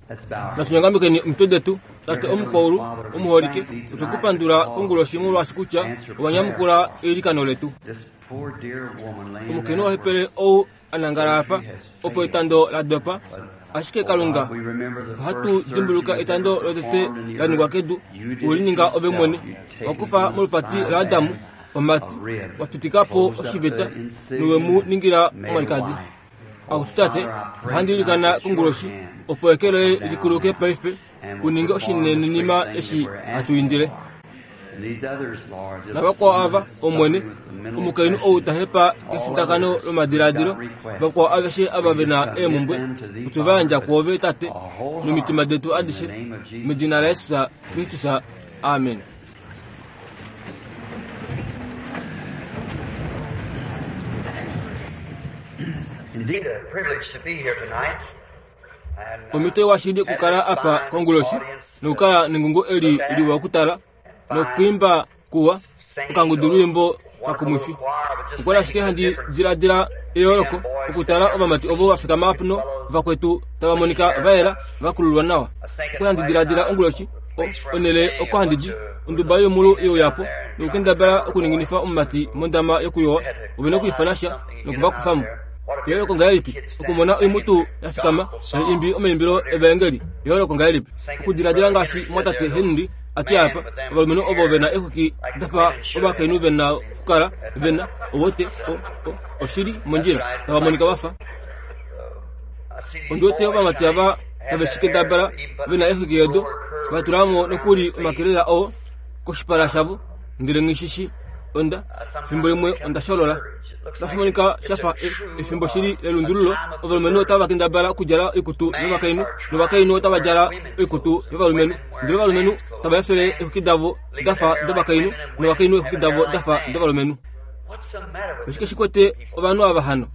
Natu nyongamekeni omitwe detu. Tate omukwaulu omuholike, otwe ku pandula konguloshi molwaashi kutya owa nyamukula eilikano letu. Omukainhu ohepele ou a nangala apa, opo etando la dopa, ashike Kalunga, ohatu dimbuluka etando lotete la ningwa kedu, we li ninga ove mwene, wa kufa molupati laAdamu omati, wa fitika po oshiveta nowe mu ningila omwalikadi. Akutu Tate, ohandi ilikana konguloshi opo eke loye li kuluke paife u ninge oshinenenima eshi hatu indile. Navakwao ava, Omwene, omukainhu ou ta hepa kefitakano lomadiladilo, vakwao aveshe ava ve na eemhumbwe, otwe va yandja kwoove, Tate, nomitima detu adishe, medina laJesus Kristus. Amen. Indeed, a privilege to be here tonight. Omhito iwa shili okukala apa konguloshi nokukala nengungo eli liwa okutala nokwiimba kuwa okangudu lwiimbo kakumwifi. Okwali ashike handi diladila eyooloko okutala ovamati ovo va fikama apuno vakwetu tava monika va yela va kululwa nawa. Okwali handi diladila onguloshi onhele oko handi di onduba yoimulu ye uya po nokukendabala okuninginifa omumati mondama yokuyowa. Ove na okwiifana sha noku va kufa mo. Eyooloko ngahelipi okumona oimutu ya fikama tai imbi omaimbilo evaengeli! Eyooloko ngahelipi okudiladila ngaashi mwatate Henry a ti apa, ovalumenhu ovo ve na exwiki da fa ovakainhu ve na okukala ve na, owete, o, o, oshili mondjila, tava monika va fa. Ondi wete ovamati ava tave shi kendabala ve na exwiki odo, va tula mo nokuli omakelela oo koshipala shavo, ndele nghi shi shii. Onda, fimbo limwe onda sholola. Otashi monika sha fa e, efimbo shili lelundululo. Ovalumenhu otava kendabala okudjala oikutu yovakainhu, novakainhu otava djala oikutu yovalumenhu. Ndele ovalumenhu tava efele eexwiki davo da fa dovakainhu, novakainhu eexwiki davo da fa dovalumenhu. Oshike shi kwete ovanhu ava hano?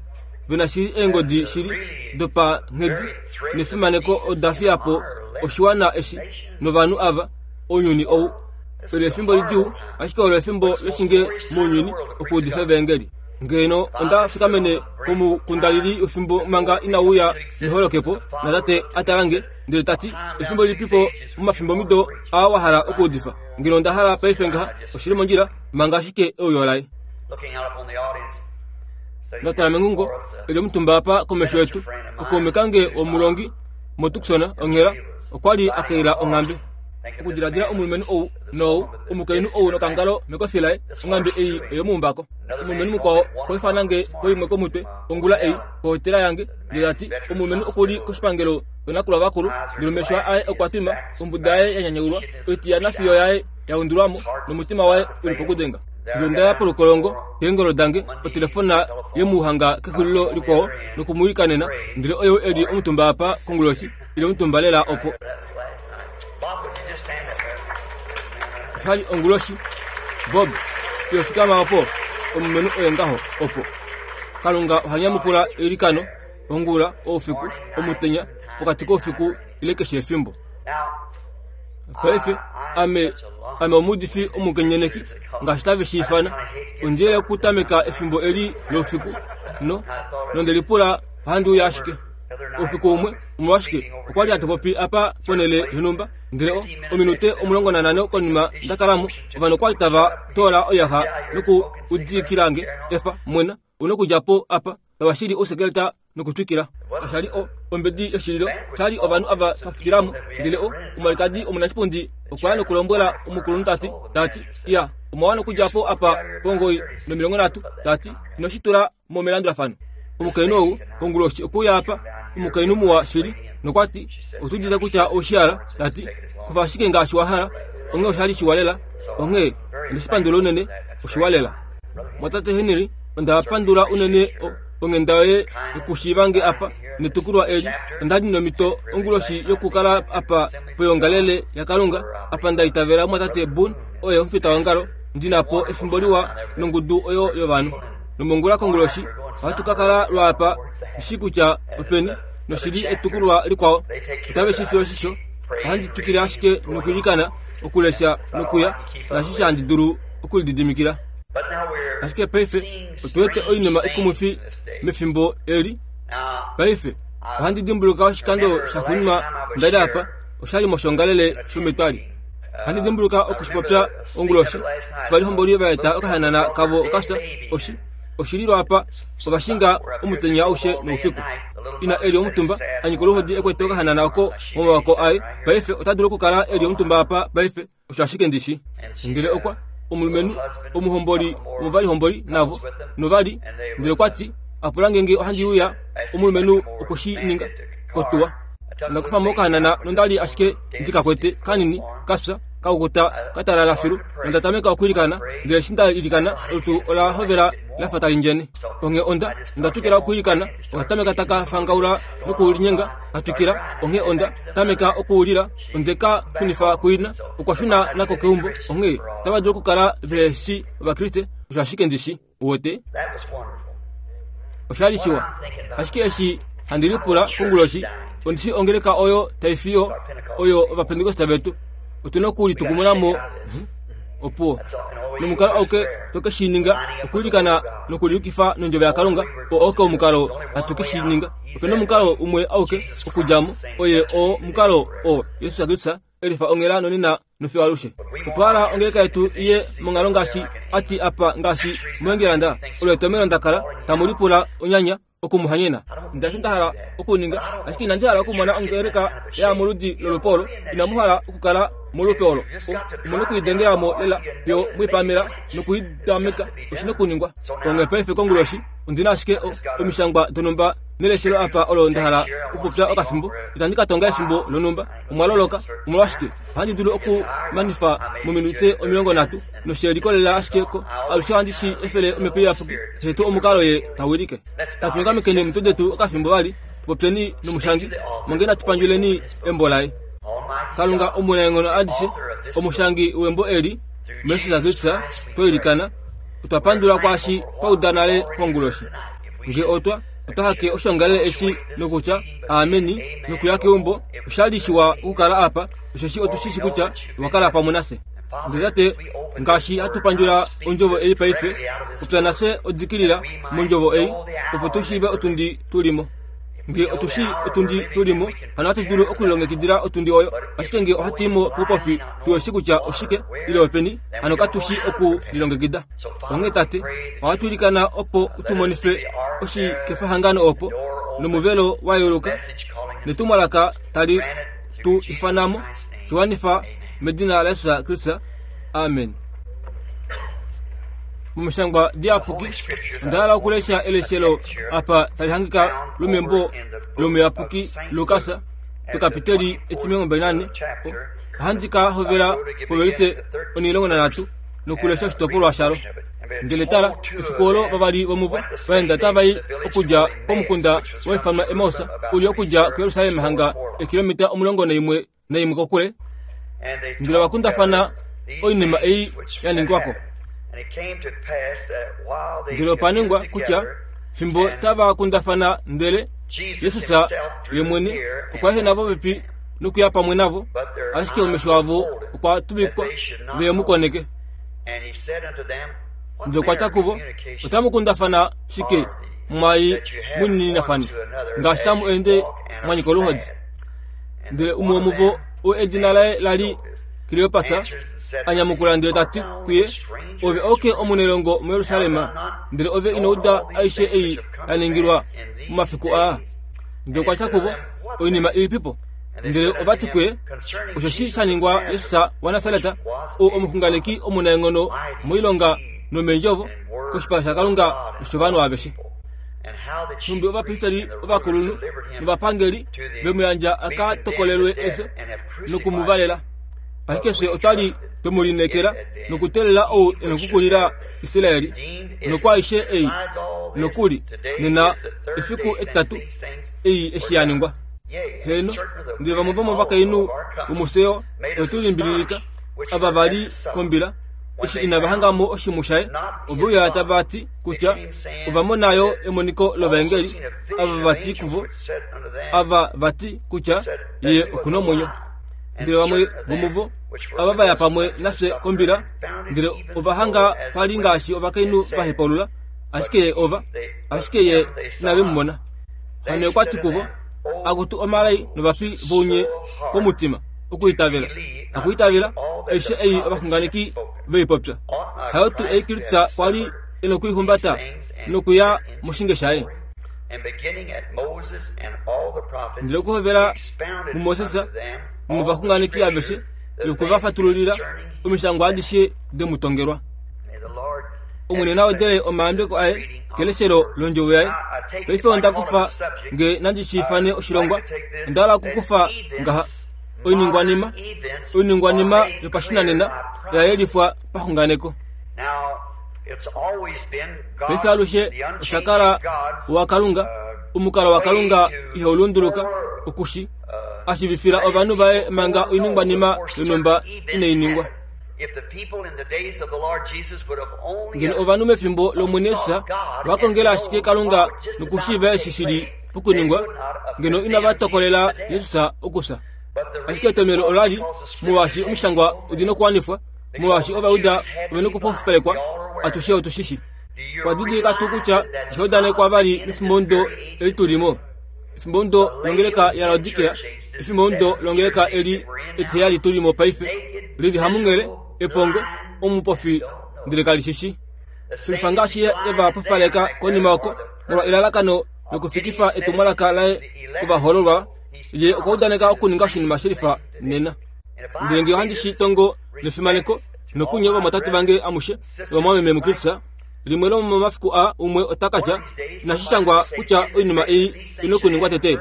Ve na shili eengodi shili dopanghedi nefimaneko oda fiya po oshiwana eshi novanhu ava, ounyuni ou. Olo efimbo lidjuu, ashike olo efimbo loshinge mounyuni okuudifa evaengeli. Ngeno onda fikamene komukundalili efimbo manga ina uya neholokepo, natate a tala nge, ndele ta ti, Efimbo lilipipo momafimbomido aa wa hala okuudifa? Ngeno onda hala paife ngaha, oshi li mondjila, manga ashike euyo laye. Nda tala mengungo, e li omutumba apa komesho yetu, okaume kange womulongi moTucson onghela, okwa li a kaila onghambe. Okudiladila omulumenhu ou nou omukainhu ou nokangalo mekofi laye, onghambe ei oyomuumbako. Omulumenhu mukwao okwa ifana nge poimwe komutwe ongula ei kohotela yange, ndele ta ti, Omulumenhu oku li koshipangelo shonakulwa vakulu, ndele omesho aye okwa twima, ombuda yaye ya nyanyaulwa, oitiyana fiyo yaye ya undulwa mo, nomutima waye u li pokudenga. Ndele onda ya polukolongo keengolo dange, otelefona ye mu hanga kexulilo likwao noku mu ilikanena, ndele oyou e li omutumba apa konguloshi, ile omutumba lela opo. Osha li onguloshi. Bob, iyo fikama opo, omulumenhu oye ngaho opo. Kalunga oha nyamukula eilikano ongula, oufiku, omutenya, pokati koufiku ile keshe efimbo. Paife ame ame omuudifi omukenyeneki ngaashi tave shi ifana. Ondi yele okutameka efimbo eli loufiku no nonde lipula ohandi uya ashike. Oufiku umwe, omolwashike, okwa li hatu popi apa ponhele yonhumba, ndele o, ominute 15 konima nda kala mo, ovanhu okwa li tava toola oiyaxa noku udikila nge, Efa, mwena, u nokudja po apa, tava shili ousekeleta nokutwikila. Kasha li o, ombedi yoshililo, sha li ovanhu ava va futila mo. Ndele o, omwalikadi omunashipundi okwa ya nokulombwela omukulunhu ta ti, ta ti, Iya, omwa wana okudja po apa pongoi nomilongonhatu, ta ti, ino shi tula mo melandulafano. Omukainhu ou konguloshi okwe uya apa, omukainhu muwa shili, nokwa ti, Otu udite kutya ou shi hala, ta ti, kufa ashike ngaashi wa hala. Onghee osha li shiwa lela. Onghee, onde shi pandula unene, oshiwa lela. Mwatate Henry, onda pandula unene o, onghenda yoye yokushiiva nge apa netukulwa eli. Onda li nomhito onguloshi yokukala apa poyoongalele yaKalunga, apa nda itavela mwatate Boone oye omufitaongalo, ndi na po efimbo liwa nongudu oyo yovanhu. Nomongula konguloshi ohatu ka kala lwaapa shi kutya openi noshi li etukulwa likwao. Otave shi fi oshisho. Ohandi twikile ashike nokwiilikana, okulesha nokuya naashishe handi dulu okulididimikila. Ashike paife otu wete oinima ikumwifi mefimbo eli. Paife ohandi dimbuluka oshikando shaxuuninwa Onda li apa, osha li moshongalele shometwali. Ohandi dimbuluka oku shi popya onguloshi, ovalihomboli va eta okahanana kavo okafya, oshi, oshi li lwaapa, ova shinga omutenya aushe noufiku. Ina e li omutumba, a nyika oluhodi e kwete okahanana oko momavako aye. Paife ota dulu okukala e li omutumba apa paife, osho ashike ndi shi. Ndele okwa, omulumenhu, omuhomboli womovalihomboli navo, nova li, ndele okwa ti, a pula nge ngee ohandi uya, omulumenhu okwe shi ninga, kotuwa. Onda kufa mo okahanana nonda li ashike ndi ka kwete kanini, ka fya, ka kukuta, ka talala filu, nonda tameka okwiilikana, ndele eshi nda ilikana, olutu ola hovela la fa tali ndjene. Onghee onda, onda twikila okwiilikana, oka tameka taka fangaula nokulinyenga, ka twikila, onghee onda tameka okuulila, onde ka shunifa kuina, okwa shuna nako keumbo, onghee otava dulu okukala vehe shi Ovakriste, osho ashike ndi shi wete. Osha li shiwa. Ashike eshi handi lipula konguloshi, ondi shi ongeleka oyo tai fiyo oyo Ovapentekoste vetu. Otu na okulitukumuna mo opuwo. Nomukalo auke to ke shi ninga, okwiilikana nokuliyukifa nondjovo yaKalunga, oo auke omukalo hatu ke shi ninga. Ope na omukalo umwe auke okudja mo, oye oo omukalo oo Jesus Kristus e lifa onghela nonena nofiyo alushe. Otwa hala ongeleka yetu iye monghalo ngaashi a ti apa ngaashi muEngilanda, olo etomheno nda kala tamu lipula onyanya oku mu hanyena. Ndaashi nda hala okuninga, ashike inandi hala okumona ongeleka ya moludi lolupe olo. Inamu hala okukala molupe olo. Omu na okuidengela mo lela fiyo mwipamela nokuidameka. Oshi na okuningwa. Onghee paife konguloshi ondi na ashike omishangwa donhumba neleshelo apa olo nda hala okupopya okafimbo. Itandi ka tonga efimbo lonhumba. Omwa loloka. Omolwashike? Ohandi dulu okumanifa mominute 30, noshe likolelela ashike ko alushe ohandi shi efele Omhepo Iyapuki, keshe tuu omukalo Ye ta wilike. Natu nyongamekeni omitwe detu okafimbo vali, tu popyeni nomushangi, manga inatu pandjuleni embo laye. Kalunga omunaenghono adishe, omushangi wembo eli, muJesus Kristus, twa ilikana, otwa pandula kwaashi twa uda nale konguloshi. Nge otwa, otwa hake oshongalele eshi nokutya aameni nokuya keumbo, osha li shiwa okukala apa, osheshi otu shi shi kutya owa kala pamwe nafye. Ndele Tate, ngaashi hatu pandjula ondjovo ei paife, popya nafye odikilila mondjovo ei, opo tu shiive otundi tu li mo. Nge otu shii otundi tu li mo, hano ohatu dulu okulilongekidila otundi oyo. Ashike nge ohatu i mo poupofi tu shi kutya oshike ile openi, hano katu shi oku lilongekida. Onghee Tate, ohatu ilikana opo u tu monife oshikefahangano opo, nomuvelo wa yeuluka, netumwalaka tali tu ifana mo, shi wanifa medina laJesus Kristus. Amen. Momishangwa diyapuki onda hala okulesha eleshelo apa tali hangika lomembo lomuyapuki Lukas pekapiteli etimilongo Ohandi ka hovela povelise 13 nokulesha oshitopolwa shalo. Ndele tala, efiku olo vavali vomuvo va enda tava i okudja komukunda wa ifanwa Emaus, u li okudja kuJerusalem hanga eekilometa 11 kokule, ndele ova kundafana oinima ei ya ningwa ko. Ndele opa ningwa kutya fimbo tava kundafana ndele Jesus ye mwene okwa ehena popepi nokuya pamwe navo, ashike omesho avo okwa tuvikwa ve mu koneke. Ndele okwa tya kuvo, Otamu kundafana shike mwai munininafane, ngaashi tamu ende mwa nyika oluhodi? Ndele umwe womuvo, oo edina laye la li Kleopas, a nyamukula ndele ta ti kuye, Ove oke omunailongo muJerusalem, ndele ove ino uda aishe ei ya ningilwa momafiku aa? Ndele okwa tya kuvo, Oinima ilipipo? Ndele ova ti kuye, Osheshi sha ningwa Jesus waNasaret, ou omuxunganeki omunaenghono moilonga nomeendjovo koshipala shaKalunga noshovanhu aveshe. Nhumbi ovapristeri ovakulunhu novapangeli ve mu yandja a ka tokolelwe efyo noku mu valela. Ashike fye otwa li twe mu lineekela nokuteelela ou e nokukulila Israel, nokwaaishe ei nokuli nena efiku etitatu ei eshi ya ningwa. Heeno, ndele vamwe vomovakainhu vomuSion ove tu limbililika, ava va li kombila, eshi inava hanga mo oshimhu shaye, ove uya tava ti kutya ova mona yo emoniko lovaengeli, ava va ti kuvo, ava va ti kutya ye oku na omwenyo. Ndele vamwe vomuvo ava va ya pamwe nafye kombila, ndele ova hanga pa li ngaashi ovakainhu va hepaulula, ashike ye ova, ashike ye inave mu mona. Hano okwa ti kuvo, Akutu omalai novafi vounye! komutima okuitavela. Hakuitavela aishe ei ovaxunganeki ve i popya. Hayo tuu ei Kristus kwa li e nokuihumbata nokuya moshinge shaye. Ndele okuhovela muMoses nomovaxunganeki aveshe nokwe va fatululila omishangwa adishe de mu tongelwa. Omwene na wedele omayambeko aye keleshelo londjovo yaye. Paife onda kufa nge nandi shi ifane oshilongwa, onda hala okukufa ngaha oiningwanima, oiningwanima yopashinanena ya yelifwa paxunganeko. Paife alushe osha kala waKalunga, omukalo waKalunga ihau lunduluka, oku shi a shiivifila ovanhu vaye manga oiningwanima yonhumba inai ningwa. Ngeno ovanhu mefimbo lOmwene Jesus va kongela ashike Kalunga nokushiiva eshi shi li pokuningwa, ngeno inava tokolela Jesus okufya. Ashike etomhelo ola li molwaashi Omishangwa odi nokuwanifwa, molwaashi Ovajuda ove nokupofipalekwa, atushe otu shi shi. Okwa didilika tuu kutya osha udanekwa vali mefimbomudo eli tu li mo, efimbomudo longeleka yaLaodikea, efimbomudo longeleka eli etiheyali tu li mo paife, li li hamunghele, epongo, omupofi, ndele kali shi shi. Shilifa ngaashi ye e va pofipaleka konima oko, molwa elalakano lokufikifa etumwalaka laye kovahoololwa, ye okwa udaneka okuninga oshinima shelifa nena. Ndele nge ohandi shi tongo nefimaneko nokunye ovamwatate vange amushe novamwameme muKristus, limwe lomomafiku aa umwe ota ka tya, Inashi shangwa kutya oinima ei i nokuningwa tete?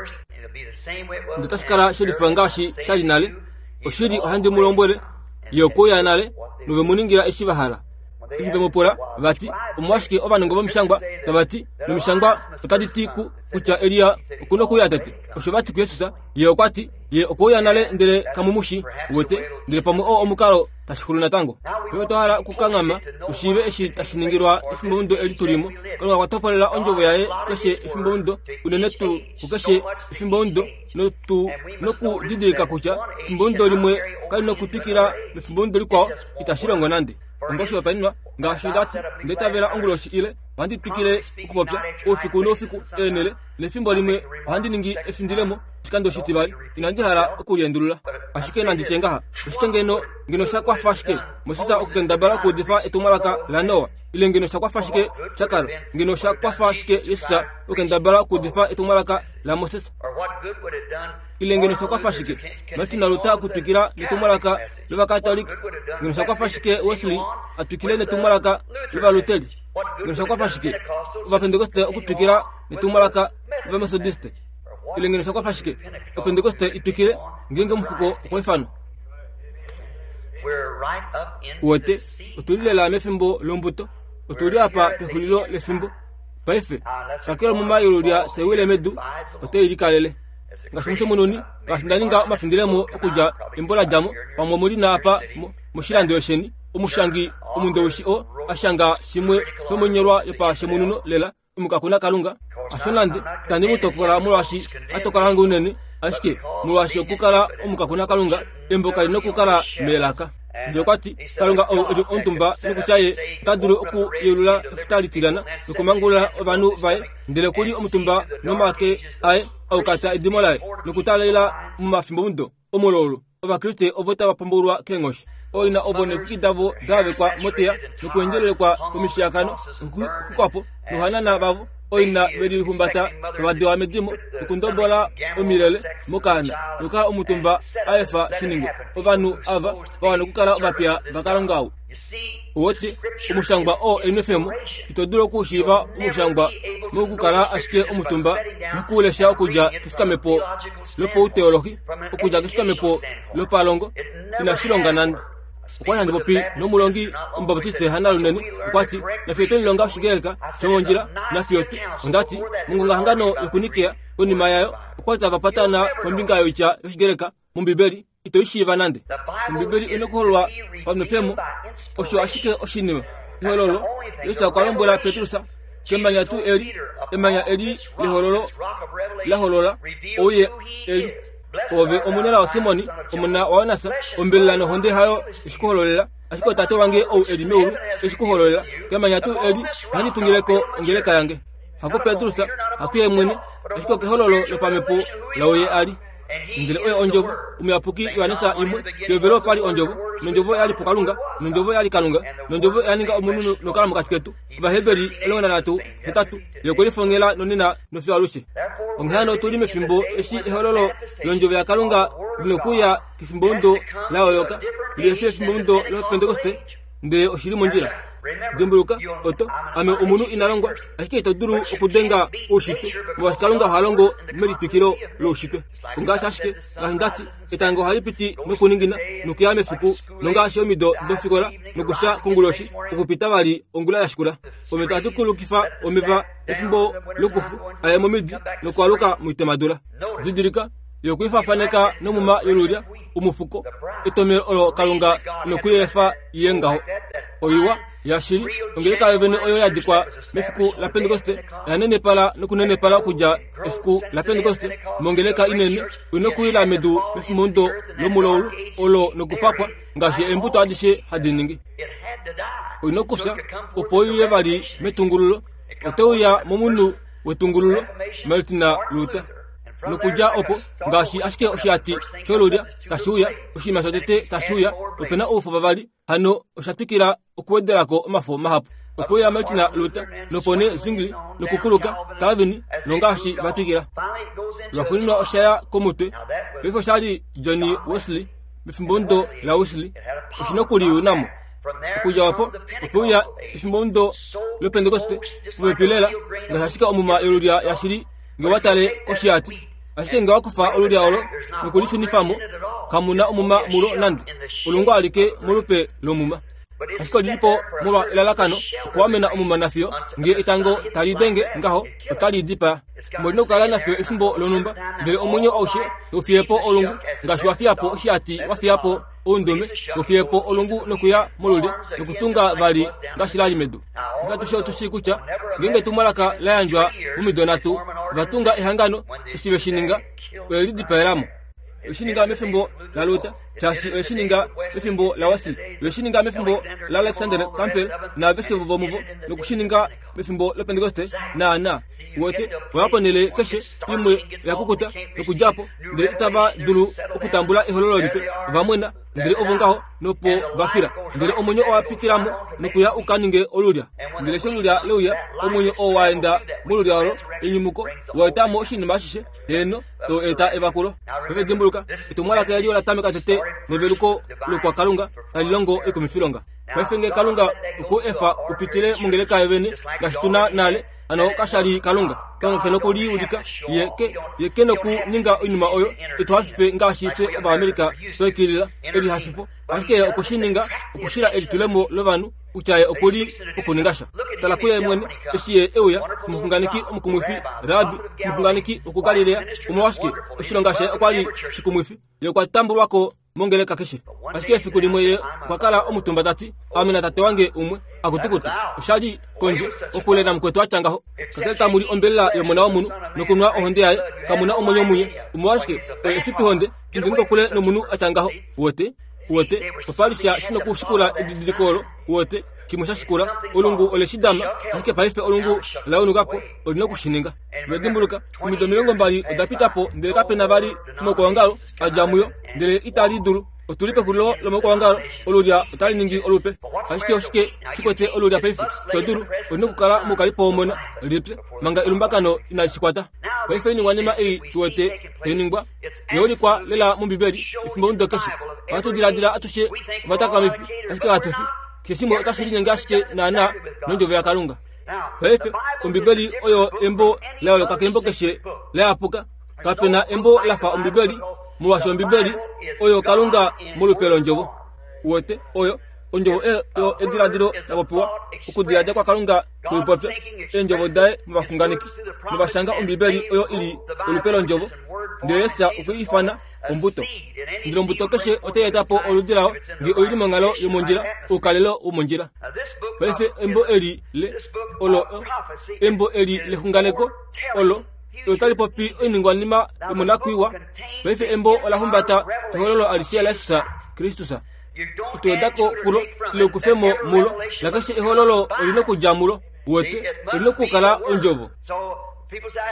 Ndele otashi kala she lifa ngaashi sha li nale. Oshili ohandi mu lombwele, ye okwe uya nale, nove mu ningila eshi va hala. Eshi ve mu pula, va ti, Omolwashike ovanongo vomishangwa tava ti, nomishangwa otadi ti kutya Elia oku nokuuya tete? Osho va ti kuJesus, Ye okwa ti, Ye okwe uya nale ndele kamu mu shii. Uwete? Ndele pamwe oo omukalo tashi xulu natango. Paife otwa hala okukanghama tu shiive eshi tashi ningilwa efimbomudo eli tu li mo. Kalunga okwa topolela ondjovo yaye kukeshe efimbomudo, unene tuu kukeshe efimbomudo, notu nokudidilika kutya efimbomudo limwe kali nokutwikila mefimbomudo likwao, itashi longo nande. Onga oshihopaenenwa, ngaashi nda ti, nda itavela onguloshi ile ohandi twikile okupopya oufiku noufiku eenhele nefimbo limwe ohandi ningi efindilemo oshikando oshitivali. Inandi hala okuliendulula. Ashike nandi tye ngaha, oshike ngeno, ngeno sha kwafa shike Moses okukendabala okuudifa etumwalaka laNoa? Ile ngeno sha kwafa shike shaKarl? Ngeno sha kwafa shike Jesus okukendabala okuudifa etumwalaka laMoses? Ile ngeno sha kwafa shike Martin Luther okutwikila netumwalaka lOvakatolika? Ngeno sha kwafa shike Wesley a twikile netumwalaka lOvaluteri? Ngeno sha kwafa shike Ovapentekoste okutwikila netumwalaka lOvametodiste? Ile ngeno sha kwafa shike Opentekoste i twikile ngeenge omufuko okwa ifanwa? Uwete, otu li lela mefimbo lombuto. Otu li apa pexulilo lefimbo. Paife, kakele omuma yolulya tai wile medu, otai likalele. Ngaashi mushemununi, ngaashi nda ninga omafindilemo okudja embo la dja mo, pamwe omu li na apa moshilando sheni, omushangi omundowishi oo a shanga shimwe shomoinyolwa yopashemununo lela, omukakuna Kalunga. Hasho nande, itandi mu tokola molwaashi a tokola nge unene, ashike molwaashi okukala omukakuna Kalunga, embo kali nokukala melaka. Ndele okwa ti, Kalunga ou e li omutumba nokutya ye ota dulu okuyeulula efuta litilyana nokumangulula ovanhu vaye, ndele oku li omutumba nomake aye a ukata edimo laye nokutaalela momafimbomudo omolwoulu Ovakriste ovo tava pombaulwa keenghoshi. Ooina ovo neexwiki davo da yavekwa moteya nokuendjelelekwa komishiyakano nokuxwikwa po, nohanana vavo ooina ve lihumbata tava dewa medimo nokundobola omilele mokaana nokukala omutumba a efa shi ningwe. Ovanhu ava va wana okukala ovapiya vaKalunga ou. Owete, omushangwa oo enwefemo, ito dulu okushiiva omushangwa mokukala ashike omutumba nokuulesha okudja kefikamepo lopauteolohi, okudja kefikamepo lopalongo, inashi longa nande. Okwa li handi popi nomulongi Omubaptiste Hanna Lunene, okwa ti, Nafye otwe lilonga Oshigreka shomondjila, nafye otu. Onda ti, Mongongahangano yokuNikea, konima yayo, okwa li tava patana kombinga yoitya yOshigreka mOmbibeli, ito i shiiva nande. Ombibeli oi na okuhololwa panwefemo, osho ashike oshinima. Ehololo, Jesus okwa lombwela Petrus, kemanya tuu eli, emanya eli lehololo la holola ou ye e li. Ove omunelao Simoni, omona waYonas, ombelela nohonde hayo eshi ku hololela, ashike oTate wange ou e li meulu eshi ku hololela. Kemanya tuu eli ohandi tungile ko ongeleka yange. Haku Petrus, hakuye mwene, ashike okehololo lopamhepo laou ye a li. Ndele oye Ondjovo, Omuyapuki Johannes 1, Pehovelo opa li Ondjovo, nOndjovo oya li puKalunga, nOndjovo oya li Kalunga, nOndjovo oya ninga omunhu nokukala mokati ketu. Ovaheberi 13, 8, Ye okwe lifongela nonena nofiyo alushe. Onghee hano otu li mefimbo eshi ehololo lOndjovo yaKalunga li nokuuya kefimbomudo la yooloka lihe fi efimbomudo lOpentekoste, ndele oshi li mondjila. Dimbuluka, oto, ame omunhu ina longwa, ashike ito dulu okudenga oushitwe, molwaashi Kalunga oha longo melitwikilo loushitwe. Ongaashi ashike, ngaashi nda ti, etango ohali piti nokuningina nokuya mefiku, nongaashi omido dofikola nokufya konguloshi okupita vali ongula ya shikula. Omeva ohatu kulukifa omeva efimbo lokufu a ye momidi nokwaluka moitemadula. Didilika, ye okwe ifaafaneka nomuma yolulya, omufuko, etomhelo olo Kalunga noku i efa i ye ngaho. Oiwa, yashili, ongeleka yovene oyo ya dikwa mefiku laPentekoste oya nenepala nokunenepala okudja efiku laPentekoste mongeleka inene, oi nokuwila medu mefimbomudo lomulaulu olo nokupakwa ngaashi eembuto adishe hadi ningi. Oi nokufya opo i uye vali metungululo. Ote uya momunhu wetungululo, Martin Luther. Nokudja opo, ngaashi ashike oshihati sholulya tashi uya, oshinima shotete tashi uya, ope na oufo vavali, hano osha twikila okuwedela ko omafo mahapu. Ope uya Martin Luther, nopo nee Zwingli, nokukuluka, Calvin, nongaashi va twikila. Lwaxuuninwa osha ya komutwe. Paife osha li Johnny Wesley, mefimbomudo laWesley, oshi nokuliuna mo. Okudja opo, ope uya efimbomudo lOpentekoste, popepi lela, ngaashi ashike omuma yolulya yashili nge wa tale koshihati. Ashike nge wa kufa olulya olo nokulishunifa mo, kamu na omuma mulo nande, olungu alike molupe lomuma. Ashike oli li po molwa elalakano okuamena omuma nafiyo nge etango tali denge ngaho otali dipaa. Omo li na okukala nafiyo efimbo lonhumba, ndele omwenyo aushe tau fiye po olungu, ngaashi wa fiya po oshihati wa fiya po oundume, tau fiye po olungu nokuya molulya nokutunga vali ngaashi la li medu. Paife atushe otu shii kutya ngeenge etumwalaka la yandjwa momido nhatu, ova tunga ehangano, eshi ve shi ninga, oye lidipaela mo. Oye shi ninga mefimbo laLuther, shaashi oye shi ninga mefimbo laWesley, oye shi ninga mefimbo laAlexander Campbell naaveshe vomuvo, noku shi ninga mefimbo lOpentekoste, naanaa. Uwete, oya ponhele keshe imwe oya kukuta nokudja po, ndele itava dulu okutambula ehololo lipe. Ova mwena, ndele ovo ngaho, nopo va fila. Ndele omwenyo owa pitila mo nokuya u ka ninge olulya. Ndele eshi olulya le uya, omwenyo oo wa enda molulya olo, enyumuko, wa eta mo oshinima ashishe, heeno, tau eta evakulo. Paife dimbuluka, etumwalaka eli ola tameka tete neveluko lokwakalunga tali longo oikumifilonga. Paife nge Kalunga okwe u efa u pitile mongeleka yovene, ngaashi tu na nale, hano kasha li Kalunga. Kalunga ke nokuliulika, ye ke, ye ke nokuninga oinima oyo itu hafife ngaashi fye Ovaamerica twa ikilila, elihafifo. Ashike ye okwe shi ninga okushila elitulemo lovanhu kutya ye oku li pokuninga sha. Tala kuye mwene, eshi ye e uya, omuxunganeki omukumwifi, Rabbi, omuxunganeki wokuGalilea. Omolwashike, oshilonga shaye okwa li shikumwifi. Ye okwa tambulwa ko mongeleka keshe. Ashike efiku limwe ye okwa kala omutumba ta ti, Ame natate wange umwe. Akutukutu, osha li kondje, kokule namukwetu a tya ngaho. Kakele tamu li ombelela yOmona wOmunhu nokunwa ohonde yaye, kamu na omwenyo munye. Omolwashike, oye efipihonde, indeni kokule nomunhu a tya ngaho. Uwete? Uwete, opa li sha shi nokushikula edidiliko olo, uwete, shimwe sha shikula. Olungu ole shi dama, ashike paife olungu la unuka ko, oli noku shi ninga. Ndele dimbuluka, omido 20 oda pita po ndele kape na vali omaukwaongalo a dja muyo, ndele itali dulu. Otu li pexulilo lomaukwaongalo, olulya otali ningi olupe. Ashike oshike shi kwete olulya paife? Ito dulu, oli nokukala moukalipo womona, lipye, manga elumbakano inali shi kwata. Paife oiningwanima ei tu wete tai ningwa, oya ulikwa lela mOmbibeli efimbomudo keshe. Ohatu diladila atushe ovatakamifi, ashike katu fi. Keshe shimwe otashi linyenge ashike naanaa nOndjovo yaKalunga. Paife, Ombibeli oyo embo la yooloka kembo keshe la yapuka. Kape na embo la fa Ombibeli, molwaashi Ombibeli oyo Kalunga molupe londjovo. Uwete, oyo ondjovo oyo ediladilo la popiwa, okudiladila kwaKalunga kweupopya, eendjovo daye movaxunganeki, nova shanga Ombibeli oyo i li olupe londjovo. Ndele Jesus okwe i ifana ombuto. Ndele ombuto keshe otai eta po oludi layo nge oi li monghalo yomondjila, oukalelo womondjila. Paife embo eli le olo embo eli lexunganeko olo otali popi oiningwanima yomonakwiiwa. Paife embo ola humbata ehololo alishe laJesus Kristus. Ito weda ko kulo ile u kufe mo mulo, nakeshe ehololo oli nokudja mulo. Uwete, oli nokukala ondjovo.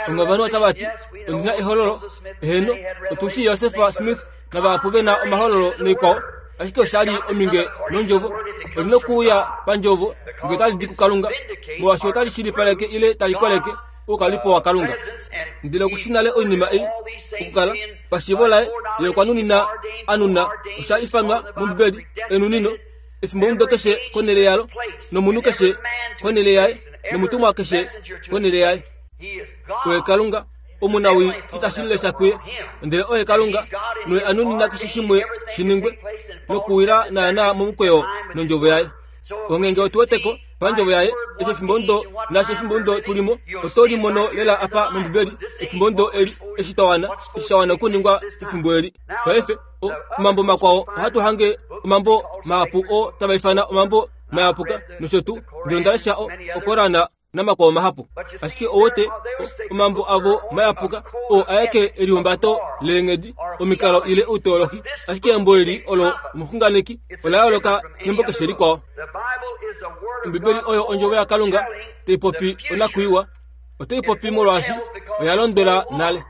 Ovanhu otava ti, Ondi na ehololo. Eheno, otu shii Joseph Smith navahapu ve na omahololo noikwao, ashike osha li ominge nondjovo. Oli na okuuya pandjovo, nge otali di kuKalunga, molwaashi otali shilipaleke ile tali koleke oukalipo waKalunga. Ndele oku shi nale oinima ei okukala pashiivo laye, ye okwa nunina a nuna osha ifanwa mOmbibeli enunino. Efimbomudo keshe konhele yalo, nomunhu keshe konhele yaye, nomutumwa keshe konhele yaye. Oye Kalunga, omunawii itashi lesha kuye, ndele oye Kalunga, noye a nunina keshe shimwe shi ningwe, nokuwila naanaa momukweyo nondjovo yaye. Onghee ngee otu wete ko, pandjovo yaye, eshi efimbomudo naashi efimbomudo tu li mo, oto li mono lela apa mOmbibeli, efimbomudo eli, eshi twa wana, eshi sha wana okuningwa pefimbo eli. Paife, omambo makwao ohatu hange omambo mahapu oo tava ifana omambo mayapuka nosho tuu ndele onda lesha okorana namakwao mahapu ashike owote omambo avo mayapuka oo aeke elihumbato leenghedi omikalo ile outeolohi ashike embo eli olo omuxunganeki ola yooloka kembo keshe likwao ombibeli oyo ondjovo yakalunga tai popi onakwiiwa otai popi molwaashi oya londwela nale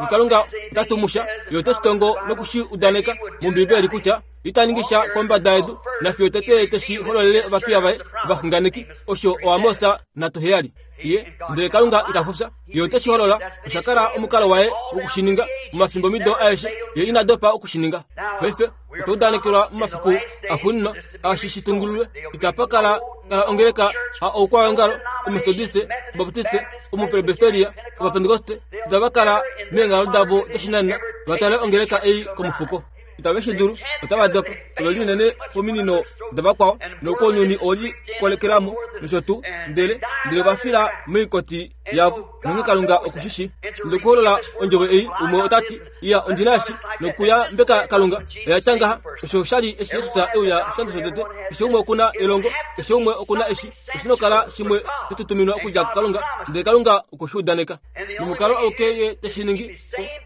Kalunga ota tumu sha, ye ote shi tongo noku shi udaneka mOmbiibeli kutya ita ningi sha kombada yedu nafiyo tete ye te shi hololele ovapiya vaye ovaxunganeki, osho oAmos 3:7. Ye, ndele Kalunga ita fufya, ye ote shi holola. Osha kala omukalo waye woku shi ninga momafimbomido aeshe, ye ina dopa oku shi ninga. Paife otwa udanekelwa momafiku axuuninwa ashi shi tungululwe. Itapa kala kala ongeleka ha oukwaongalo, Ometodiste, Obaptiste, Omupresbiteria, Ovapentekoste, itava kala meenghalo davo doshinanena va tale ongeleka ei komufuko. Itave shi dulu, otava dopa. Ove li unene pominino davakwao, noukounyuni owe likolekela mo, nosho tuu, ndele, ndele ova fila moikoti yavo. Nonghee Kalunga oku shi shii. Nokuholola ondjovo ei, umwe ota ti, Iya, ondi na eshi. Nokuya mbeka Kalunga, oya tya ngaha. Osho osha li eshi Jesus e uya oshikando shotete. Keshe umwe oku na elongo, keshe umwe oku na eshi. Oshi na okukala shimwe sha tutuminwa okudja kuKalunga, ndele Kalunga okwe shi udaneka. Nomukalo auke Ye te shi ningi,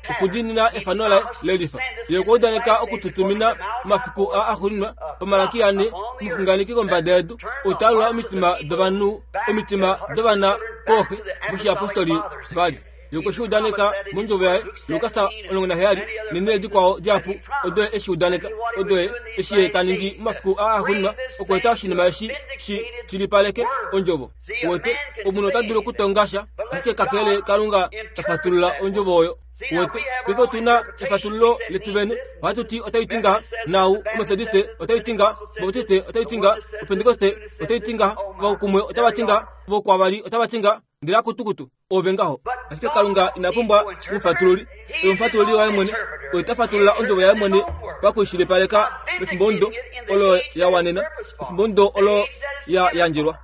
okudiinina efano laye lelifa. Ye okwa udaneka oku tu tumina momafiku aa axuuninwa, paMalaki ane, omuxunganeki kombada yedu, ou ta alula omitima dovanhu, omitima dovana kooxe, moshiyapostoli vali. Ye okwe shi udaneka mondjovo yaye, Lukas 17, nenhele dikwao dihapu odo ye e shi udaneka, odo ye, eshi ye ta ningi momafiku aa axuuninwa, okweeta oshinima eshi shi shilipaleke ondjovo. Uwete, omunhu ota dulu okutonga sha, ashike kakele Kalunga ta fatulula ondjovo oyo. Uwete, paife otu na efatululo letu vene. Ohatu ti otai ti ngaha, naau Ometodiste otai ti ngaha, Obaptiste otai ti ngaha, Opentekoste otai ti ngaha, vakumwe otava ti ngaha, vokwavali otava ti ngaha, ndele akutukutu, ove ngaho. Ashike Kalunga ina pumbwa omufatululi. Oye omufatululi waye mwene. Oye ta fatulula ondjovo yaye mwene pakuishilipaleka mefimbomudo olo ya wanena, efimbomudo olo ya yandjelwa.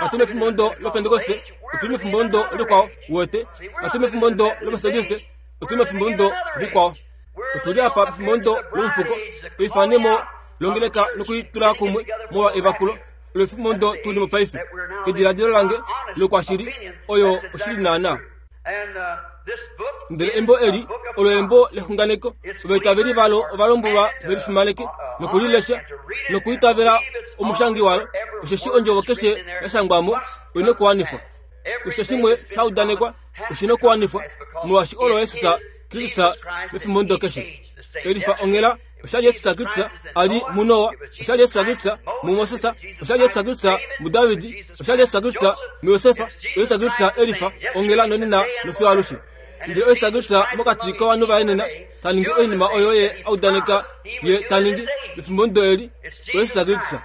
Katu mefimbomudo lOpentekoste, otu li mefimbomudo likwao, uwete. Katu mefimbomudo lOmetodiste, otu li mefimbomudo likwao. Otu li apa pefimbomudo lomufuko, eifanemo longeleka nokuitula kumwe molwa evakulo. Lefimbo tu li mo paife, kediladilo lange lokwashili, oyo oshili naanaa. Ndele embo eli olo embo lexunganeko. Ovaitaveli valo ova lombwelwa ve li fimaneke noku li lesha nokuitavela omushangi walo, osheshi ondjovo keshe ya shangwa mo oi na okuwanifwa. Keshe shimwe sha udanekwa oshi na okuwanifwa, molwaashi olo Jesus Kristus mefimbo keshe. Elifa onghela osha li Jesus Kristus a li muNoa, osha li Jesus Kristus muMoses, osha li Jesus Kristus muDavid, osha li Jesus Kristus muJosef, Jesus Kristus elifa onghela nonena nofiyo alushe. Ndele Jesus Kristus mokati kovanhu vaye nena ta ningi oinima oyo ye a udaneka ye ta ningi mefimbo eli, Jesus Kristus.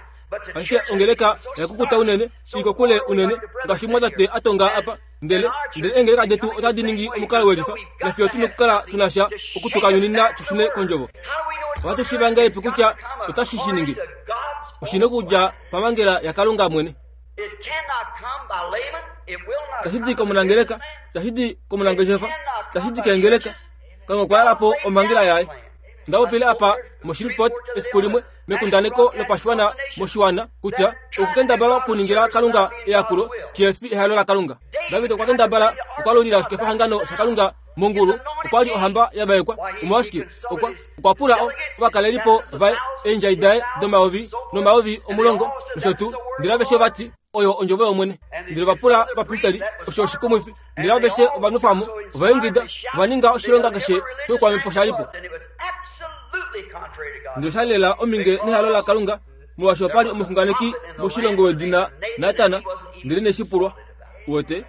Ashike ongeleka oya kukuta unene, i kokule unene, ngaashi omumwatate a tonga apa. Ndele, ndele eengeleka detu otadi ningi omukalo welifa, nafiyo tu nokukala tu na sha oku tu kanyunina tu shune kondjovo. Ohatu shiiva ngahelipi kutya otashi shi ningi? Oshi na okudja pamhangela yaKalunga mwene. Itashi di komunangeleka, itashi di komunangeshefa, itashi di keengeleka. Kalunga okwa yala po omhangela yaye. Onda popile apa moShreveport efiku limwe mekundaneko lopashiwana moshiwana kutya okukendabala okuningila Kalunga eyakulo shihefi ehalo laKalunga. David okwa kendabala okwalulila oshikefahangano shaKalunga mongulu okwa li ohamba ya vaekwa. Omolwashike? Okwa, okwa pula o, ovakalelipo vaye, eendjai daye domayovi nomayovi omulongo nosho tuu, ndele aveshe ova ti, Oyo ondjovo yOmwene. Ndele ova pula ovapristeli, osho oshikumwifi. Ndele aveshe ova nwefa mo, ova ingida, ova ninga oshilonga keshe shoukwamhepo sha li po. Ndele osha li lela ominge nehalo laKalunga, molwaashi opa li omuxunganeki moshilongo wedina Natan, ndele ine shi pulwa. Uwete?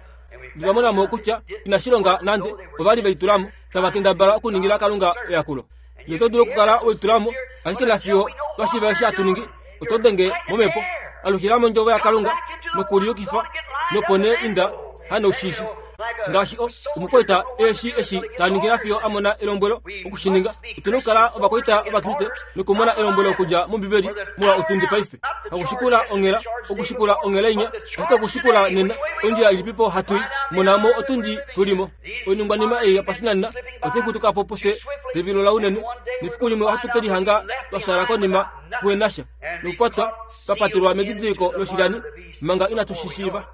Ndele va mona mo kutya inashi longa nande, ova li ve litula mo, tava kendabala okuningila Kalunga eyakulo. Ndele oto dulu okukala we litula mo, ashike nafiyo twa shiiva eshi hatu ningi, oto denge momhepo. Alukila mondjovo yaKalunga nokuliyukifa, nopo nee inda hanoushishi. Ngaashi o, omukwaita eshi eshi ta ningi nafiyo a mona elombwelo oku shi ninga. Otu na okukala ovakwaita Ovakriste nokumona elombwelo okudja mOmbibeli molwa otundi paife. Hakushikula onghela, okushikula onghela inya, ashike okushikula nena. Ondjila ilipipo hatu i? Mona mo otundi tu li mo. Oiningwanima ei yopashinanena otai xutuka po pufye pevilo launene, nefiku limwe ohatu ke lihanga twa fyaala konima kuhe na sha, nokukwatwa twa patelwa medidiliko loshilyani manga inatu shi shiiva.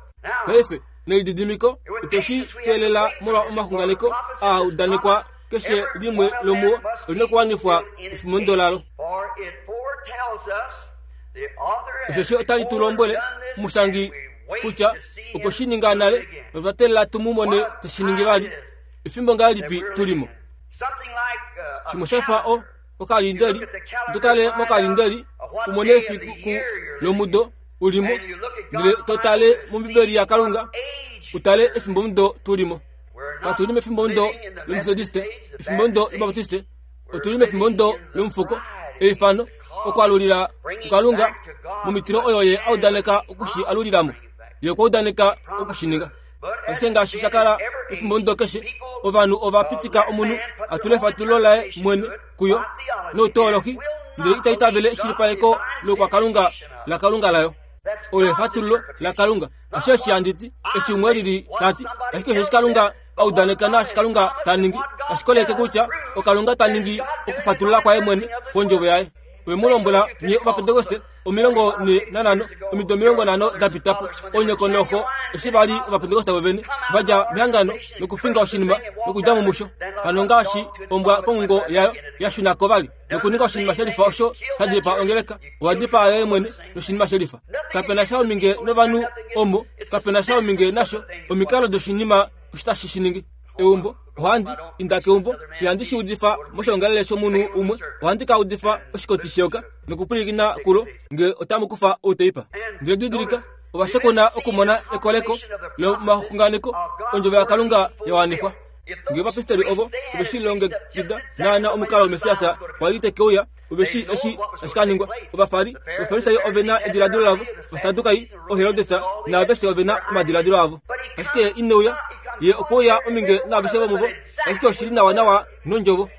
Paife, nelididimiko otwe shi teelela molwa omaxunganeko aa udanekwa keshe limwe lomuo oli na okuwanifwa efimbo lalo. Osheshi otali tu lombwele omushangi kutya okwe shi ninga nale notwa teelela tu mu mone te shi ningi vali. Efimbo ngahelipi tu li mo? Shimwe sha fa o okalindeli, to tale mokalindeli u mone efiku lomudo u li mo, ndele to tale mOmbibeli yaKalunga u tale efimbomudo tu li mo. Katu li mefimbomudo lOmetodiste, efimbomudo lObaptiste, otu li mefimbomudo lomufuko, eifano, okwalulila kuKalunga momitilo oyo ye a udaneka oku shi alulila mo. Ye okwa udaneka oku shi ninga. Ashike ngaashi sha kala efimbomudo keshe, ovanhu ova pitika omunhu a tule efatululo laye mwene kuyo nouteolohi, ndele ita itavele eshilipaleko loukwakalunga laKalunga layo. Olo efatululo laKalunga. Ashe eshi handi ti, eshi umwe lili ta ti, ashike osheshi Kalunga a udaneka naashi Kalunga ta ningi, tashi koleke kutya oKalunga ta ningi okufatulula kwaye mwene kwondjovo yaye. Owe mu lombwela nye Ovapentekoste 45, omido 50 da pita po, onyoko noxo, eshi va li Ovapentekoste vovene, va dja mehangano nokufinga oshinima nokudja mo musho, hano ngaashi ombwa kongungo yayo ya shuna ko vali nokuninga oshinima shelifa osho sha dipaa ongeleka, owa dipaa yoye mwene noshinima shelifa. Kape na sha ominge novanhu omo, kape na sha ominge nasho, omikalo doshinima osho tashi shi ningi. Eumbo, ohandi inda keumbo, ihandi shi udifa moshiongalele shomunhu umwe, ohandi ka udifa oshikoti sheyoka nokupwilikina kulo nge otamu kufa outeipa. Ndele didilika, ova shekuna okumona ekoleko lomaxunganeko ondjovo yaKalunga ya wanifwa. Nge ovapristeri ovo ove shi longekida naana omukalo Messias kwa li te ke uya, ove shii eshi tashi ka ningwa. Ovafari, Ovafarisai ove na ediladilo lavo, Ovasadukai, Oherodes naaveshe ove na omadiladilo avo. Ashike ye ine uya, ye okwe uya ominge naaveshe vomuvo, ashike oshi li nawanawa nondjovo.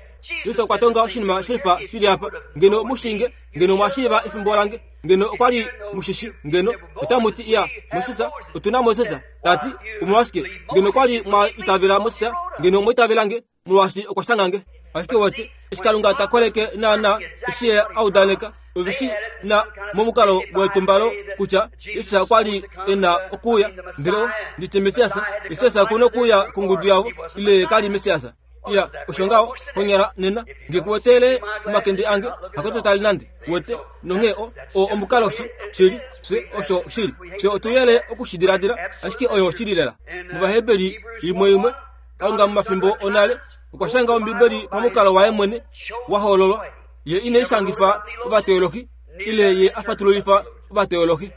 Jesus okwa tonga oshinima shelifa shi li apa. Ngeno mu shii nge, ngeno mwa shiiva efimbo lange, ngeno okwa li mu shi shi, ngeno otamu ti, Iya, Moses, otu na Moses. Ta ti, Omolwashike, ngeno okwa li mwa itavela Moses, ngeno omwa itavela nge, molwaashi okwa shanga nge. Ashike wete, eshi Kalunga ta koleke naanaa eshi Ye a udaneka, ove shi na momukalo wetumbalo kutya Jesus okwa li e na okuuya. Ndele o, nditye Messias, Messias oku na okuuya kongudu yavo, ile ye ka li Messias. Iya, osho ngaho, konyala nena, nge ku wetele omakende ange, hakoto tali nande, wete, nonghee o, o omukalo shi, shili, fye, osho shili. Fye otu yele oku shi diladila, ashike oyo oshili lela. MOvaheberi imwe imwe, Kalunga momafimbo onale okwa shanga Ombibeli pamukalo waye mwene wa hoololwa. Ye ine i shangifa ovateolohi ile ye a fatululifa ovateolohi.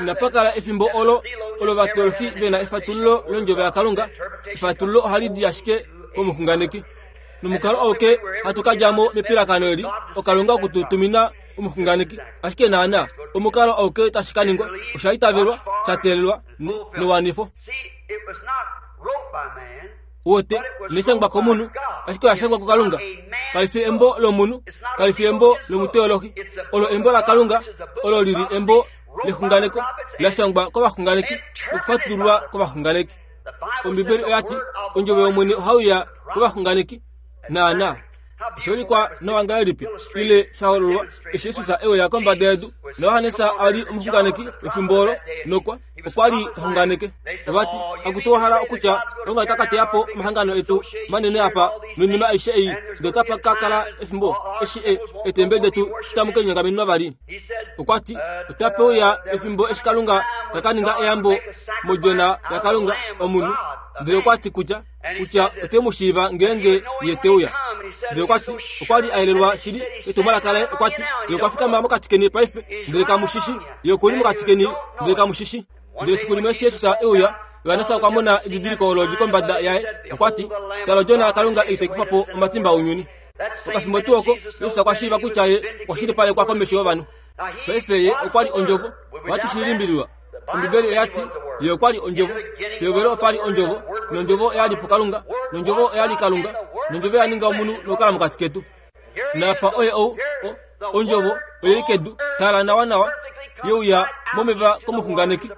Inapa kala efimbo olo olo ovateolohi ve na efatululo londjovo yaKalunga. Efatululo ohali di ashike komuxunganeki. Nomukalo auke hatu ka dja mo mepilakano eli, oKalunga oku tu tumina omuxunganeki. Ashike naanaa omukalo auke tashi ka ningwa, osha itavelwa, sha teelelwa newanifo. Wote, inai shangwa komunhu, ashike oya shangwa kuKalunga. Kali fi embo lomunhu, kali fi embo lomuteolohi. Olo embo laKalunga, olo li li embo lexunganeko, la shangwa kovaxunganeki nokufatululwa kovaxunganeki. Ombibeli oya ti, Ondjovo yOmwene ohai uya kovaxunganeki. Naanaa. Osha ulikwa nawa ngahelipi ile sha hololwa eshi Jesus e uya kombada yedu, naJohannes a li omuxunganeki wefimbo olo nokwa okwa li ta xunganeke. Ova ti, Akutu wa hala okutya Kalunga ota ka teya po omahangano etu manene apa noinima aishe ei, ndele otapa ka kala efimbo eshi e, eetembeli detu tamu ke linyongamenenwa vali? Okwa ti, Otape uya efimbo eshi Kalunga ta ka ninga eyambo modjona yaKalunga, omunhu. Ndele okwa ti kutya kutya ote mu shiiva ngeenge ye te uya. Ndele okwa ti okwa li a yelelwa shili etumwalaka laye. Okwa ti ye okwa fikama mokati keni paife, ndele kamu shi shi. Ye oku li mokati keni, ndele kamu shi shi. Ndele efiku limwe eshi Jesus e uya, Johannes okwa mona edidiliko olo li kombada yaye. Okwa ti, Tala Odjona yaKalunga ei tai kufa po omatimba ounyuni. Okafimbo tuu oko, Jesus okwa shiiva kutya ye okwa shilipalekwa komesho yovanhu. Paife ye okwa li Ondjovo. Ohatu shi limbililwa. Ombibeli oya ti, Ye okwa li Ondjovo. Pehovelo opa li Ondjovo, nOndjovo oya li puKalunga, nOndjovo oya li Kalunga, nOndjovo oya ninga omunhu nokukala mokati ketu. Naapa oye ou, o, Ondjovo oye li kedu, tala nawanawa, ye uya momeva komuxunganeki.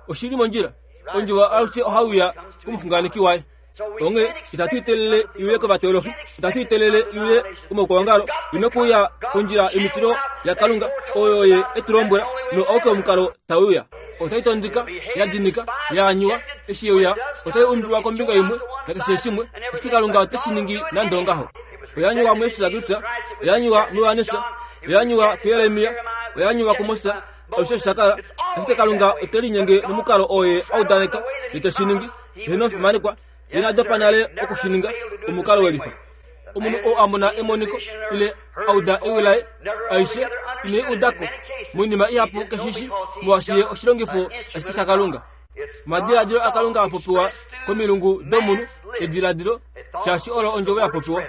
Oshi li mondjila. Ondjovo alushe ohai uya komuxunganeki waye. Onghee itatu itelele i uye kovateolohi, itatu itelele i uye komaukwaongalo, i nokuuya kondjila yomitilo yaKalunga oyo ye e tu lombwela, no auke omukalo tau uya. Otai tondika, ya dinika, ya anyuwa, eshi ye uya, otai umbilwa kombinga imwe nakeshe shimwe, ashike Kalunga ote shi ningi nande ongaho. Oya anyuwa muJesus Kristus, oya anyuwa muJohannes, oya anyuwa kuJeremia, oya anyuwa kuMoses, Osho sha kala, ashike Kalunga ote linyenge momukalo oo ye a udaneka ye te shi ningi. Ye nomufimanekwa, ye na dopa nale oku shi ninga, omukalo welifa. Omunhu oo a mona emoniko ile a uda ewi laye, aishe ine i uda ko. Moinima ihapu keshi shi, molwaashi ye oshilongifo ashike shaKalunga. Omadiladilo aKalunga a popiwa komilungu domunhu, ediladilo, shaashi olo ondjovo ya popiwa.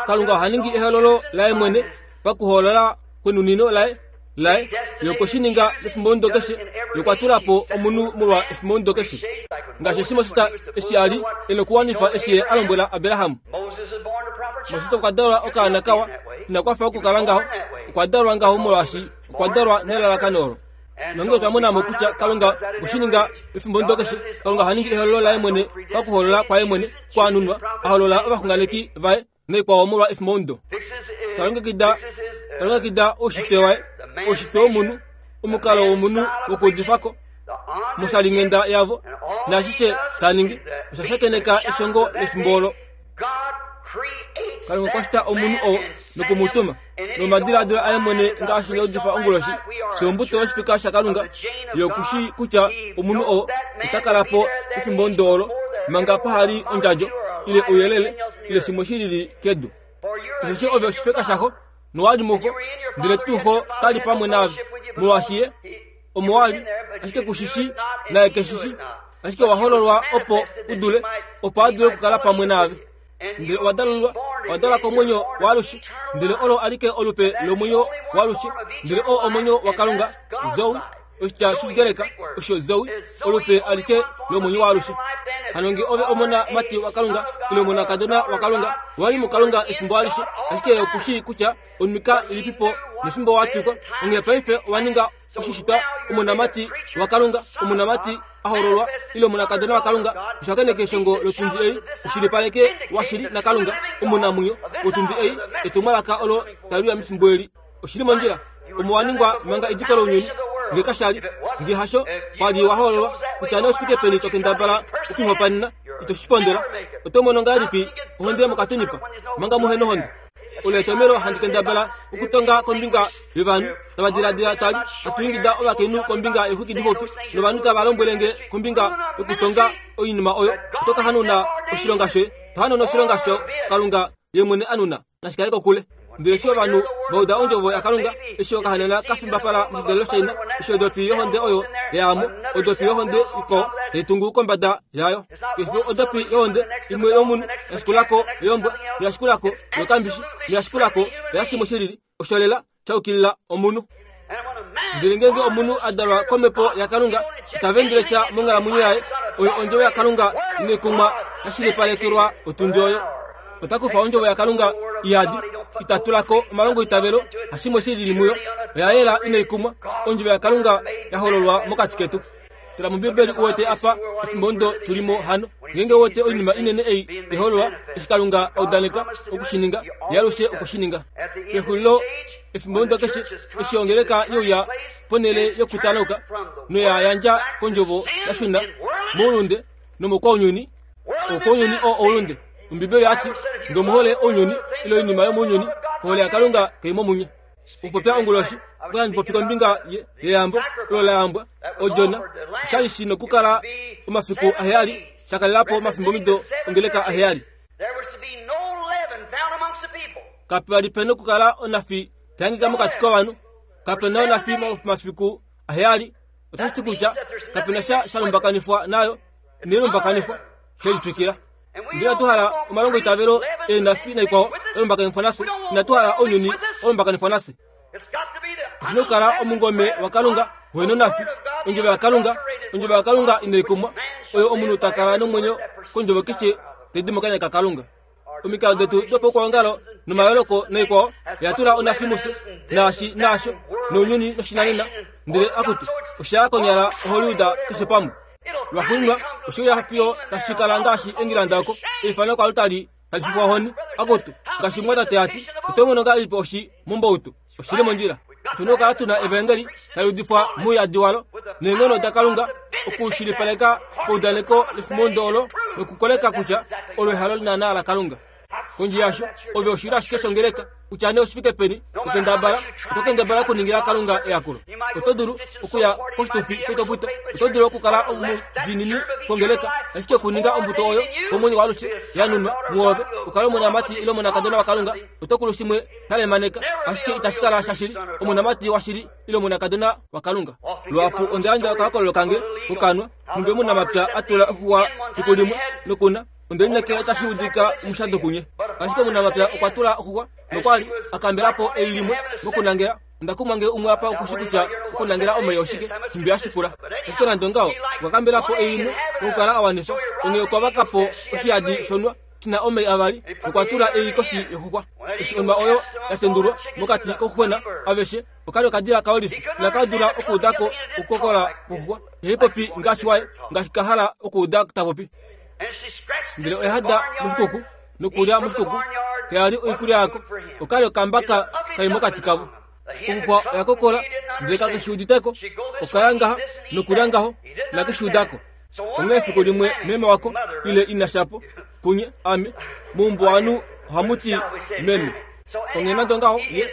Kalunga oha ningi ehololo laye mwene pakuhoolola kwenunino laye laye ye okwe shi ninga mefimbomudo keshe ye okwa tula po omunhu molwa efimbomudo keshe ngaashi eshi Moses eshi a li e nokuwanifa eshi ye a lombwela Abraham. Moses okwa dalwa okaana kawa, ina kwafa okukala ngaho, okwa dalwa ngaho molwaashi okwa dalwa nelalakano olo. Nonge otwa mona mo kutya Kalunga okwe shi ninga pefimbomudo keshe, Kalunga oha ningi ehololo laye mwene pakuholola kwaye mwene kwaanunwa, a holola ovaxunganeki vaye naikwao molwa efimbomudo. Ta longekida ta longekida oushitwe waye, oushitwe womunhu, omukalo womunhu wokuudifa ko moshalinghenda yavo, naashishe ta ningi osha shakeneka eshongo lefimbo olo. Kalunga okwa shita omunhu oo noku mu tuma nomadiladilo aye mwene ngaashi nda udifa onguloshi fye ombuto yoshifika shaKalunga ye oku shii kutya omunhu oo ota kala po pefimbo olo manga paha li ondjadjo ile ouyelele ile shimwe shi lili kedu. Osheshi ove oshifeka shaxo nowa li muxo, ndele tuu xo ka li pamwe naave, molwaashi ye omo wa li, ashike ku shi shii, naye ke shi shii, ashike owa hololwa opo u dule, opo a dule okukala pamwe naave. Ndele owa dalulwa, owa dalwa komwenyo waalushe, ndele olo alike olupe lomwenyo waalushe, ndele oo omwenyo waKalunga, Zoe, oshitya shOshigreka osho Zoe, olupe alike lomwenyo waalushe. Hano nge ove omona mati waKalunga ile omonakadona waKalunga, owa li muKalunga efimbo alishe, ashike oku shii kutya onwika ilipipo nefimbo wa twikwa, onghee paife owa ninga oshishitwa omonamati waKalunga, omonamati a hololwa ile omonakadona waKalunga, oshakeneke eshongo lotundi ei, oshilipaleke washili naKalunga omunamwenyo wotundi ei, etumwalaka olo tali uya mefimbo eli. Oshili mondjila, omo wa ningwa manga ediko lounyuni, nge kasha li, nge hasho, kwa li wa hoololwa, kutya nee oshifike peni to kendabala okuhopanena, ito shi pondola. Oto mono ngahelipi ohonde yomokatunipa, manga muhe nohonde? Olo etomhelo handi kendabala okutonga kombinga yovanhu tava diladila tali hatu ingida ovakainhu kombinga yeexwiki dixupi novanhu tava lombwele nge kombinga yokutonga oinima oyo. Oto ka hanuna oshilonga shoye, to hanuna oshilonga sho Kalunga ye mwene a nuna. Nashi kale kokule. Ndele eshi ovanhu va uda ondjovo yaKalunga, eshi okahanana ka fimbapala moshidalelo shaina, eshi odopi yohonde oyo ya ya mo, odopi yohonde ikwao tai tungu kombada yayo. Keshe odopi yohonde imwe yomunhu ya shikula ko yombwa, ya shikula ko yokambishi, ya shikula ko yashimwe shi lili, osho lela sha yukilila omunhu. Ndele ngeenge omunhu a dalwa komhepo yaKalunga, ita vendele sha monghalamwenyo yaye, oyo ondjovo yaKalunga inai kumwa ya shilipalekelwa otundi oyo. Ota kufa ondjovo yaKalunga iyadi, ita tula ko omalongoitavelo hashimwe shi lili muyo, oya yela inai kumwa, ondjovo yaKalunga ya hololwa mokati ketu. Tala mOmbibeli u wete apa efimbo ndo tu li mo hano. Ngeenge ou wete oinima inene ei tai hololwa, eshi Kalunga a udaneka oku shi ninga, Ye alushe okwe shi ninga. Pexulilo efimbomudo keshe, eshi ongeleka ye uya ponhele yokutanauka noya yandja kondjovo ya shuna moulunde nomokwaunyuni, oukwaunyuni oo oulunde. Ombibeli oya ti, Nge omu hole ounyuni ile oinima yomounyuni, ohole yaKalunga kai mo munye. Okupopya onguloshi, okwa handi popi kombinga yeyambo olo la yambwa odjona osha li shi nokukala omafiku aheyali sha kalela po omafimbomido ongeleka aheyali. Kapa li pe nokukala onafi tai hangika mokati kovanhu. Kape na onafi momafiku aheyali. Otashi ti kutya kape na sha sha lumbakanifwa nayo, inai lumbakanifwa, she litwikila. Ndele inatu hala omalongoitavelo eenafi naikwao ya lumbakanifwa nafye. Inatu hala ounyuni wa lumbakanifwa nafye. Oshi na okukala omungome waKalunga uhe nonafi, ondjovo yaKalunga, ondjovo yaKalunga inai kumwa, oyo omunhu ta kala nomwenyo kondjovo keshe tai di mokanya kaKalunga. Omikalo detu dopaukwaongalo nomayooloko naikwao oya tula onafi mufye, naashi naasho, nounyuni noshinanena, ndele akutu, osha ya konyala oHollywood keshe pamwe. Lwaxuuninwa, oshe uya fiyo tashi kala ngaashi Engilanda oko eifano kwalutali tali fifwa ohoni. Akutu, ngaashi omumwatate a ti, oto mono ngahelipi oshi mombautu? Oshi li mondjila. Otu na okukala tu na evaengeli tali udifwa mouyadi walo neenghono daKalunga okushilipaleka paudaneko lefimondo olo nokukoleka kutya olo ehalo naanaa laKalunga. Kondje yasho, ove oshilyo ashike shongeleka, kutya nee oshi fike peni, to kendabala, oto kendabala okuningila Kalunga eyakulo. Oto dulu okuya koshitufi shoitopwita, oto dulu okukala omudiinini kongeleka, ashike okuninga ombuto oyo komwenyo waalushe ya nunwa muove, u kale omonamati ile omonakadona waKalunga, oto kulu shimwe sha lemaneka, ashike itashi kala shashili, omonamati washili ile omonakadona waKalunga. Luhapu onda yandja okahokololo kange kokanwa, nhumbi omunamapya a tula oxuwa fiku limwe, nokuna Onde lineekela itashi udika omushado kunye. Ashike omunamapya okwa tula oxuxwa nokwa li a kambela po ei limwe mokunangela. Onda kumwa ngee umwe apa oku shi kutya okunangela omai oshike, nhumbi hashi pula. Ashike nande ongaho, okwa kambela po ei limwe nokukala a wanifa. Onghee okwa vaka po oshiyadi shonwa shi na omai avali nokwa tula ei koshi yoxuxwa. Eshi onwa oyo ya tendulwa mokati kouxuxwena aveshe, oka li okadila kaolifi inaka dula okuuda ko okukokola kwoxuxwa. Ihai popi ngaashi waye, ngaashi ka hala okuuda ta popi. Ndele oya hada moshikuku nokulya moshikuku, kaya li oikulya yako. Oka li okambaka kai mokati kavo. Oxuxwa oya kokola, ndele kake shi udite ko. Oka ya ngaha nokulya ngaho, inake shi uda ko. Onghee efiku limwe meme wako, ile ina shapo, kunye, ame, moumbuwanhu ohamu ti meme. Onghee nande ongaho, ye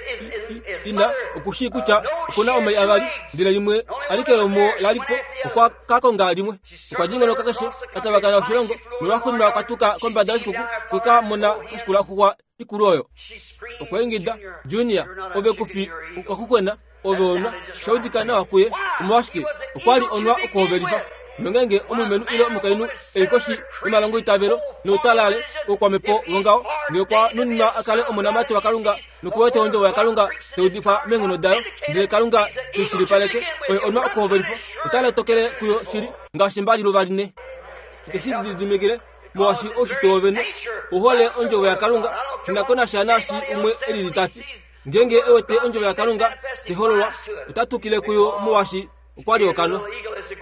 ina oku shii kutya oku na omai avali, ndele limwe alike lomuo la li po, okwa ka konga limwe. Okwa dingonoka keshe, a tavakana oshilongo, nolwaxuuninwa okwa tuka kombada yoshikuku okwe ka mona kashikula oxuxwa ikulu oyo. Okwa ingida, Junior, ove ku fi okaxuxwena, ove onwa. Osha udika nawa kuye. Omolwashike? Okwa li onwa okuhovelifa. Nongeenge omulumenhu ile omukainhu e li koshi yomalongoitavelo noutalale woukwamhepo wongaho, ngee okwa nuninwa a kale omonamati waKalunga noku wete ondjovo yaKalunga tai udifwa meenghono dayo, ndele Kalunga te i shilipaleke, oye onwa okuhovelifwa, ota lotokele kuyo shili ngaashi mbaliluvaline. Ite shi lididimikile, molwaashi oushitwe wovene ou hole ondjovo yaKalunga, shi na ko nasha naashi umwe e lili ta ti. Ngeenge e wete ondjovo yaKalunga tai hololwa, ota tukile kuyo molwaashi okwa li okanwa.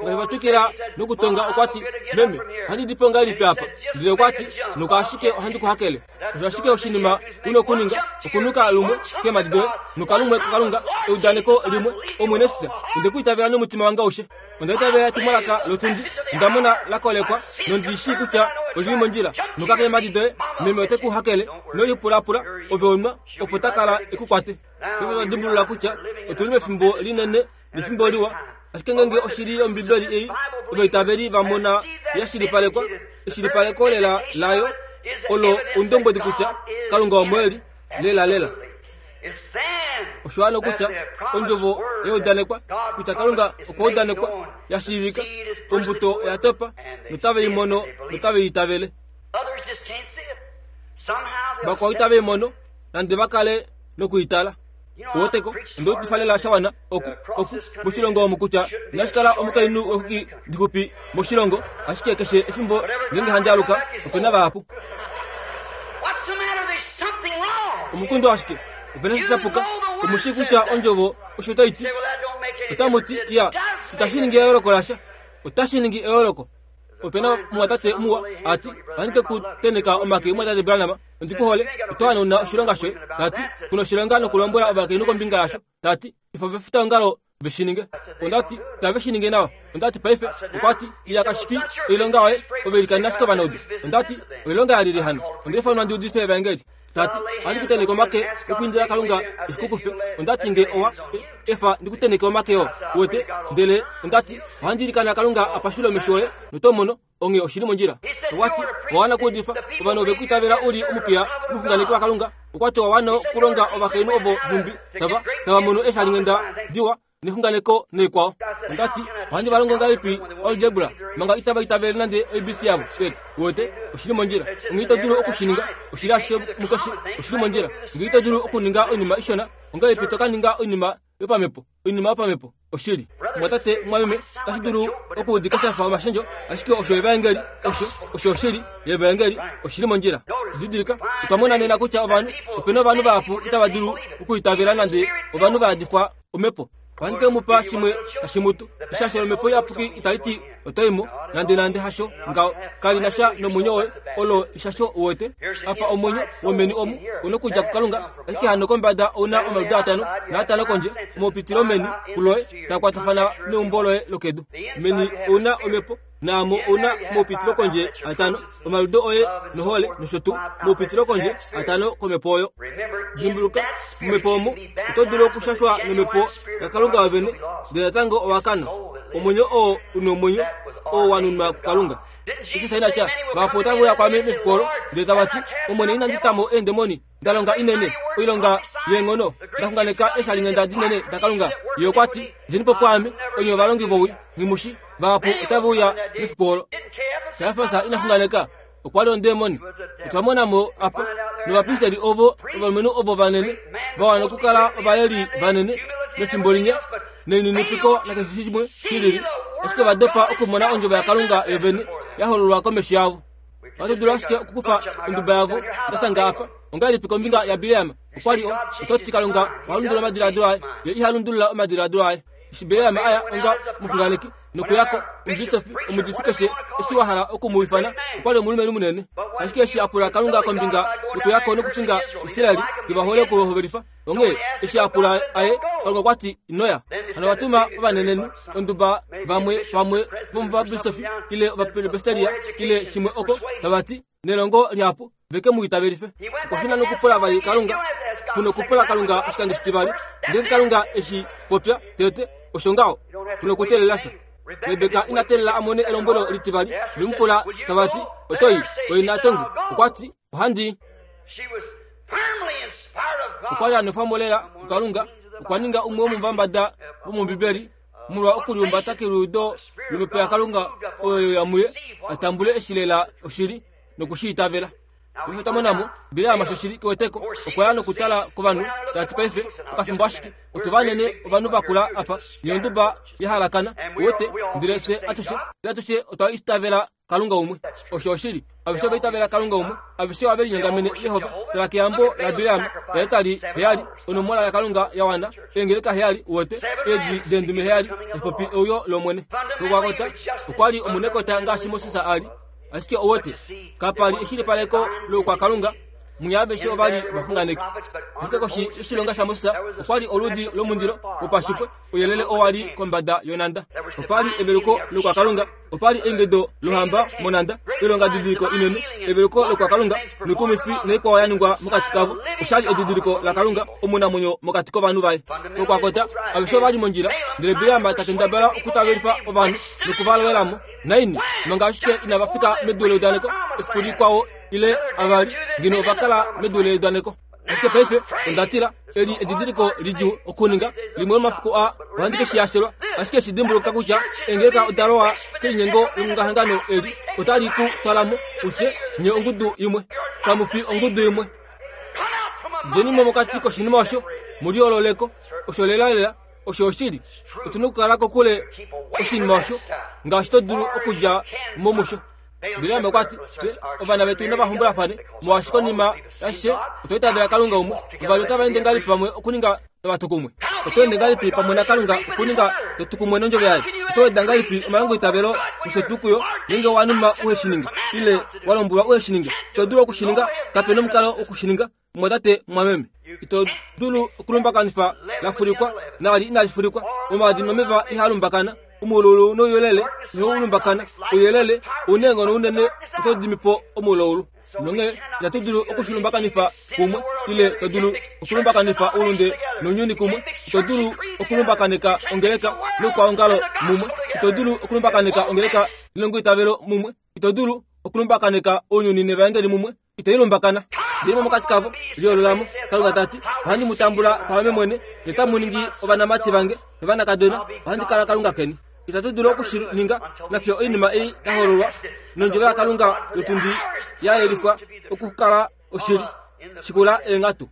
Ngaashi va twikila nokutonga, okwa ti, Meme, ohandi di po ngahelipi apa? Ndele okwa ti, Nuka ashike ohandi ku hakele. Osho ashike oshinima u na okuninga, okunuka lumwe keemhadi doye, nuka lumwe kuKalunga, eudaneko limwe, Omwene Jesus, onde ku itavela nomutima wange aushe. Onda itavela etumwalaka lotundi, onda mona la kolekwa, nondi shii kutya oli li mondjila. Nuka keemhadi doye, meme ote ku hakele. Ino lipulapula, ove onwa, opo ta kala e ku kwate. Paife otwa dimbulula kutya otu li mefimbo linene nefimbo liwa. Ashike ngeenge oshili yOmbibeli ei ovaitaveli va mona ya shilipalekwa, eshilipaleko lela layo olo oundombwedi kutya Kalunga omo e li lelalela. Osho hano kutya ondjovo ya udanekwa kutya Kalunga okwa udanekwa ya shiivika, ombuto oya topa notave i mono notave i itavele. Vakwao itave i mono nande va kale noku i tala. Uweteko, onde udifa lela sha wana oku, oku, moshilongo omu kutya inashi kala omukainhu wexuki dixupi moshilongo, ashike keshe efimbo ngeenge handi aluka, ope na vahapu. Omukundu ashike, ope na sha shapuka. Omu shii kutya ondjovo osho tai ti. Otamu ti, Ya, itashi ningi eyooloko lasha. Otashi ningi eyooloko. Ope na omumwatate muwa, a ti, Ohandi ke ku tenheka omake, mumwatate Branham. Ondi ku hole. Oto hanauna oshilonga shoye. Ta ti, Ku na oshilonga nokulombwela ovakainhu kombinga yasho. Ta ti, Efa ovafitaongalo ve shi ninge. Onda ti, Tave shi ninge nawa. Onda ti, Paife, okwa ti, Iya kashi fi oilonga yoye, ove ilikana ashike ovanaudu. Onda ti, Oilonga yalili hano? Onda ifanwa ndi udife evaengeli. Ta ti, Ohandi ku tenheke omake okuindila Kalunga e shi ku kufe. Onda ti, Nge owa efa ndi ku tenheke omake oo, uwete. Ndele onda ti, Ohandi ilikana Kalunga a pashule omesho oye, noto mono. Onghee oshi li mondjila. Okwa ti, Owa wana okuudifa. Ovanhu ove ku itavela u li omupiya omuxunganeki waKalunga. Okwa ti, Owa wana okulonga ovakainhu ovo nhumbi tava, tava mono eeshalinghenda diwa nexunganeko naikwao. Onda ti, Ohandi va longo ngahelipi algebra manga itava itavele nande ABC yavo tete? Uwete, oshi li mondjila. Onghee ito dulu oku shi ninga. Oshi li ashike mukeshe. Oshi li mondjila. Ngee ito dulu okuninga oinima ishona, ongahelipi to ka ninga oinima yopamhepo? Oinima yopamhepo oshili. Mwatate, mwameme, otashi dulu okuudika sha fa omashendjo, ashike osho evaengeli, osho, osho oshili yevaengeli, oshili mondjila. Didilika, otwa mona nena kutya ovanhu, ope na ovanhu vahapu itava dulu okuitavela nande ovanhu va yadifwa omhepo. Ohandi ke mu pa shimwe tashi mutu. Eshasho lomhepo iyapuki itali ti oto i mo, nandenande hasho ngaho. Kali na sha nomwenyo woye, olo eshasho uwete. Apa omwenyo womeni omu u nokudja kuKalunga, ashike hano kombada ou na omaliudo atano naatano kondje, omaupitilo meni kuloye taa kwatafana neumbo loye lokedu. Meni ou na omhepo, naamo ou na omaupitilo kondje atano, omaliudo oye nohole nosho tuu, omaupitilo kondje atano komhepo oyo. Dimbuluka, momhepo omo oto dulu okushashwa nomhepo yaKalunga yovene, ndele natango owa kana. Omwenyo oo u nomwenyo, oo wa nunwa kuKalunga. Jesus ina tya, Vahapu otave uya kwaame mefiku olo, ndele tava ti, Omwene, inandi ta mo eendemoni, nda longa inene, oilonga yeenghono, nda xunganeka eeshalinghenda dinene daKalunga. Ye okwa ti, Djeni po pwaame, onye ovalongi vowii, nghi mu shi. Vahapu otave uya mefiku olo. Kajafas ina xunganeka, okwa li ondemoni. Otwa mona mo apa, novapristeri ovo, ovalumenhu ovo vanene, va wana okukala ovaleli vanene mefimbo linya, nelininipiko nakeshe shimwe shi lili, ashike ova dopa okumona ondjovo yaKalunga yovene ya hololwa komesho yavo. Ohatu dulu ashike okukufa onduba yavo nda shanga apa. Ongahelipi kombinga yaBileam? Okwa li o, oto ti Kalunga oha lundulula omadiladilo aye. Ye iha lundulula omadiladilo aye. Eshi Bileam a ya onga omuxunganeki nokuya ko, omubisofi, omudifi keshe eshi wa hala oku mu ifana, okwa li omulumenhu munene. Ashike eshi a pula Kalunga kombinga yokuya ko nokufinga Israel, ye va hole okuhovelifa, Onghee eshi a pula aye, Kalunga okwa ti, Ino ya. Hano va tuma ovanenenhu, onduba vamwe pamwe vomuvabisofi ile ovapresbiteria ile shimwe oko, tava ti, nelongo lihapu, ve ke mu itavelife. Okwa shuna nokupula vali Kalunga, ku nokupula Kalunga oshikando shitivali. Ndele Kalunga eshi popya tete, osho ngaho, ku nokuteelela sha. Rebeka ina teelela a mone elombwelo litivali, ve mu pula tava ti, Oto i? Oye natongi. Okwa ti, Ohandi i. Okwa li a nwefwa mo lela kuKalunga. Okwa ninga umwe womovambada vomOmbibeli molwa okulihumbata keliudo lomhepo yaKalunga oyo ya muye a tambule eshi lela oshili noku shi itavela. Paife otwa mona mo Bileam shoshili keweteko okwa ya nokutala kovanhu ta ti paife okafimbo ashike otu vanene ovanhu vakula apa nonduba ya halakana uwete ndele fye atushe atushe otwa itavela Kalunga umwe. Osho oshili. Aveshe ova itavela Kalunga umwe. Aveshe ohave linyongamene Jehova. Tala keyambo laBileam laetali heyali, onomola yaKalunga ya wana, eengeleka heyali, uwete, eedi deendume heyali, tashi popi euyo lOmwene. Kokwakota, okwa li omunekota ngaashi Moses a li. Ashike uwete, kapa li eshilipaleko loukwakalunga Munya aveshe ova li ovaxunganeki. Ashike koshi yoshilonga shaMoses okwa li oludi lomundilo wopashipwe, ouyelele owa li kombada yonhanda. Opa li eveluko lokwakalunga, opa li eingido lohamba monhanda, oilongadidiliko inene, eveluko lokwakalunga, noikumifi naikwao ya ningwa mokati kavo. Osha li edidiliko laKalunga omunamwenyo mokati kovanhu vaye. Kokwakota, aveshe ova li mondjila, ndele Bileam ta kendabala okutavelifa ovanhu noku va lowela mo. Naini, manga ashike inava fika medu leudaneko, efiku likwao ile avali, ngeno ova kala medu leudaneko. Ashike paife onda tila, eli edidiliko lidjuu okuninga, limwe lomafiku aa ohandi ke shi yashelwa. Ashike shi dimbuluka kutya eengeleka oda lowa kelinyengo longongahangano eli, otali ku twala mo, u tye, Nye ongudu imwe. Kamu fi ongudu imwe. Djeni mo mokati koshinima osho, mu liyoolole ko. Osho lelalela. Osho oshili. Otu na okukala kokule oshinima osho ngaashi to dulu okudja mo musho. Bileam okwa ti, Fye ovana vetu nava hombolafane, molwaashi konima yashishe otwa itavela Kalunga umwe. Vavali otava ende ngahelipi pamwe okuninga tava tu kumwe? Oto ende ngahelipi pamwe naKalunga okuninga to tu kumwe nondjovo yaye? Oto weda ngahelipi omalongoitavelo nosho tuu kuyo ngeenge wa numa uhe shi ninge ile wa lombwelwa uhe shi ninge? Ito dulu oku shi ninga. Kape nomukalo woku shi ninga, mumwatate, mumwameme. Ito dulu okulumbakanifa la fulikwa naali inali fulikwa. Omaadi nomeva ihaa lumbakana. Omuululu nouyelele ihau lumbakana. Ouyelele ou na eenghono unene otau dimi po omuulaulu. Nonghee itatu dulu oku shi lumbakanifa kumwe, ile to dulu okulumbakanifwa oulunde nounyuni kumwe. Ito dulu okulumbakaneka ongeleka noukwaongalo mumwe. Ito dulu okulumbakaneka ongeleka nelongoitavelo mumwe. Ito dulu okulumbakaneka ounyuni nevaengeli mumwe. Itai lumbakana. Ndele mo mokati kavo, liyoolola mo. Kalunga ta ti, Ohandi mu tambula paame mwene, notamu ningi ovanamati vange novanakadona, ohandi kala Kalunga keni. Itatu dulu oku shi ninga nafiyo oinima ei ya hololwa nondjovo yaKalunga yotundi ya yelifwa okukala oshili. Shikula eenghatu.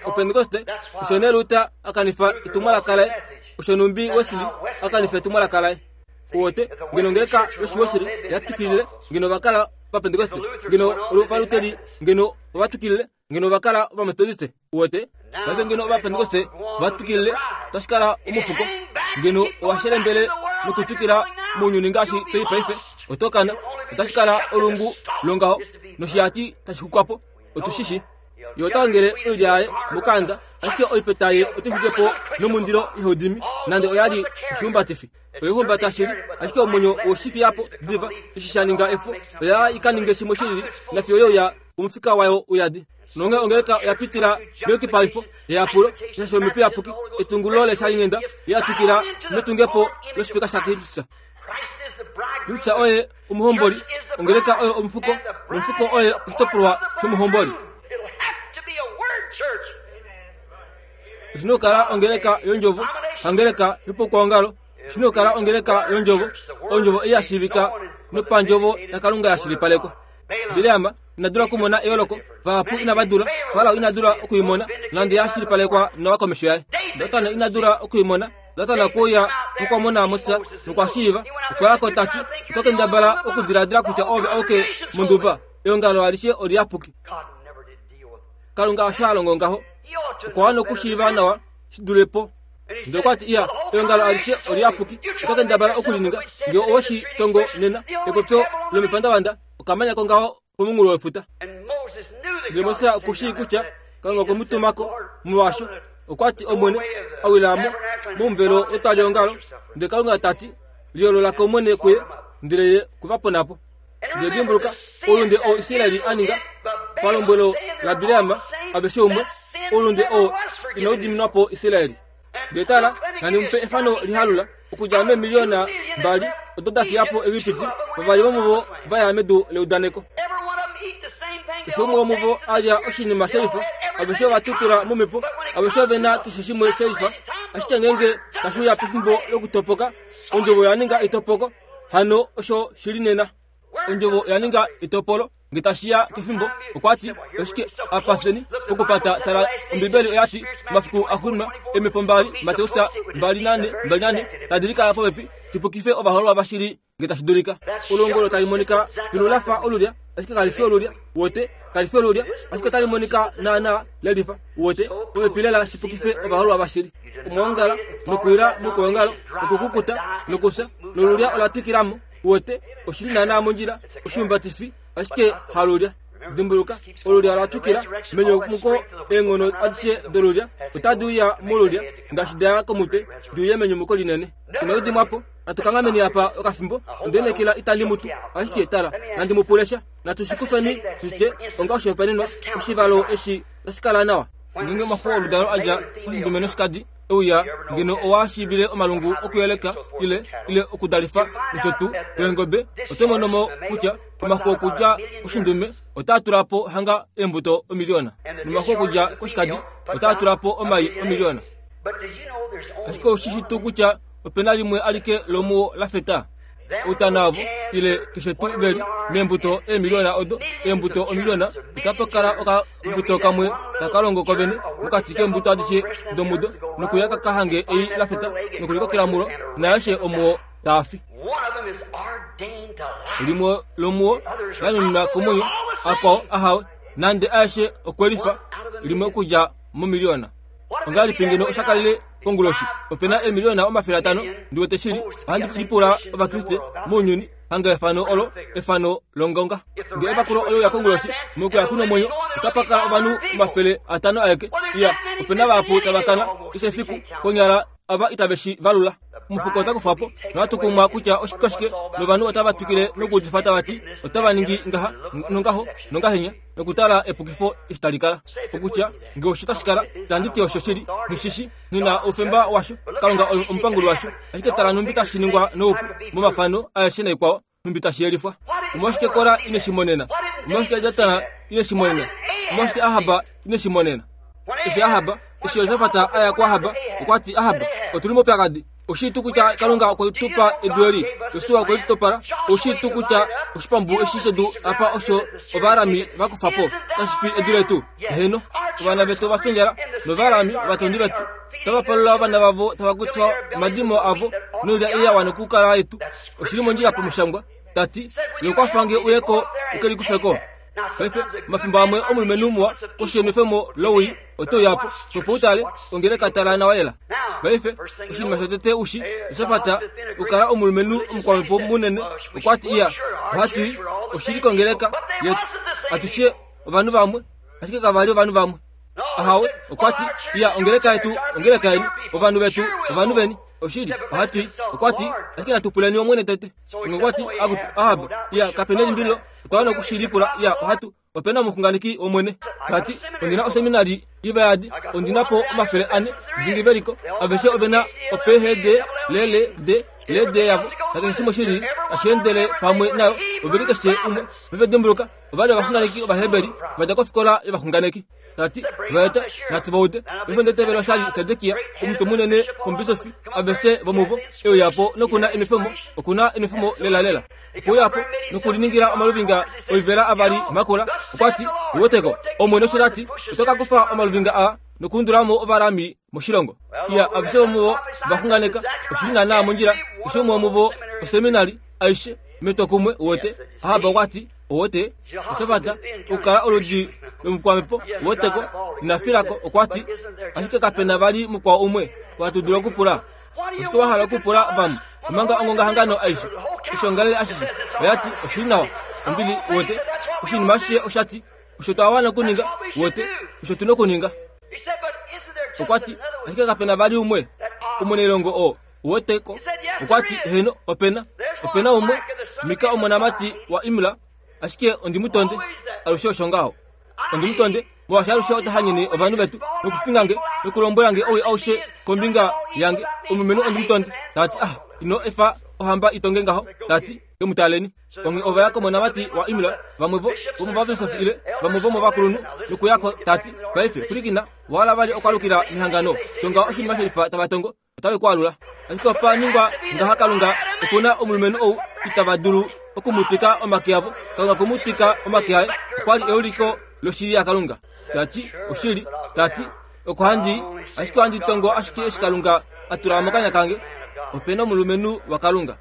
Opentekoste osho nee Luther a kanifa etumwalaka laye, osho nhumbi Wesley a kanifa etumwalaka laye. Uwote, ngeno ongeleka yOshiwesili ya twikilile, ngeno ova kala Ovapentekoste, ngeno Ovaluteri ngeno ova twikilile, ngeno ova kala Ovametodiste. Uwete? Paife ngeno Ovapentekoste va twikilile, otashi kala omufuko. Ngeno owa shelembele nokutwikila mounyuni ngaashi to i paife, oto kana. Otashi kala olungu longaho noshihati tashi xukwa po. Otu shi shi. Ye ota ongele oilya yaye mokanda, ashike oipeta ye ote i xwike po nomundilo ihau dimi, nande oya li oshihumbatifi. Oye humbata shili, ashike omwenyo owe shi fiya po diva eshi sha ninga efo. Oya i ka ninge shimwe shi lili, nafiyo ye uya omufika wayo uyadi. Nonghee ongeleka oya pitila meyukipalifo, eyapulo, eshasho lOmhepo Iyapuki, etungululo leshalinghenda, ye ya twikila metungepo loshifeka shaKristus. Kristus oye omuhomboli, ongeleka oyo omufuko, nomufuko oye oshitopolwa shomuhomboli. Oshi na okukala ongeleka yondjovo, hangeleka yopokwoongalo. Oshi na okukala ongeleka yondjovo, ondjovo ei ya shiivika nopandjovo yaKalunga ya shilipalekwa. Bileam ina dula okumona eyooloko, vahapu inava dula. Farao ina dula oku i mona, nande ya shilipalekwa nawa komesho yaye. Datan ina dula oku i mona. Datan okwe uya nokwa mona Moses nokwa shiiva. Okwa ya ko ta ti, Oto kendabala okudiladila kutya oove auke monduba. Eongalo alishe oliyapuki. Kalunga osho a longo ngaho. Okwa wana okushiiva nawa shi dule po. Ndele okwa ti, Iya, eongalo alishe oliyapuki. Oto kendabala oku li ninga. Nge owe shi tongo nena, epopyo lomepandavanda, okamanya kongaho komunghulo wefuta. Ndele Moses oku shii kutya Kalunga okwe mu tuma ko, molwaasho okwa ti, Omwene, a wila mo momuvelo wetwaliongalo. Ndele Kalunga ta ti, Liyoolola ko mwene kuye, ndele ye okwe va pona po. Ndele dimbuluka, oulunde oo Israel a ninga palombwelo laBileam, aveshe umwe, oulunde oo inau diminwa po Israel. Ndele tala, nandi mu pe efano lihalula, okudja meemiliyona mbali odo da fiya po Egipiti, vavali vomuvo va ya medu leudaneko. Keshe umwe womuvo a lya oshinima shelifa, aveshe ova tutula momhepo, aveshe ove na keshe shimwe shelifa. Ashike ngeenge tashi uya pefimbo lokutopoka, ondjovo oya ninga etopoko. Hano osho shi li nena. Ondjovo oya ninga etopolo. Nge tashi ya kefimbo, okwa ti, Oshike apa fyeni pokupata? Tala, Ombibeli oya ti, Omafiku axuuninwa, eemhepo mbali, Mateus 24, 24, tadi likala popepi, di pukife ovahoololwa vashili nge tashi dulika. Olongo olo tali monika filu la fa olulya, ashike kali fi olulya. Uwete? Kali fi olulya, ashike otali monika naanaa le lifa. Uwete? Popepi lela shi pukife ovahoololwa vashili. Omwoongala, nokuwila mokwoongalo, nokukukuta, nokufya, nolulya ola twikila mo. Uwete, oshi li naanaa mondjila, oshiumbatifi, ashike halulya. Dimbuluka, olulya ola twikila menyumuko, eenghono adishe dolulya otadi uya molulya, ngaashi da ya komutwe, di uye menyumuko linene. Inau dimwa po. Natu kanghameni apa okafimbo. Onde lineekela itandi mu tu. Ashike tala, nandi mu pule sha. Natu shi kufeni, tu tye, onga oshihopaenenwa, oshivalo eshi otashi kala nawa. Ngeenge omaxu oludalo a dja koshindume noshikadi, e uya, ngeno owa shiivile omalungu okuyeleka ile, ile okudalifa nosho tuu, weengobe, oto mono mo kutya omaxu okudja koshindume otaa tula po hanga eembuto omiliona, nomaxu okudja koshikadi otaa tula po omai omiliona. Ashike ou shi shi tuu kutya ope na limwe alike lomuo la feta? Outana ovo, ile keshe tuu ve li meembuto eemiliona odo, eembuto omiliona, otapa kala okambuto kamwe taka longo kovene mokati keembuto adishe domudo, nokuya ka ka hange ei la feta nokulikokela mulo, naaeshe omuo taa fi. Limwe lomuo la nuninwa komwenyo, akwao ahawe, nande aeshe okwe lifa, limwe okudja momiliona. Ongahelipi ngeno osha kalele konguloshi? Ope na eemiliona 500, ndi wete shili. Ohandi lipula Ovakriste mounyuni, hanga efano olo, efano longonga. Nge evakulo ole uya konguloshi, mokuya ku nomwenyo, otapa kala ovanhu 500 aeke. Iya, ope na vahapu tava kana, keshe efiku, konyala ava itave shi valula. Omufuko ota kufwa po, nohatu kumwa kutya oshike, novanhu otava twikile nokuudifa tava ti, otava ningi ngaha, nongaho, nongahenya, nokutala epukifo eshi tali kala. Okutya, nge osho tashi kala, itandi ti osho shili, nghi shi shi, nghi na oufemba washo, Kalunga oye omupanguli washo. Ashike tala nhumbi tashi ningwa noupu, momafano aeshe naikwao, nhumbi tashi yelifwa. Omolwashike Kora ine shi monena? Omolwashike Datan ine shi monena? Omolwashike Ahab ine shi monena? Eshi Ahab, eshi Josafat a ya kuAhab, okwa ti, Ahab, otu li moupyakadi. Oshii tuu kutya Kalunga okwe tu pa edu eli? Josua okwe li topala. Oshii tuu kutya oshipambu eshi shedu apa osho Ovaarami va kufa po, kashi fi edu letu? Heeno, ovana vetu ova fya nOvaarami, ovatondi vetu, otava palula ovana vavo tava kufa omadimo avo noilya ei ya wana okukala yetu. Oshi li mondjila pamushangwa, ta ti, Ye okwa fa nge uye ko u ke likufe ko. Paife, omafimbo amwe omulumenhu muwa koshi yenwefemo lowii ote uya po, opo u tale, ongeleka tala nawa lela. Paife, oshinima shotete u shi, Josafat, okukala omulumenhu omukwamhepo munene, okwa ti, Iya, ohatu i, oshili kongeleka yetu, atushe ovanhu vamwe, ashike kava li ovanhu vamwe. Ahawe, okwa ti, Iya, ongeleka yetu, ongeleka yeni, ovanhu vetu, ovanhu veni. Oshili, ohatu i. Okwa ti, ashike natu puleni Omwene tete. Onge okwa ti, Akutu, Ahab, iya, kape nelimbililo, otwa wana oku shi lipula, iya, ohatu. Ope na omuxunganeki wOmwene. Ta ti, Ondi na oseminari ivayadi, ondi na po 400 dingi ve liko, aveshe ove na oPhD, LLD, LD yavo, nakeshe shimwe shi lili tashi endele pamwe nayo, ove li keshe umwe. Paife dimbuluka, ova li ovaxunganeki Ovaheberi, va dja kofikola yovaxunganeki. Ta ti, Va eta, natu va ude. Paife onda itavela osha li Sedekia, omutwe munene komubisofi, aveshe vomuvo, e uya po noku na enwefemo, oku na enwefemo lelalela. Okwe uya po nokuliningila omaluvinga oivela avali makula. Okwa ti, Uweteko, Omwene osho ta ti, oto ka kufa omaluvinga aa nokuundula mo Ovaarami moshilongo. Iya, aveshe vomuvo va xunganeka, oshi li naanaa mondjila, keshe umwe womuvo oseminari aishe metwokumwe, uwete. Ahab okwa ti, Uwete, Josafat, okukala oludi lomukwamhepo, uweteko, ina fila ko, okwa ti, Ashike kape na vali mukwao umwe hatu dulu okupula. Oshike wa hala okupula vamwe omanga ongongahangano aishe oshiongalele ashishe oya ti oshi li nawa ombili uwete oshinima ashishe osha ti osho twa wana okuninga uwete osho tu na okuninga okwa ti ashike kape na vali umwe omunailongo oo uwete ko okwa ti heeno opena opena umwe mika omonamati waimla ashike ondi mu tonde alushe osho ngaho ondi mu tonde molwaashi alushe ota hanyene ovanhu vetu nokufinga nge nokulombwela nge owii aushe kombinga yange omulumenhu ondi mu tonde ta ti ah ino efa ohamba i tonge ngaho ta ti ke mu taleni onge ova ya komonamati waimla vamwe vo vomovabisofi ile vamwe vomovakulunhu nokuya ko ta ti paife pwilikina wa hala vali okwalukila mehangano tonga oshinima shelifa tava tongo otave ku alula. Ashike opa ningwa ngaha Kalunga oku na omulumenhu ou itava dulu oku mu twika omake avo. Kalunga okwe mu twika omake aye. Okwa li euliko loshili yaKalunga. Ta ti, Oshili, ta ti, oko handi i, ashike ohandi tongo ashike eshi Kalunga a tula mokanya kange. Ope na omulumenhu waKalunga.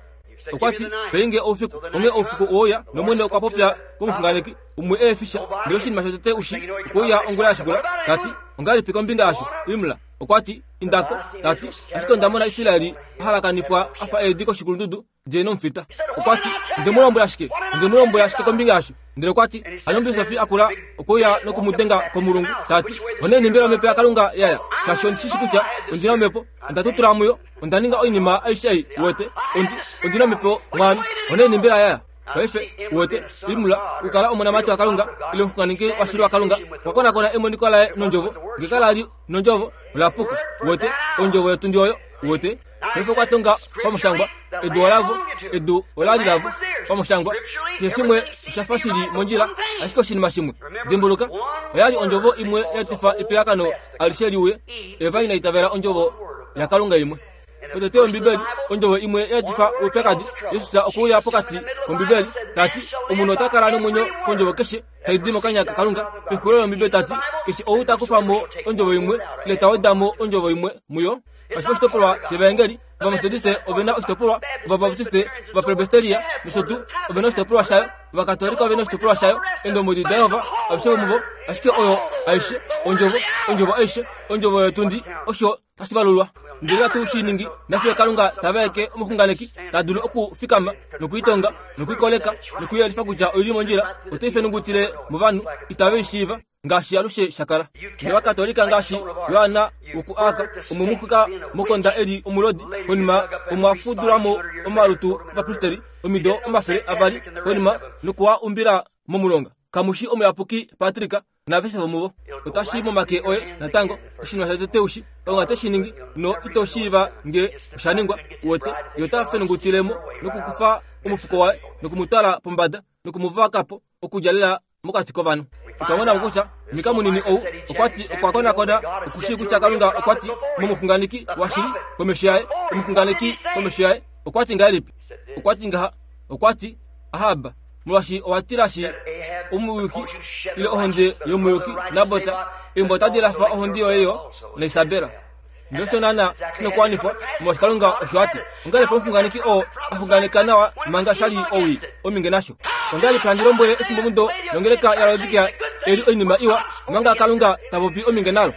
Okwa ti, Pei nge oufiku. Onghee oufiku oweuya, nOmwene okwa popya komuxunganeki, umwe e fi sha. Ndele oshinima shotete u shi, okwe uya ongula ya shikula, ta ti, Ongahelipi kombinga yasho, Imla? Okwa ti, Inda ko, ta ti, ashike onda mona Israel a halakanifwa a fa eedi koshikulundudu, di nomufita. Okwa ti, Onde mu lombwela shike? Onde mu lombwela shike kombinga yasho? Ndele okwa ti, Hano omubisofi a kula okwe uya noku mu denga komulungu, ta ti, Oneni mbela omhepo yaKalunga ya ya? Shaashi ondi shi shi kutya ondi na omhepo, onda tutula muyo, onda ninga oinima aishe ei, uwete, ondi, ondi na omhepo mwaame. Oneni mbela ya ya? Paife, uwete, Imla, okukala omonamati waKalunga, ile omuxunganeki washili waKalunga, okwa konakona emoniko laye nondjovo, nge kala li nondjovo, ola puka. Uwete, ondjovo yotundi oyo, uwete. Paife okwa tonga pamushangwa, edu olavo, edu ola li lavo, pamushangwa. Keshe shimwe osha fa shi li mondjila, ashike oshinima shimwe. Dimbuluka, oya li ondjovo imwe ya etifa epiyakano alishe li uye. Eva ina itavela ondjovo yaKalunga imwe. Potete yOmbibeli, ondjovo imwe ya etifa oupyakadi, Jesus okwe uya pokati kOmbibeli, ta ti, Omunhu ota kala nomwenyo kondjovo keshe tai di mokanya kaKalunga. Pexulilo lOmbibeli ta ti, Keshe ou ta kufa mo ondjovo imwe ile ta weda mo ondjovo imwe muyo, kashi fi oshitopolwa shEvaengeli. Ovametodiste ove na oshitopolwa, Ovabaptiste, Ovapresbiteria nosho tuu ove na oshitopolwa shayo, Ovakatolika ove na oshitopolwa shayo, Eendombwedi daJehova, aveshe vomuvo. Ashike oyo aishe, Ondjovo, Ondjovo aishe, Ondjovo yotundi, osho tashi valulwa. Ndele hatu shi ningi, nafiyo Kalunga ta vaeke omuxunganeki ta dulu okufikama nokuitonga nokuikoleka nokuyelifa kutya oi li mondjila, ote i fenungutile movanhu itave i shiiva. ngaashi alushe sha kala. Novakatolika ngaashi Johanna wokuArc omwe mu xwika mokonda e li omulodi, konima omwa fudula mo omalutu ovapristeri omido 200 konima noku a umbila momulonga. Kamu shi omuyapuki Patrick naaveshe vomuvo. Otashi i momake oye natango. Oshinima shotete u shi, Kalunga te shi ningi, no ito shiiva nge osha ningwa. Uwete, Ye ota fenungutile mo nokukufa omufuko waye noku mu twala pombada noku mu vaka po okudja lela mokati kovanhu. Otwa mona mo kutya Mika munini ou okwa ti okwa konakona oku shii kutya Kalunga okwa ti momuxunganeki washili komesho yaye, omuxunganeki komesho yaye okwa ti ngahelipi? Okwa ti ngaha, okwa ti, Ahab, molwaashi owa tilashi omuyuki ile ohonde yomuyuki Nabot, eumbo otadi lafa ohonde yoye yo naIsabel. Ndele osho naana shinokuwanifwa, molwaashi Kalunga osho a ti. Ongahelipi omuxunganeki oo a xunganeka nawa manga sha li owii ominge nasho? Ongahelipi handi lombwele efimbomudo longeleka yaLaodikea eli oinima iwa manga Kalunga ta popi ominge nalo?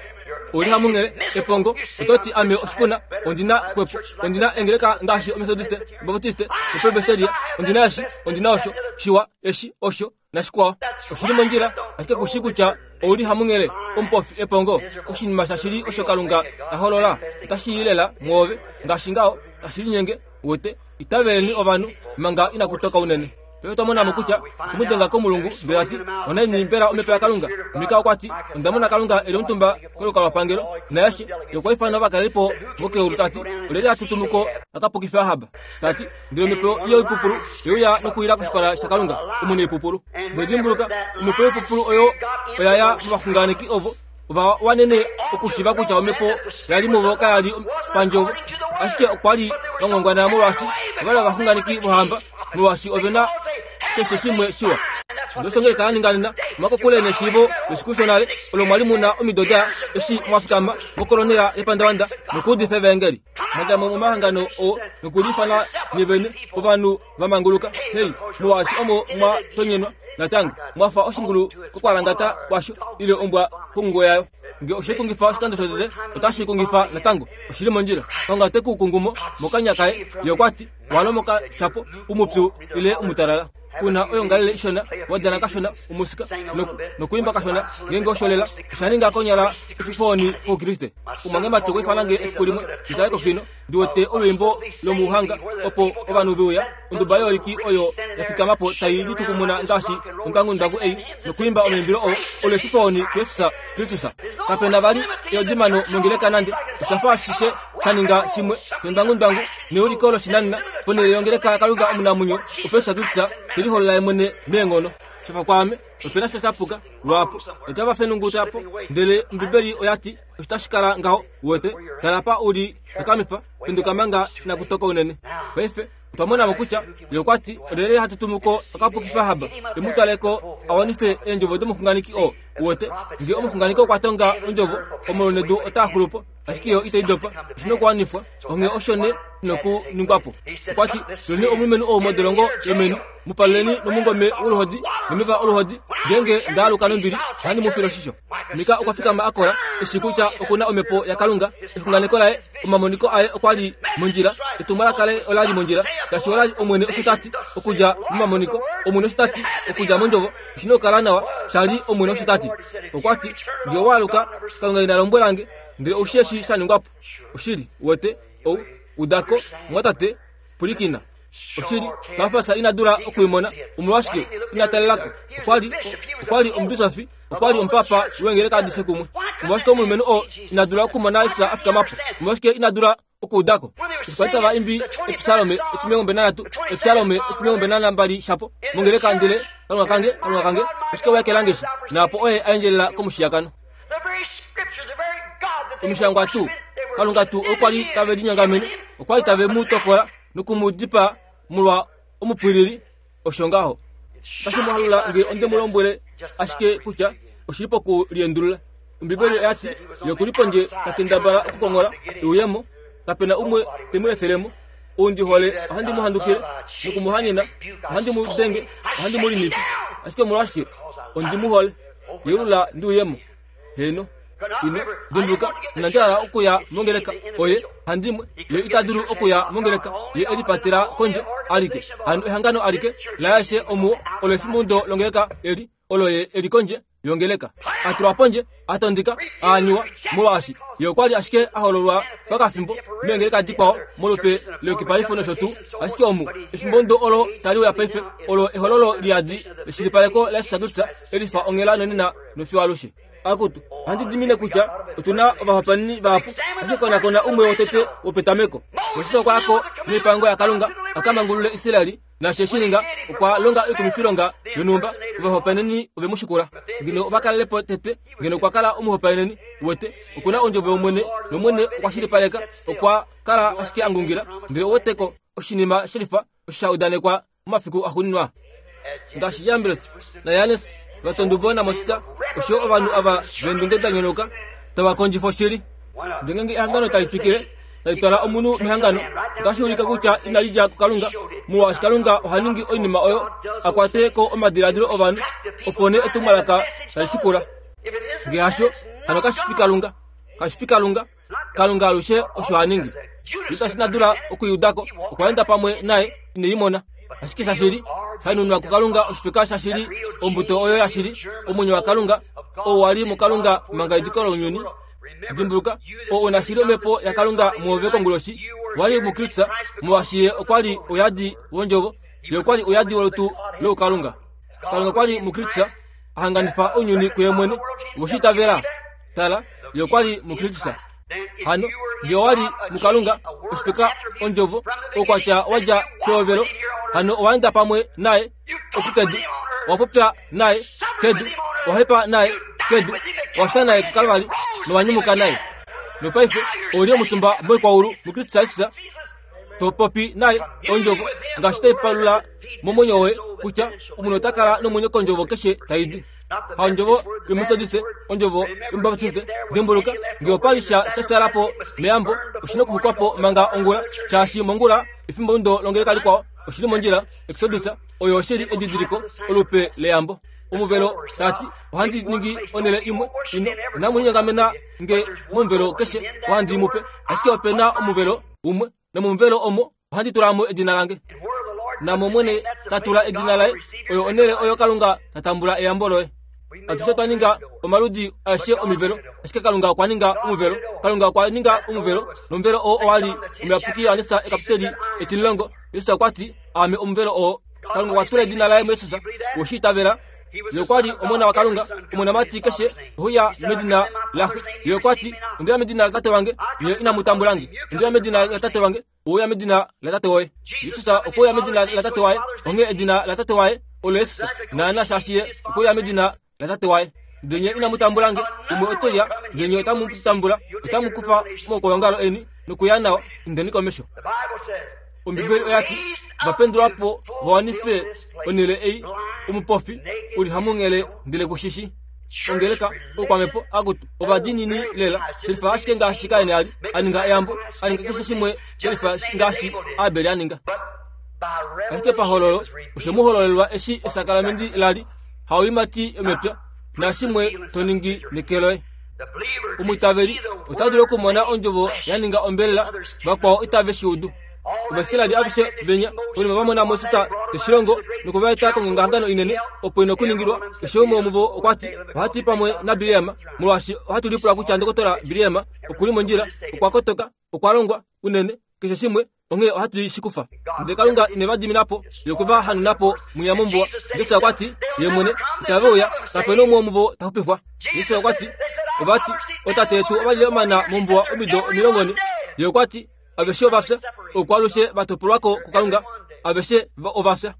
Oli hamunghele, epongo, oto ti ame oshipuna, ondi na xwepo, ondi na engeleka ngaashi Omethodiste, Obaptiste, Opresbyteria, ondi na eshi, ondi na osho, shiwa, eshi, osho, nashikwao. Oshi li mondjila, ashike ku shii kutya ou li hamunghele, omupofi, epongo, oshinima shashili osho Kalunga ta holola, otashi i lela mwoove, ngaashi ngaho, tashi linyenge, uwete, itaveleni ovanhu, manga inaku toka unene. Paife otwa mona mo kutya okwe mu denga komulungu ndele ta ti, Onaini mbela omhepo yaKalunga? Mika okwa ti, Onda mona Kalunga e li omutumba kolukalwapangelo, naeshi ye okwa ifana ovakalelipo vokeulu ta ti, Olyelye hatu tumu ko a ka pukife Ahab? Ta ti, Ndele omhepo yoipupulu ye uya nokuwila koshipala shaKalunga, omunaipupulu. Nodimbuluka, omhepo yoipupulu oyo oya ya movaxunganeki ovo ova wanene okushiiva kutya omhepo ya li muvo kaya li pandjovo, ashike okwa li va ngwangwana molwaashi ova li ovaxunganeki vohamba, molwaashi ove na keshe shimwe shiwa. Ndele ngee kala ninga nena mwakokule neshiivo lesiku shonale olo mwa li mu na omido da eshi mwa fikama mokolonela yepandavanda nokuudifa evaengeli. Mwa mo momahangano oo nokuliifana nye vene ovanhu va manguluka. Hei, molwaashi omo mwa tonyenwa natango, mwa fa oshingulu kokwalangata kwasho ile ombwa kongungo yayo. Nge oshe kungifa oshikando shotete, otashi kungifa natango. Oshi li mondjila. Kalunga te ku kungu mo mokanya kaye. Ye okwa ti, Wa lomoka shapo, umupyu ile umutalala. Kuna oyongalele ishona, wa dana kashona omusika nokuimba kashona, ngeenge osho lela, osha ninga konyala efifooni kOukriste. Omwangemati okwa ifana nge efiku limwe ndi tale kokino, ndi wete olwiimbo lomuhanga opo ovanhu ve uya, onduba yooliki oyo ya fikama po tai litukumuna ngaashi ondangundwangu ei, nokuimba omaimbilo oo, olo efifooni kuJesus Kristus. Kape na vali eodimano mongeleka nande, osha fa ashishe sha ninga shimwe shondangundwangu neuliko loshinanena ponhele yongeleka yaKalunga omunamwenyo, opo Jesus Kristus te liholola ye mwene meenghono. Sha fa kwaame, ope na sha sha puka lwaapo. Otava fenunguta po, ndele Ombibeli oya ti osho tashi kala ngaho. Uwete, tala pa u li, takamifa, penduka manga inaku toka unene. Paife, otwa mona mo kutya ye okwa ti, Olyelye hatu tumu ko a ka pukife Ahab, e mu twale ko a wanife eendjovo domuxunganeki oo? Uwete, nge omuxunganeki okwa tonga ondjovo, omaulu nedu otaa xulu po, ashike yo itai dopa. Oshi nokuwanifwa, onghee osho ne nokuningwa po. Okwa ti, Tuleni omulumenhu ou modolongo yomeni, mu paluleni nomungome woluhodi nomeva oluhodi, ngeenge nda aluka nombili, ohandi mu file oshisho. Mika okwa fikama a kola, e shii kutya oku na omhepo yaKalunga, exunganeko laye, omamoniko aye okwa li mondjila, etumwalaka laye ola li mondjila, ngaashi ola li Omwene osho ta ti, okudja momamoniko, Omwene osho ta ti, okudja mondjovo, oshi na okukala nawa, sha li Omwene osho ta ti. Okwa ti, Nge owa aluka, Kalunga ina lombwela nge, ndele ou shii eshi sha ningwa po. Oshili, uwete, ou, uda ko, mumwatate, pwilikina. Oshili, Kafas ina dula oku i mona. Omolwashike ina talela ko? Okwa li, okwa li omubisofi, okwa li omupapa wengeleka adishe kumwe. Omolwashike omulumenhu oo ina dula okumona Jesus a fikama po? Omolwashike ina dula okuuda ko? Eshi kwali tava imbi Epsalome etimilongo nanhatu, Epsalome 42 shapo, mongeleka ndele, Kalunga kange, Kalunga kange, oshike wa ekela nge shi? Naapo oye a endjelela komushiyakano. Omishangwa tuu, Kalunga tuu okwa li tave linyongamene, okwa li tave mu tokola noku mu dipaa molwa omupwilili, osho ngaho. Otashi mu halula nge onde mu lombwele ashike kutya oshi li poku liendulula. Ombibeli oya ti, Ye oku li pondje ta kendabala okukonghola e uye mo. Kape na umwe te mu efele mo. Ou ndi hole ohandi mu handukile noku mu hanyena, ohandi mu denge, ohandi mu limipi. Ashike omolwashike? Ondi mu hole. Yeulula ndi uye mo. Heeno. Ino dimbuluka, inandi hala okuya mongeleka. Oye handimwe, ye ita dulu okuya mongeleka. Ye e lipatela kondje alike. Hano ehangano alike laayeshe omuwo olo efimbo longeleka eli, olo ye e li kondje yongeleka, a tulwa pondje, a tondika, a aniwa, molwaashi ye okwa li ashike a hololwa pakafimbo meengeleka dikwao molupe leyukipalifo nosho tuu. Ashike omu, efimbo ndo olo tali uya paife, olo ehololo liyadi leshilipaleko laJesus Kristus e lifa onghela nonena nofiyo alushe. Akutu, ohandi dimine kutya otu na ovahopaeneni vahapu, ashike konakona umwe wotete wopetameko. Moses okwa ya ko noipango yaKalunga a ka mangulule Israel Naashi eshi ninga, okwa longa oikumifilonga yonhumba, ovahopaeneni ove mu shikula. Ngeno ova kalele po tete, ngeno okwa kala omuhopaeneni, uwete, oku na ondjovo yOmwene, nOmwene okwa shilipaleka, okwa kala ashike a ngungila. Ndele ouweteko, oshinima shelifa osho sha udanekwa momafiku axuuninwa. Ngaashi Jambres naJannes va tondubo naMoses, oshoyo ovanhu ava veendunge da nyonauka tava kondjifa oshili. Ndele ngeenge ehangano tali twikile, tali twala omunhu mehangano, otashi ulike kutya inali dja kuKalunga, molwaashi Kalunga oha ningi oinima oyo a kwate ko omadiladilo ovanhu, opo nee etumwalaka tali shikula. Ngee hasho, hano kashi fi Kalunga. Kashi fi Kalunga. Kalunga alushe osho ha ningi. Judas ina dula okuiuda ko, okwa enda pamwe naye, ine i mona. Ashike shashili, sha nunwa kuKalunga oshifeka shashili, ombuto oyo yashili, omwenyo waKalunga, oo wa li muKalunga manga ediko lounyuni. Dimbuluka, oo u na shili omhepo yaKalunga muove konguloshi, wa li muKristus, molwaashi ye okwa li ouyadi wondjovo, ye okwa li ouyadi wolutu loukalunga. Kalunga okwa li muKristus, a hanganifa ounyuni kuye mwene. Owe shi itavela? Tala, ye okwa li muKristus. Hano, nge owa li muKalunga, oshifeka ondjovo, oukwatya wa dja pehovelo, hano owa enda pamwe naye oku kedu, owa popya naye kedu, owa hepa naye kedu, owa fya naye kuKalvari, nowa nyumuka naye. Nopaife ou li omutumba moikwaulu muKristus Jesus, to popi naye ondjovo ngaashi tai palula momwenyo woye kutya omunhu ota kala nomwenyo kondjovo keshe tai di. Haondjovo yOmetodiste, ondjovo yOmubaptiste. Dimbuluka, nge opa li sha sha fyala po meyambo, oshi na okuxwikwa po manga ongula, shaashi mongula, efimbo ndo longeleka likwao, oshi li mondjila, Exodus, oyo oshi li edidiliko, olupe leyambo. Omuvelo, ta ti, ohandi ningi onhele imwe, ino, inamu linyongamena nge momuvelo keshe, ohandi mu pe. Ashike ope na omuvelo umwe, nomomuvelo omo ohandi tula mo edina lange. Namo Omwene ta tula edina laye, oyo onhele oyo Kalunga ta tambula eyambo loye. Atushe otwa ninga omaludi aeshe omivelo, ashike Kalunga okwa ninga omuvelo. Kalunga okwa ninga omuvelo, nomuvelo oo owa li omuyapuki Johannes ekapiteli etimulongo. Jesus okwa ti, Aame omuvelo oo. Kalunga okwa tula edina laye muJesus. Owe shi itavela? Ye okwa li Omona waKalunga, omonamati keshe ohe uya medina laxe. Ye okwa ti, Onde uya medina laTate wange, nye inamu tambula nge. Onde uya medina laTate wange, owe uya medina latate woye. Jesus okwe uya medina laTate waye, onghee edina laTate waye olo Jesus, naana shaashi ye okwe uya medina laTate waye. Ndele nye inamu tambula nge, umwe ote uya, ndele nye otamu mu tambula, otamu kufa momaukwaongalo eni nokuya nao, indeni komesho. Ombibeli oya ti, Va pendulwa po va wanife onhele ei, omupofi u li hamunghele ndele ku shi shi. Ongeleka, oukwamhepo, akutu, ovadiinini lela, shelifa ashike ngaashi Kain a li a ninga eyambo, a ninga keshe shimwe shelifa ngaashi Abel a ninga. Ashike pahololo, oshe mu hololelwa eshi esakalamenti la li, haoimati yomepya, naashimwe to ningi neke loye. Omwiitaveli ota dulu okumona ondjovo ya ninga ombelela, vakwao itave shi udu. Ovaisraeli aveshe venya konima va mona Moses te shi longo noku va eta kongongahangano inene opo ina okuningilwa. Keshe umwe womuvo okwa ti, Ohatu i pamwe naBileam, molwaashi ohatu lipula kutya ndokotola Bileam oku li mondjila, okwa kotoka, okwa longwa unene, keshe shimwe, onghee ohatu i shi kufa. Ndele Kalunga ine va dimina po, ye okwe va hanuna po mwinya mombuwa. Jesus okwa ti, Ye mwene, itave uya, kape na umwe womuvo ta xupifwa. Jesus okwa ti, Ova ti, Ootate yetu ova lile omana mombuwa omido 40. Ye okwa ti, Aveshe ova fya, oukwalushe va topolwa ko kuKalunga, aveshe ova fya.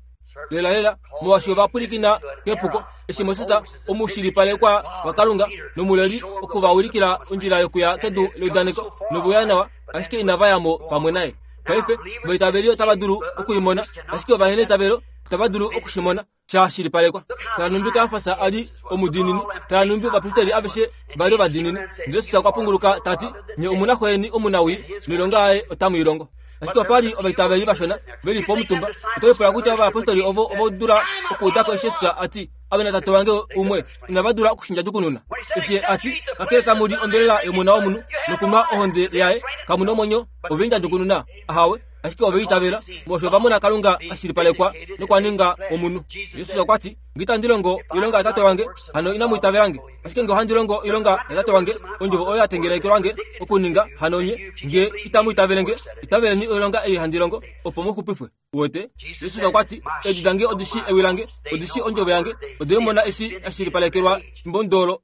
Lelalela, molwaashi ova pwilikina kepuko, eshi Moses omushilipalekwa waKalunga nomuleli oku va ulikila ondjila yokuya kedu leudaneko novuya nawa, ashike inava ya mo pamwe naye. Paife, ovaitaveli otava dulu oku i mona, ashike ovaneneitavelo. Itava dulu oku shi mona sha shilipalekwa. Tala nhumbi Kajafas a li omudiinini. Tala nhumbi ovapristeri aveshe va li ovadiinini. Ndele Jesus okwa punguluka ta ti, Nye omu na xo yeni omunawii, noilonga yaye otamu i longo. Ashike opa li ovaitaveli vashona ve li pomutumba. Oto lipula kutya ovayapostoli ovo ova dula okuuda ko eshi Jesus a ti, Ame naTate wange umwe, inava dula oku shi ndjadjukununa. Eshi ye a ti, Kakele tamu li ombelela yOmona wOmunhu nokunwa ohonde yaye, kamu nomwenyo, ove i ndjadjukununa? Ahawe. Ashike ove itavela, molwaashi ova mona Kalunga a shilipalekwa nokwa ninga omunhu. Jesus okwa ti, Nge itandi longo oilonga yaTate wange, hano inamu itavela nge. Ashike nge ohandi longo oilonga yaTate wange, ondjovo oyo ya tengelekelwa nge okuninga, hano nye, nge itamu itavele nge, itaveleni oilonga ei handi longo, opo mu xupifwe. Uwete? Jesus okwa ti, Eedi dange odi shii ewi lange, odi shii ondjovo yange, ode i mona eshi ya shilipalekelwa efimbomudo olo.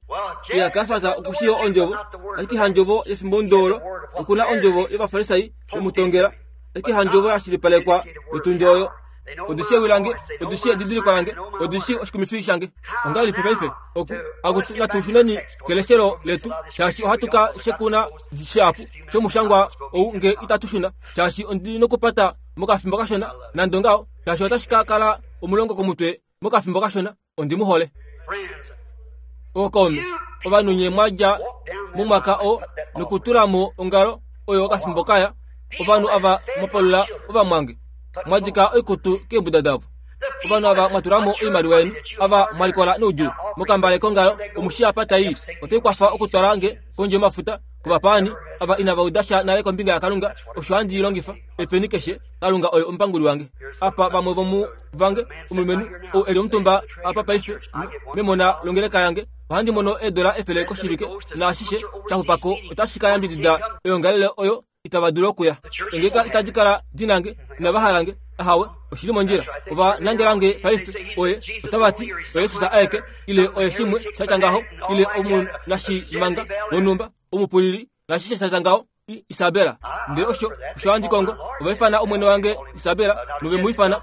Iya, Kajafas oku shii ondjovo, ashike handjovo yefimbomudo olo. Oku na ondjovo yOvafarisai ve mu tongela, ashike handjovo ya shilipalekwa yotundi oyo. Odi shii ewi lange, odi shii edidiliko lange, odi shii oshikumifi shange. Ongahelipi paife? Oku, akutu, natu shuneni keleshelo letu, shaashi ohatu ka shekuna shihapu shomushangwa ou nge itatu shuna, shaashi ondi nokupata mokafimbo kashona, nande ongaho, shaashi otashi ka kala omulongo komutwe mokafimbo kashona. Ondi mu hole. Ookaume, ovanhu nye mwa dja momwaka oo nokutula mo ongalo oyo okafimbo kaya, ovanhu ava mwa palula ovamwange, mwa dika oikutu keembuda davo. Ovanhu ava mwa tula mo oimaliwa yeni, ava mwa likola noudjuu mokambale kongalo, omu shii apa tai i. Otai kwafa okutwala nge kondje yomafuta, kovapaani ava inava uda sha nale kombinga yaKalunga, osho handi i longifa epeni keshe. Kalunga oye omupanguli wange. Apa vamwe vomu vange, omulumenhu ou e li omutumba apa paife memona longeleka yange, ohandi mono eedola 100 koshivike, naashishe sha xupa ko otashi ka yambidida oyoongalele oyo itava dulu okuya. Eengeleka itadi kala di na nge, inava hala nge. Ahawe, oshi li mondjila. Ova nangela nge paife, oye, otava ti, oye Jesus aeke, ile oye shimwe sha tya ngaho, ile omunashimanga wonhumba, omupulili, naashishe sha tya ngaho. Isabela. Ndele osho osho handi kongo. Ova ifana omwene wange Isabela, nove mu ifana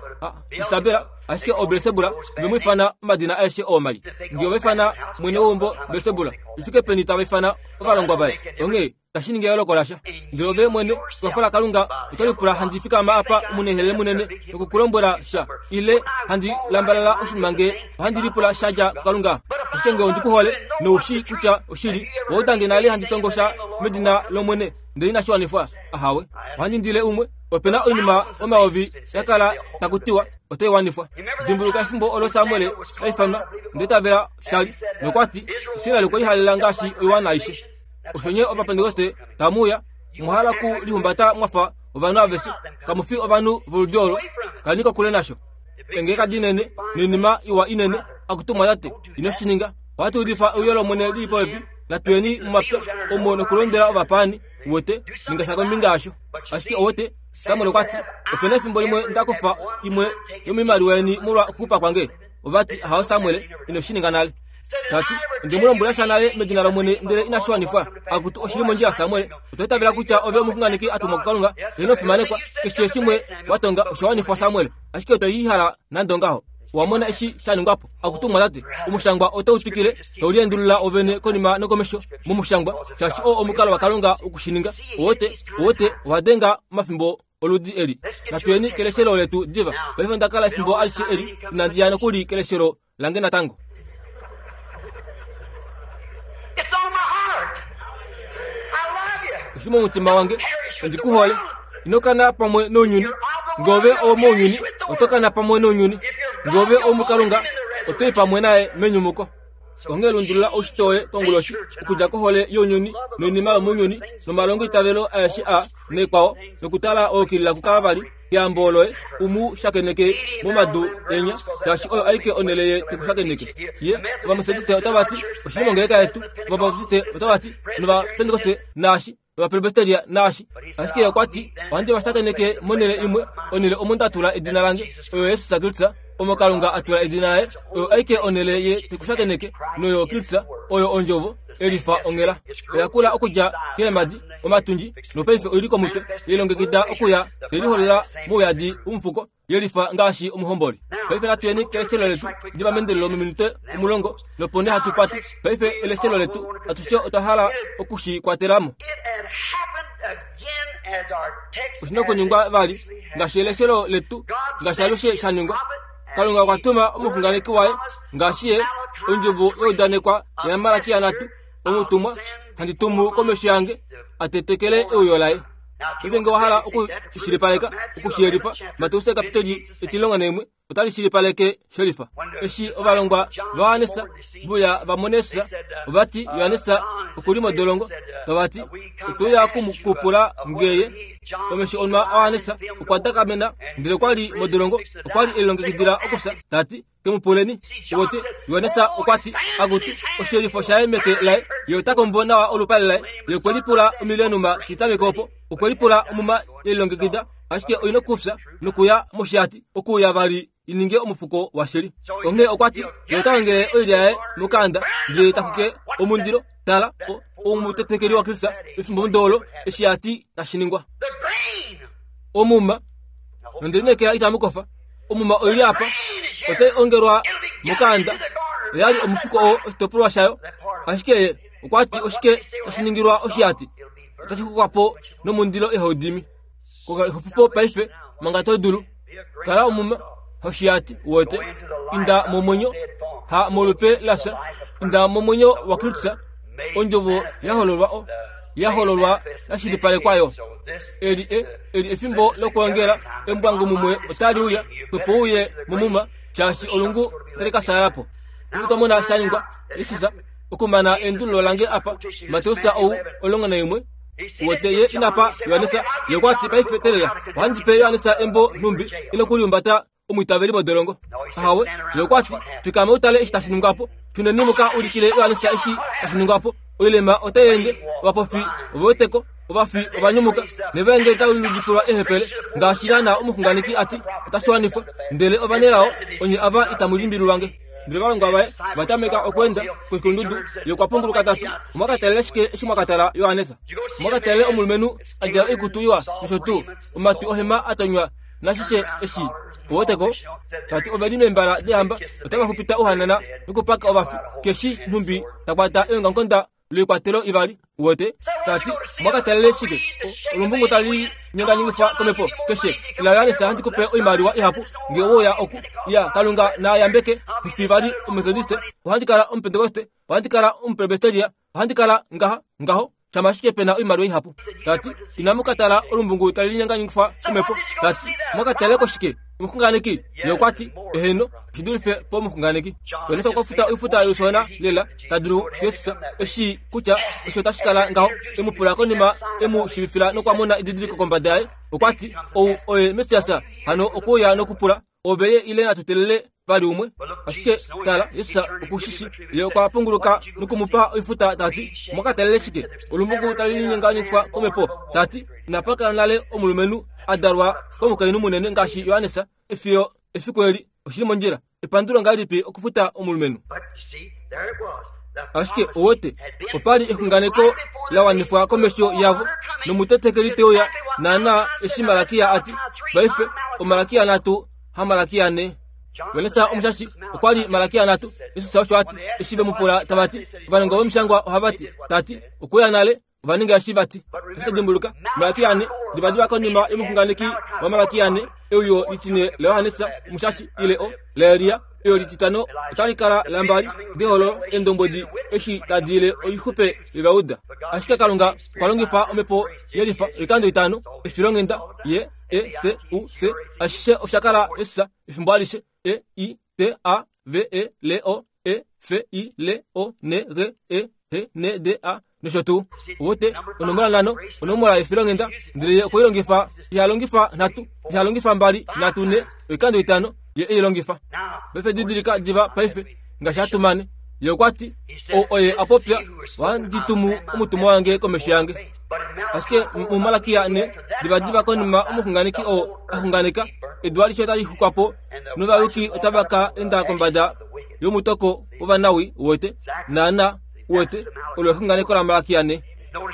Isabela, ashike oBelsebula ove mu ifana omadina aeshe oo mai. Nge ova ifana mwene weumbo Belsebula, ifike peni tava ifana ovalongwa vaye? Onghee tashi ningi eyooloko lasha. Ndele ove mwene, ekwafo laKalunga, oto lipula handi fikama apa omunehelele munene noku ku lombwela sha, ile handi lambalala oshinima nge ohandi lipula sha dja kuKalunga. Ashike nge ondi ku hole, nou shii kutya oshili, owa uda nge nale handi tongo sha medina lOmwene, ndele inashi wanifwa? Ahawe. Ohandi indile umwe. Ope na oinima omayovi ya kala taku tiwa otai wanifwa. Dimbuluka efimbo olo Samuel a ifanwa, ndele tavela sha li, nokwa ti, Israel okwe lihalela ngaashi oiwana aishe. Osho nye Ovapentekoste tamu uya, omwa hala ku lihumbata mwa fa ovanhu aveshe. Kamu fi ovanhu voludi olo. Kaleni kokule nasho. Eengeleka dinene noinima iwa inene, akutu mwatate, ino shi ninga. Ohatu udifa euyo lOmwene li li popepi. Natu yeni momapya omo nokulondwela ovapaani, uwete, ninga sha kombinga yasho. Ashike uwete, Samuel okwa ti, ope na efimbo limwe nda kufa imwe yomoimaliwa yeni molwa okuxupa kwange. Ova ti, Ahawe Samuel, ino shi ninga nale. Ta ti, Onde mu lombwela sha nale medina lOmwene ndele inashi wanifwa. Akutu, oshi li mondjila Samuel. Otwa itavela kutya ove omuxunganeki a tumwa kuKalunga, ndele ino fimanekwa. Keshe shimwe wa tonga osha wanifwa Samuel. Ashike otwe i hala nande ongaho. Owa mona eshi sha ningwa po? Akutu mwamwatate, omushangwa otau twikile tau liendulula wovene konima nokomesho momushangwa, shaashi oo omukalo waKalunga woku shi ninga. Owote, owote, owa denga omafimbo oludi eli. Natu yeni keleshelo letu diva. Paife onda kala efimbo alishe eli inandi ya nokuli keleshelo lange natango. It's on my heart. I love you. Oshi momutima wange, ondi ku hole. Ino kana pamwe nounyuni. Nge ove owomounyuni, oto kana pamwe nounyuni. Nge ove owomuKalunga, oto i pamwe naye menyumuko. Onghee lundulula oushitwe woye konguloshi, okudja kohole younyuni noinima yomounyuni nomalongoitavelo aeshe a naikwao, nokutala oukilila kuKalvari, keyambo loye u mu shakeneke momadu enya, shaashi oyo aike onhele ye te ku shakeneke. Ye, Ovametodiste otava ti, Oshili mongeleka yetu. Ovabaptiste otava ti, nOvapentekoste naashi, nOvapresbyteria naashi. Ashike ye okwa ti, Ohandi va shakeneke monhele imwe, onhele omo nda tula edina lange, oyo Jesus Kristus, omo Kalunga a tula edina laye. Oyo aike onhele ye te ku shakeneke, noyo Kristus, oyo Ondjovo, elifa onghela. Oya kula okudja keemhadi, omatundji, nopaife oi li komutwe, ye lilongekida okuya, ye liholola mouyadi womufuko, ye lifa ngaashi omuhomboli. Paife natu yeni keleshelo letu diva meendelelo mominute 10, nopo nee hatu pate. Paife eleshelo letu, atushe otwa hala oku shi kwatela mo. Oshi na okuningwa vali ngaashi eleshelo letu, ngaashi alushe sha ningwa. Kalunga okwa tuma omuxunganeki waye ngaashi ye ondjovo ya udanekwa yaMalakia nhatu, omutumwa handi tumu komesho yange a tetekele euyo laye. Paife nge wa hala oku shi shilipaleka, oku shi yelifa, Mateus kapiteli 11 otali shilipaleke shelifa. Eshi ovalongwa vaJohannes vuya va mona Jesus, ova ti Johannes oku li modolongo. Tava ti, Otwe uya oku mu kupula ngeye. Omesho onwa aJohannes okwa dakamena, ndele okwa li modolongo, okwa li e lilongekidila okufya, ta ti, Ke mu puleni. Uwete, Johannes okwa ti, Akutu, oshiyelifo shaye meke laye, ye ota kombo nawa olupale laye. Ye okwe lipula omilenuma kitameke opo. Okwe lipula omuma ye lilongekida, ashike oi nokufya nokuya moshihati, okuuya vali i ninge omufuko washili. Onghee okwa ti, Ye ota ongele oilya yaye mokaanda, ndele ta xwike omundilo. Tala, omutetekeli waKristus pefimbo olo, eshi a ti tashi ningwa. Omuma, nonde lineekela itamu kofa. Omuma oi li apa, otai ongelwa mokaanda. Oya li omufuko oo oshitopolwa shayo, ashike ye okwa ti oshike tashi ningilwa oshihati? Otashi xwikwa po nomundilo ihau dimi. Konga exupifo paife manga to dulu. Kala omuma hoshihati wote. Inda momwenyo, ha molupe lafya. Inda momwenyo waKristus, ondjovo ya hololwa o ya hololwa ya shilipalekwa yo. Eli e, eli efimbo lokwoongela embwangu mumwe otali uya, xwepo uye momuma, shaashi olungu otali ka fyaala po. Otwa mona sha ningwa, Jesus okumana eendululo lange apa, Mateus ou 11, Wete ye ina pa Johannes, ye okwa ti paife telela, ohandi pe Johannes embo nhumbi e nokulihumbata omwiitaveli modolongo. Ahawe, ye okwa ti, fikama u tale eshi tashi ningwa po. Shuneni mu ka ulikile Johannes eshi tashi ningwa po. Oilema otai ende, ovapofi ove wete ko, ovafi ova nyumuka, nevaengeli otali udifilwa eehepele, ngaashi naanaa omuxunganeki a ti, otashi wanifwa. Ndele ovanelao onye ava itamu limbililwa nge. Ndele ovalongwa vaye va tameka okweenda koshikulundudu. Ye okwa punguluka ta ti, Omwa ka talela shike eshi mwa ka tala Johannes? Omwa ka talela omulumenhu a djala oikutu iwa nosho tuu omatwi ohema a tonywa nashishe eshi u wete ko? Ta ti ove li meembala deehamba, otava xupita ouhanana nokupaka ovafi, keshi nhumbi ta kwata eongamukonda loikwatelo ivali uwete ta ti omwa ka talele shike olumbungu tali nyenganyengifwa komhepo keshe ila Johannes handi kupe oimaliwa ihapu nge oya oku ya kalunga na yambeke ndifi vali omethodiste ohandi kala omupentekoste ohandi kala omupresbyteria ohandi kala ngaha ngaho shama ashike pe na oimaliwa ihapu ta ti inamu ka tala olumbungu tali linyanganyifwa komhepo ta ti omwa ka talele ko shike omuxunganeki ye okwa ti eheno shi dulife pomuxunganeki Johannes okwa futa oifuta yoshona lela ta dulu Jesus eshi kutya osho otashi kala ngaho e mu pula konima e mu shiivifila nokwa mona edidiliko kombada yaye okwa ti ou oye Messias hano okuuya nokupula ove ye ile natu telele vali umwe ashike tala Jesus oku shi shi ye okwa punguluka noku mu pa oifuta ta ti omwa ka talele shike olumbuku tali linyenganyifwa komhepo ta ti inapa kala nale omulumenhu a dalwa komukainhu munene ngaashi Johannes efiyo efiku eli oshili mondjila epandulo ngahelipi okufuta omulumenhu ashike owete opa li exunganeko la wanifwa komesho yavo nomutetekeli te uya naanaa eshi malakia a ti paife omalakia nhatu hamalakia ne Johannes omushashi okwa li malakia nhatu Jesus osho a ti eshi ve mu pula tava ti ovanongo vomishangwa ohava ti ta ti okuya nale ova ninga eshi vati. Ashike dimbuluka, Malakia ane, divadiva konima yomuxunganeki waMalakia ane, euyo litine laJohannes Omushashi ile o laElia, euyo lititano otali kala lambali deholo eendombwedi eshi tadi ile oixupe yOvauda. Ashike Kalunga okwa longifa omhepo yelifa oikando itano, efilonghenda, ye, e, s, u, s, ashishe osha kala Jesus efimbo alishe, E, I, T, A, V, E, L, O, E, F, I, L, O, N, G, E, H, N, D, A nosho tuu. Uwete, onomola nhano, onomola yefilonghenda, ndele ye okwe i longifa, iha longifa nhatu, iha longifa mbali, nhatu, nhe, oikando itano, ye e i longifa. Paife didilika diva paife, ngaashi hatu mane. Ye okwa ti, Ou oye a popya, Ohandi tumu omutumwa wange komesho yange. Ashike muMalakia ne, divadiva konima omuxunganeki oo a xunganeka, edu alishe otali xukwa po, novayuki otava ka enda kombada yomutoko wovanawi, uwete, naana, uwete, olo exunganeko laMalakia ne.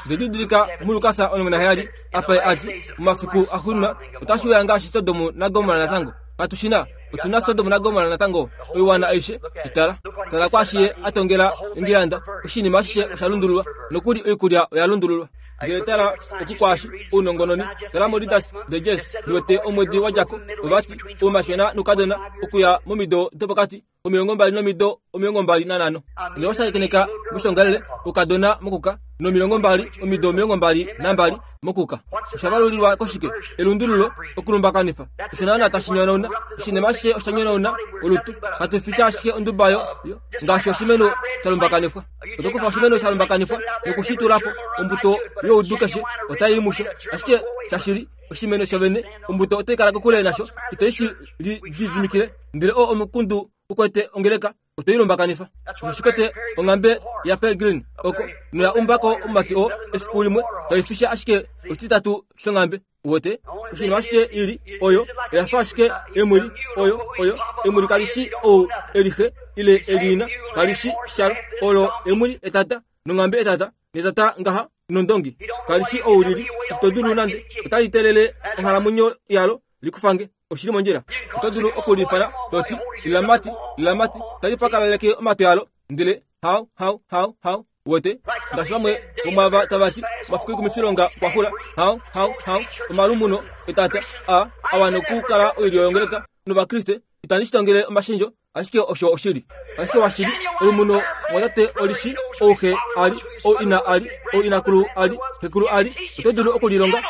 Nde didilika muLukas 17, apa ye a ti, Momafiku axuuninwa otashi uya ngaashi Sodom naGomorra natango. Katu shi na. Otu na Sodom naGomorra natango, oiwana aishe. Shi tala. Tala kwaashi ye a tongela engilanda. Oshinima ashishe osha lundululwa. Nokuli oikulya oya lundululwa. Ndele tala oku kwaashi, ounongononi, tala moReader's Digest, liwete omwedi wa dja ko, ova ti, Oumatyona noukadona okuya momido dopokati komilongombali nomido 25. Ndele owa shakeneka moshongalele oukadona mokuka nomilongombali, omido 22 mokuka. Osha valulilwa koshike? Elundululo, okulumbakanifa. Osho naana tashi nyonauna. Oshinima ashishe osha nyonauna olutu. Katu fi sha ashike onduba yo, yo, ngaashi oshimeno sha lumbakanifwa. Oto kufa oshimeno sha lumbakanifwa noku shi tula po, ombuto youdu keshe otai i musho. Ashike shashili, oshimeno shovene, ombuto otai kala kokule nasho, itai shi lididimikile. Ndele oo omukundu u kwete ongeleka, otwe i lumbakanifa. Osho shi kwete onghambe yaPelgrim oko, noya umba ko omumati oo efiku limwe, kai fi sha ashike oshititatu shonghambe. Uwete? Oshinima ashike i li, oyo, oya fa ashike emwili, oyo, oyo, emwili kali shi ou e li xe, ile e li ina, kali shi shalo. Olo emwili etata, nonghambe etata, netata ngaha, nondongi. Kali shi ou li li, ito dulu nande, otali telele onghalamwenyo yalo li ku fange. Oshi li mondjila. Oto dulu oku li ifana to ti, Lilamati, lilamati, tali pakalaleke omatwi alo, ndele hau, hau, hau, hau. Uwete? Ngaashi vamwe vomwaava tava ti, omafiku oikumifilonga okwa xula. Hau, hau, hau, omalumuno etata a, a wana okukala oilyo yongeleka nOvakriste. Itandi shi tongele omashendjo, ashike osho oshili. Ashike washili, olumuno mwatate oli shi ou xe a li, ou ina a li, ou inakulu a li, xekulu a li. Oto dulu oku lilonga.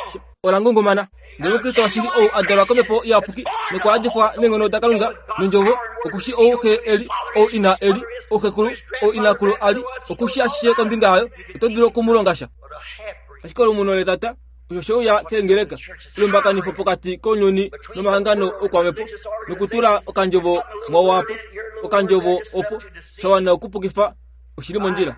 Ola ngungumana. Ndele Omukriste washili ou a dalwa kOmhepo Iyapuki nokwa yadifwa neenghono daKalunga nOndjovo, oku shii ou xe e li, ou ina e li, ou xekulu, ou inakulu a li, oku shii ashishe kombinga yayo. Oto dulu oku mu longa sha. Ashike olumuno letata, osho she uya keengeleka, elumbakanifo pokati kounyuni nomahangano oukwamhepo, nokutula okandjovo mwawo apa, okandjovo opo, sha wana okupukifa oshili mondjila.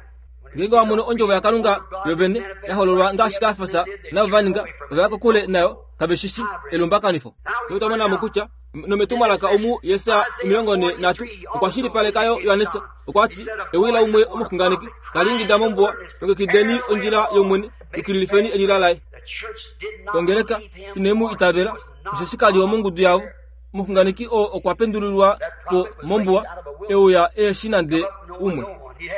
Ngeenge wa mono ondjovo yaKalunga yovene ya hololwa ngaashi Kafas navo va ninga, ova ya kokule nayo, kave shi shi elumbakanifo. Otwa mona mo kutya nometumwalaka omu Jesaja 43 okwa shilipaleka yo Johannes okwa ti, Ewi laumwe omuxunganeki tali ingida mombuwa, longekideni ondjila yOmwene, yukililifeni elila laye. Ongeleka ine mu itavela, osheshi ka li womongudu yavo. Omuxunganeki oo okwa pendulilwa po mombuwa, e uya e shi nande umwe.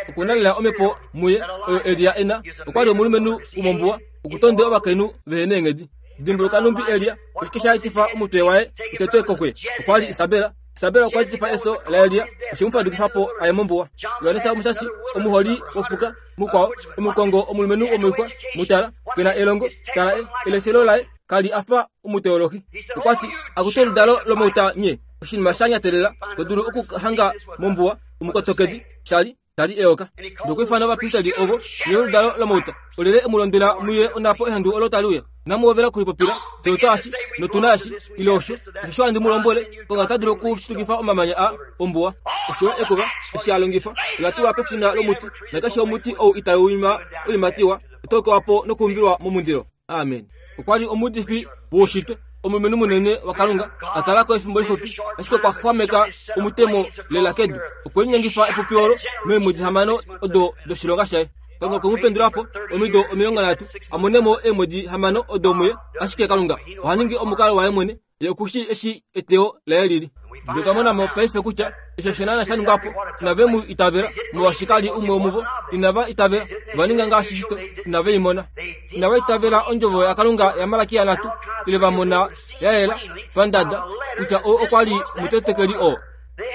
Oku na lela omhepo muye oyo Elia e na. Okwa li omulumenhu womombuwa, okutonde ovakainhu vehe neenghedi. Dimbuluka numbi Elia, oshike sha etifa omutwe waye u tetwe ko kuye? Okwa li Isabel. Isabel okwa etifa efyo laElia, oshe mu fadukifa po a ye mombuwa. Johannes Omushashi, omuholi wofuka mukwao, omukongo omulumenhu womoixwa, mu tala, ke na elongo, tala e, eleshelo laye ka li a fa omuteolohi. Okwa ti, Akutu oludalo lomauta nye, oshinima sha nyatelela to dulu okuhanga mombuwa, omukotokedi, sha li tali eyoka. Nokwa ifana ovapristeli ovo, Nye oludalo lomauta, olyelye e mu londwela mu ye onhapo ehandu olo tali uya? Inamu hovela okulipopila, Fye otwa eshi, notu na eshi, ile osho. Osho handi mu lombwele, Kalunga ota dulu okushitukifa omamanya aa ombuwa. Osho yo ekuva, eshi a longifa, ola tulwa pefina lomuti, nakeshe omuti ou itau ima oiimati iwa, otau kewa po nokuumbilwa momundilo. Amen. Okwa li omuudifi woushitwe, omulumenhu munene waKalunga, a kala ko efimbo lixupi, ashike okwa xwameka omutemo lela kedu. Okwe linyengifa epupi olo meemwedi hamano odo doshilonga shaye. Kalunga okwe mu pendula po omido 30 a mone mo eemwedi hamano odo muye, ashike Kalunga oha ningi omukalo waye mwene Ye oku shii eshi eteyo laye li li. Ndele otwa mona mo paife kutya eshi osho naana sha ningwa po. Inave mu itavela, molwaashi ka li umwe womuvo. Inava itavela. Ova ninga ngaashi shito. Inave i mona. Inava itavela ondjovo yaKalunga yaMalakia nhatu, ile va mona ya yela, pandada, kutya oo okwa li omutetekeli oo.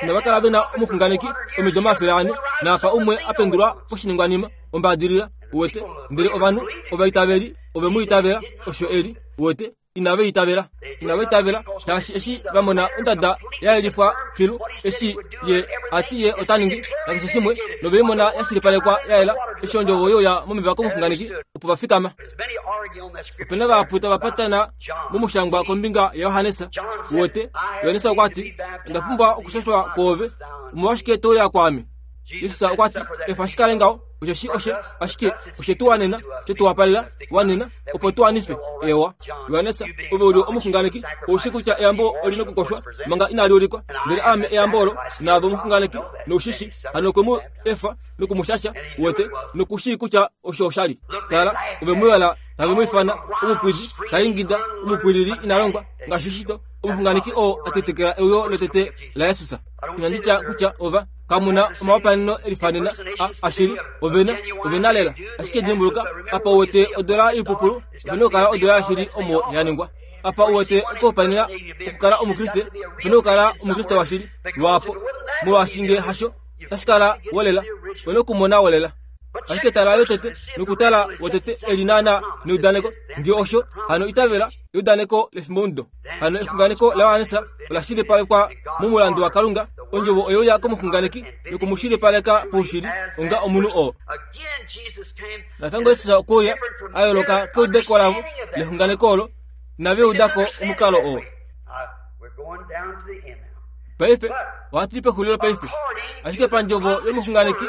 Inava kala ve na omuxunganeki omido 400, naapa umwe a pendulwa poshiningwanima, ombaadilila, uwete. Ndele ovanhu, ovaitaveli, ove mu itavela, osho e li, uwete. Inava itavela. Inava itavela, shaashi eshi va mona ondada ya yelifwa filu, eshi Ye a ti Ye ota ningi, nakeshe shimwe, nove i mona ya shilipalekwa ya yela, eshi ondjovo ye uya momeva komuxunganeki, opo va fikama. Ope na vahapu tava patana momushangwa kombinga yaJohannes. Uwete, Johannes okwa ti, Onda pumbwa okushashwa kwoove, omolwashike to uya kwaame? Jesus okwa ti, Efa shi kale ngaho, osheshi oshe, ashike oshe tu wanena, she tu wapalela, wanena, opo tu wanifwe. Ewa. Johannes, ove u li omuxunganeki, ou shii kutya eyambo oli nokukoshwa manga inali ulikwa. Ndele aame eyambo olo, naave omuxunganeki, nou shi shii. Hano okwe mu efa noku mu shasha, uwete, noku shii kutya osho osha li. Tala, ove mu yala, tave mu ifana omupwidi, ta ingida, omupwilili ina longwa, ngaashi shito, omuxunganeki oo a tetekela euyo lotete laJesus. Inandi tya kutya ova. Kamu na omahopaeneno e lifanena a ashili. Ove na, ove na lela. Ashike dimbuluka, apa u wete odola yoipupulu, ope na okukala odola yashili omo ya ningwa. Apa u wete okuhopaenena okukala Omukriste, ope na okukala Omukriste washili, lwaapo. Molwaashi nge hasho, otashi kala wolela. Owe na okumona wolela. Ashike tala yotete, nokutala wotete e li naana neudaneko. Nge osho, hano itavela eudaneko lefimbomudo. Hano exunganeko laJohannes ola shilipalekwa momulandu waKalunga, ondjovo oye uya komuxunganeki noku mu shilipaleka paushili onga omunhu oo. Natango Jesus okwe uya a yooloka keudeko lavo lexunganeko olo, inave uda ko omukalo oo. Paife ohatu i pexulilo paife, ashike pandjovo yomuxunganeki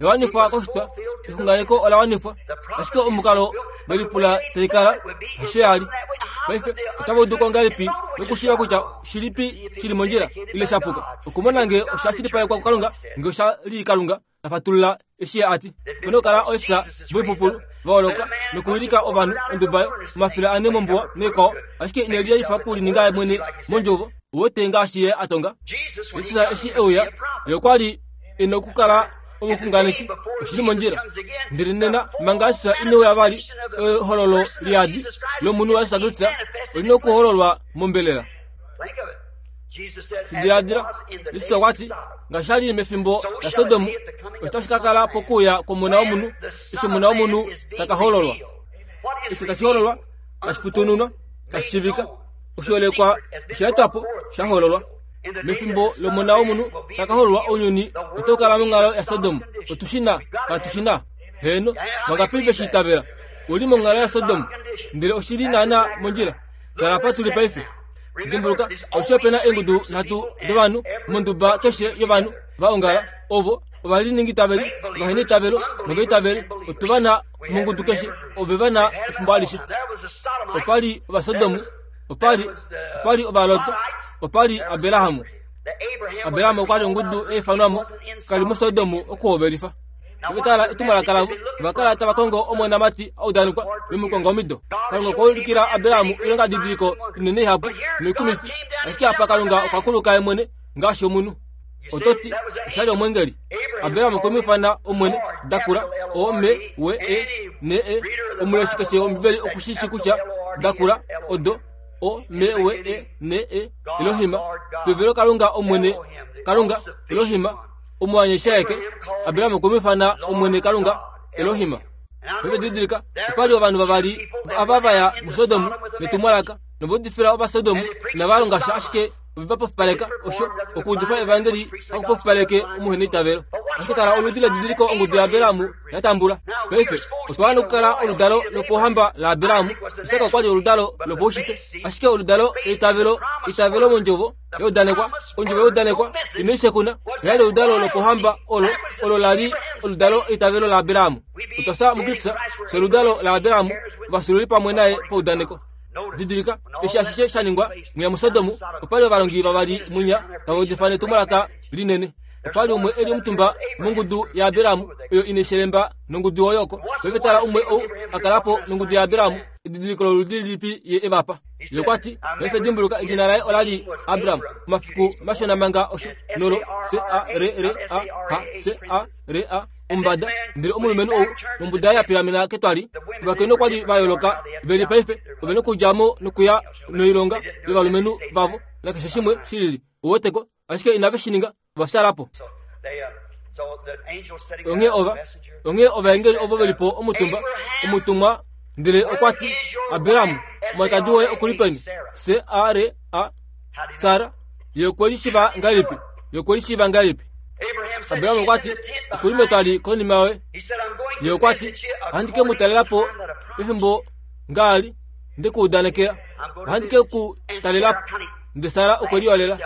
ya wanifwa koshitwa, exunganeko ola wanifwa, ashike omukalo ve lipula tai kala hasho ya li. Paife otava udu ko ngahelipi nokushiiva kutya shilipi shi li mondjila ile sha puka? Okumona nge osha shilipalekwa kuKalunga, nge osha li Kalunga ta fatulula eshi ye a ti. Ope na okukala oisa voipupulu va holoka nokuwilika ovanhu onduba omafila ane mombuwa naikwao, ashike ine liyaifa okulininga ye mwene mondjovo. Uwete ngaashi ye a tonga? Jesus eshi e uya, ye okwa li e na okukala omuxunganeki. Oshi li mondjila. Ndele nena, manga Jesus ine uya vali, ehololo liyadi lomunhu waJesus Kristus oli na okuhololwa mombelela. Shi diladila, Jesus okwa ti, ngaashi sha li mefimbo laSodom, osho tashi ka kala pokuuya kwOmona wOmunhu, eshi Omona wOmunhu ta ka hololwa. Eshi tashi hololwa, tashi futununwa, tashi shivika, oshiholekwa osha etwa po, sha hololwa. Mefimbo lOmona wOmunhu ta ka hololwa ounyuni otau kala monghalo yaSodom. Otu shi na, katu shi na? Heeno, vangapi ve shi itavela? U li monghalo yaSodom, ndele oshi li naanaa mondjila. Tala apa tu li paife. Dimbuluka, alushe ope na eengudu nhatu dovanhu monduba keshe yovanhu va ongala, ovo ovaliningiitaveli, ovaheneitavelo novaitaveli. Otu va na mongudu keshe, ove va na efimbo alishe. Opa li Ovasodomu, opa li, opa li Ovalot, opa li Abraham. Abraham okwa li ongudu ya ifanwa mo, ka li muSodomu okuhovelifa. Ove tala etumwalaka lavo, ova kala tava kongo omonamati a udanekwa vemukonga omido. Kalunga okwa ulikila Abraham oilongadidiliko inene ihapu noikumifi, ashike apa Kalunga okwa kuluka ye mwene ngaashi omunhu. Oto ti, osha li omwengeli. Abraham okwe mu ifana Omwene, dakula, O M W E N E. Omuleshi keshe wOmbibeli oku shi shii kutya dakula odo O M W E N E, Elohim, pevelo Kalunga Omwene, Kalunga, Elohim, omuanyasha aeke. Abraham okwe mu ifana Omwene Kalunga, Elohim. Paife didilika, opa li ovanhu vavali ava va ya muSodom netumwalaka, nova udifila Ovasodomu, inava longa sha ashike ove va pofipaleka osho okuudifa evangeli haku pofipaleke omuheneitavelo. Ashike tala oludi ledidiliko ongudu yaAbraham ya tambula. Paife otwa wana okukala oludalo lopohamba laAbraham. Isak okwa li oludalo lopaushitwe, ashike oludalo leitavelo, eitavelo mondjovo ya udanekwa, ondjovo ya udanekwa ino i shekuna, oya li oludalo lopohamba olo, olo la li oludalo leitavelo laAbraham. Otwa fya muKristus, fye oludalo laAbraham, ovafyuululi pamwe naye paudaneko. Didilika, eshi ashishe sha ningwa mwiya muSodom, opa li ovalongi vavali mwinya tava udifa netumwalaka linene. Opa li umwe e li omutumba mongudu yaAbraham oyo ine shelemba nongudu oyo oko. Paife tala umwe ou a kala po nongudu yaAbraham, edidiliko loludi lilipi ye e va pa. Ye okwa ti, paife dimbuluka edina laye ola li Abram, omafiku mashona manga osho, nolo C-A-R-R-A-H-C-A-R-A. omumbada ndele omulumenhu ou nombuda yaye ya pilamena ketwali ovakainhu okwa li va yooloka ve li paife ove na okudja mo nokuya noilonga yovalumenhu vavo nakeshe shimwe shi lili uweteko ashike inave shi ninga ova fyaala po onghee ova onghee ovaengeli ovo ve li po omutumba omutumwa ndele okwa ti abraham omwalikadi woye oku li peni c a r a sara ye okwe li shiva ngahelipi ye okwe li shiva ngahelipi abraham okwa ti oku li metwali konima yoye ye okwa ti ohandi ke mu talela po pefimbo ngaali nde ku udanekela ohandi ke ku talela po nde sara okwe liyolela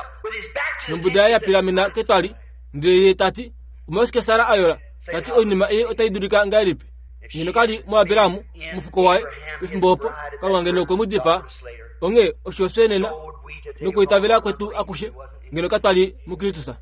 nombuda yaye ya pilamena ketwali ndele ye ta ti omolwashike sara a yola ta ti oinima ei otai dulika ngahelipi ngeno ka li muAbraham omufuko waye pefimbo opo Kalunga ngeno okwe mu dipaa. Onghee osho fye nena nokwiitavela kwetu akushe ngeno katwa li muKristus.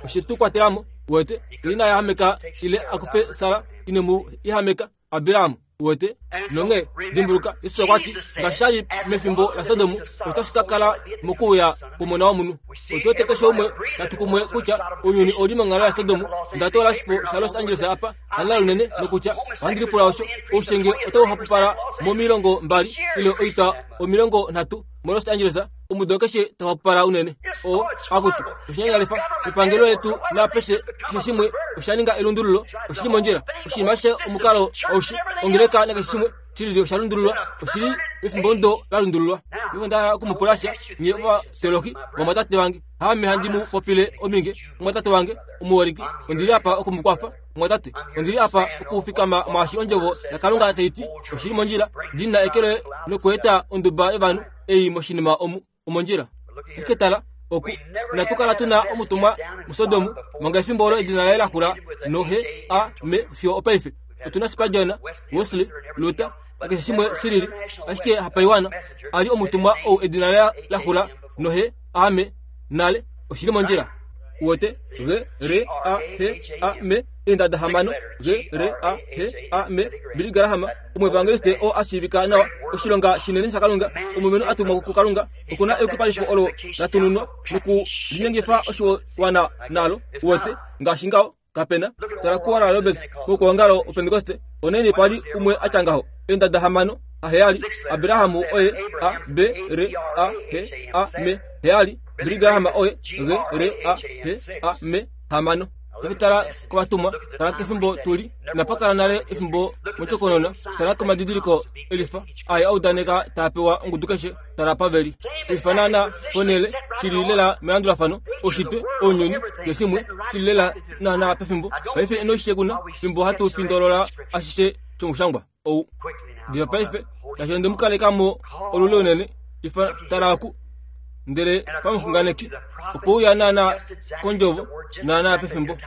Oshe tu kwatela mo, uwete, ye ina yahameka ile a kufe Sara, ine mu yahameka Abraham. Uwete? Nonghee, dimbuluka, Jesus okwa ti, Ngaashi sha li mefimbo laSodom, otashi ka kala mokuuya kwOmona wOmunhu. Otu wete keshe umwe ta tu kumwe kutya ounyuni ou li monghalo yaSodom. Onda toola oshifo shaLos Angeles apa, hanala lunene, nokutya, ohandi lipula osho, oushenge otau hapupala momilongo mbali ile oitwa 30 moLos Angeles, omudo keshe tau hapupala unene. O, akutu, oshinyanyalifa, epangelo letu naapeshe, keshe shimwe osha ninga elundululo, oshi li mondjila. Oshinima ashishe omukalo aushi, ongeleka nakeshe shimwe shilili osha lundululwa, oshi li pefimbomudo la lundululwa. Paife onda hala oku mu pula sha, nye ovateologi, vamwatate vange. Haame handi mu popile ominge, mumwatate wange omuholike. Ondi li apa oku mu kwafa, mumwatate. Ondi li apa okufikama mwaashi Ondjovo yaKalunga tai ti oshi li mondjila, ndi na eke loye nokueta onduba yovanhu ei moshinima omu omondjila. Ashike tala, oku, inatu kala tu na omutumwa muSodom manga efimbo olo edina laye la xula nohe a me fiyo opaife. Otu na Spurgeon, Wesley, Luther, nakeshe shimwe shi lili, ashike hapaiwana a li omutumwa ou edina laye la xula nohe a me nale. Oshi li mondjila. Uwete? G R A H A M eendada hamano G R A H A M Billy Graham omuevangeliste oo a shiivika nawa oshilonga shinene shaKalunga omulumenhu a tumwa kuKalunga oku na eyukipalifo olo la tununwa noku linyengifa oshiwana nalo uwete ngaashi ngaho kapena tala kuOral Roberts wokwoongalo woPentekoste onaini pa li umwe a tya ngaho eendada hamano aheyali Abraham oye A B R A H A M heyali Billy Graham oye G R A H A M hamano Paife tala kovatumwa, tala kefimbo tu li. Inapa kala nale efimbo mondjokonona. Tala komadidiliko elifa aye a udaneka taa pewa ongudu keshe. Tala apa ve li. Shelifa naana ponhele, shi li lela melandulafano, oushitwe, ounyuni, keshimwe, shi li lela naana pefimbo. Paife ino shi shekuna, fimbo hatu findolola ashishe shomushangwa ou. Diva paife, shaashi onde mu kaleka mo olule unene, ifa, tala oku. Ndele pamuxunganeki, okwe uya naana kondjovo, naana pefimbo.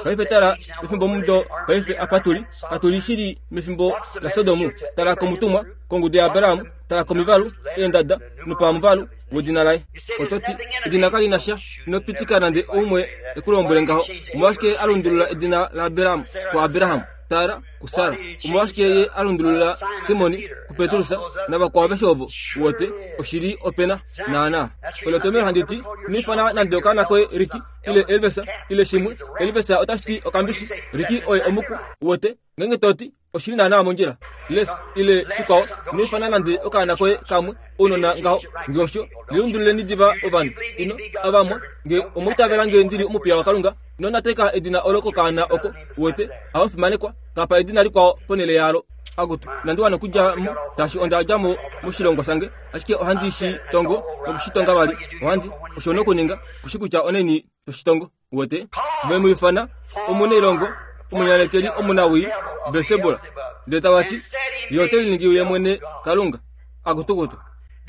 Paife tala pefimbomudo paife apa tu li, katu li shili mefimbo laSodom. Tala komutumwa, kongudu yaAbraham, tala komivalu, eendada, nopamuvalu wedina laye. Oto ti, Edina kali na sha. Ino pitika nande oumwe e ku lombwele ngaho. Omolwashike a lundulula edina laAbraham kuAbraham? Tala kuSara. Omolwashike ye a lundulula Simoni kuPetrus navakwao aveshe ovo? Uwete, oshili ope na. Naanaa. Olo etomhelo handi ti, ino ifana nande okaana koye Ricky, ile Elvis, ile shimwe. Elvis otashi ti okambishi. Ricky oye omuku. Uwete, ngeenge to ti, Oshili naanaa mondjila. Les, ile shikwao, ino ifana nande okaana koye kamwe, ounona ngaho. Nge osho, lilundululeni diva ovanhu. Ino, avamwe, nge omwa itavela nge ndi li omupiya waKalunga, ino nateka edina olo kokaana oko, uwete, hamufimanekwa, kapa edina likwao ponhele yalo. Akutu, inandi wana okudja mo, shaashi onda dja mo moshilongo shange, ashike ohandi shi tongo noku shi tonga vali. Ohandi, osho nokuninga, ku shi kutya onaini to shi tongo. Uwete? Ve mu ifana omunailongo, omunyanekeli omunawii, Belsebul. Ndele tava ti, Ye ote liningi ye mwene Kalunga. Akutukutu.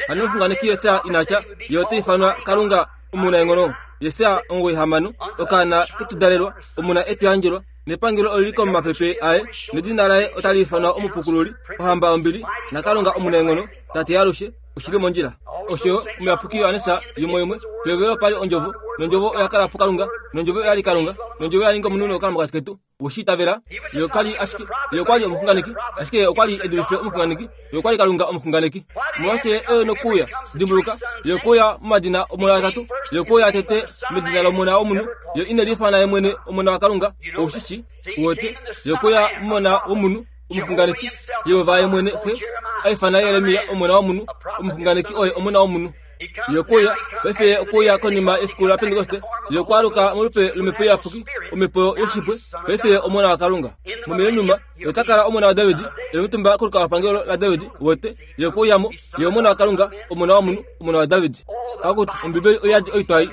Hano omuxunganeki Jesaja ina tya, Ye ota ifanwa Kalunga omunaenghono? Jesaja 96, Okaana ketudalelwa, omuna e tu yandjelwa, nepangelo oli li komapepe aye, nedina laye otali ifanwa Omupukululi, Ohamba yombili, naKalunga omunaenghono, Tate yaalushe. Oshi li mondjila. Osho yo Omuyapuki Johannes yimweimwe, Pehovelo opa li Ondjovo, nOndjovo oya kala puKalunga, nOndjovo oya li Kalunga, nOndjovo oya ninga omunhu nokukala mokati ketu. We shi itavela? Ye okwa li ashike, Ye okwa li omuxunganeki, ashike Ye okwa li e dulife omuxunganeki. Ye okwa li Kalunga omuxunganeki. Omolwashike Ye e nokuuya? Dimbuluka, Ye okwe uya momadina omona atatu. Ye okwe uya tete medina lOmona womunhu. Ye ine liifana Ye mwene Omona waKalunga. Ou shi shii? Uwete? Ye okwe uya mOmona womunhu. Omuxunganeki, Jehova ye mwene, Xe, a ifana Jeremia omona womunhu, omuxunganeki oye omona womunhu. Ye okwe uya, paife ye okwe uya konima yefiku laPentekoste, ye okwa aluka molupe lOmhepo Iyapuki, Omhepo yoshipwe, paife ye Omona waKalunga. Momileniuma, ye ota kala Omona waDavid, e li omutumba kolukalwapangelo laDavid, uwete, ye okwe uya mo, ye Omona waKalunga, Omona womunhu, Omona waDavid. Akutu, Ombibeli oi yadi oitwa ei.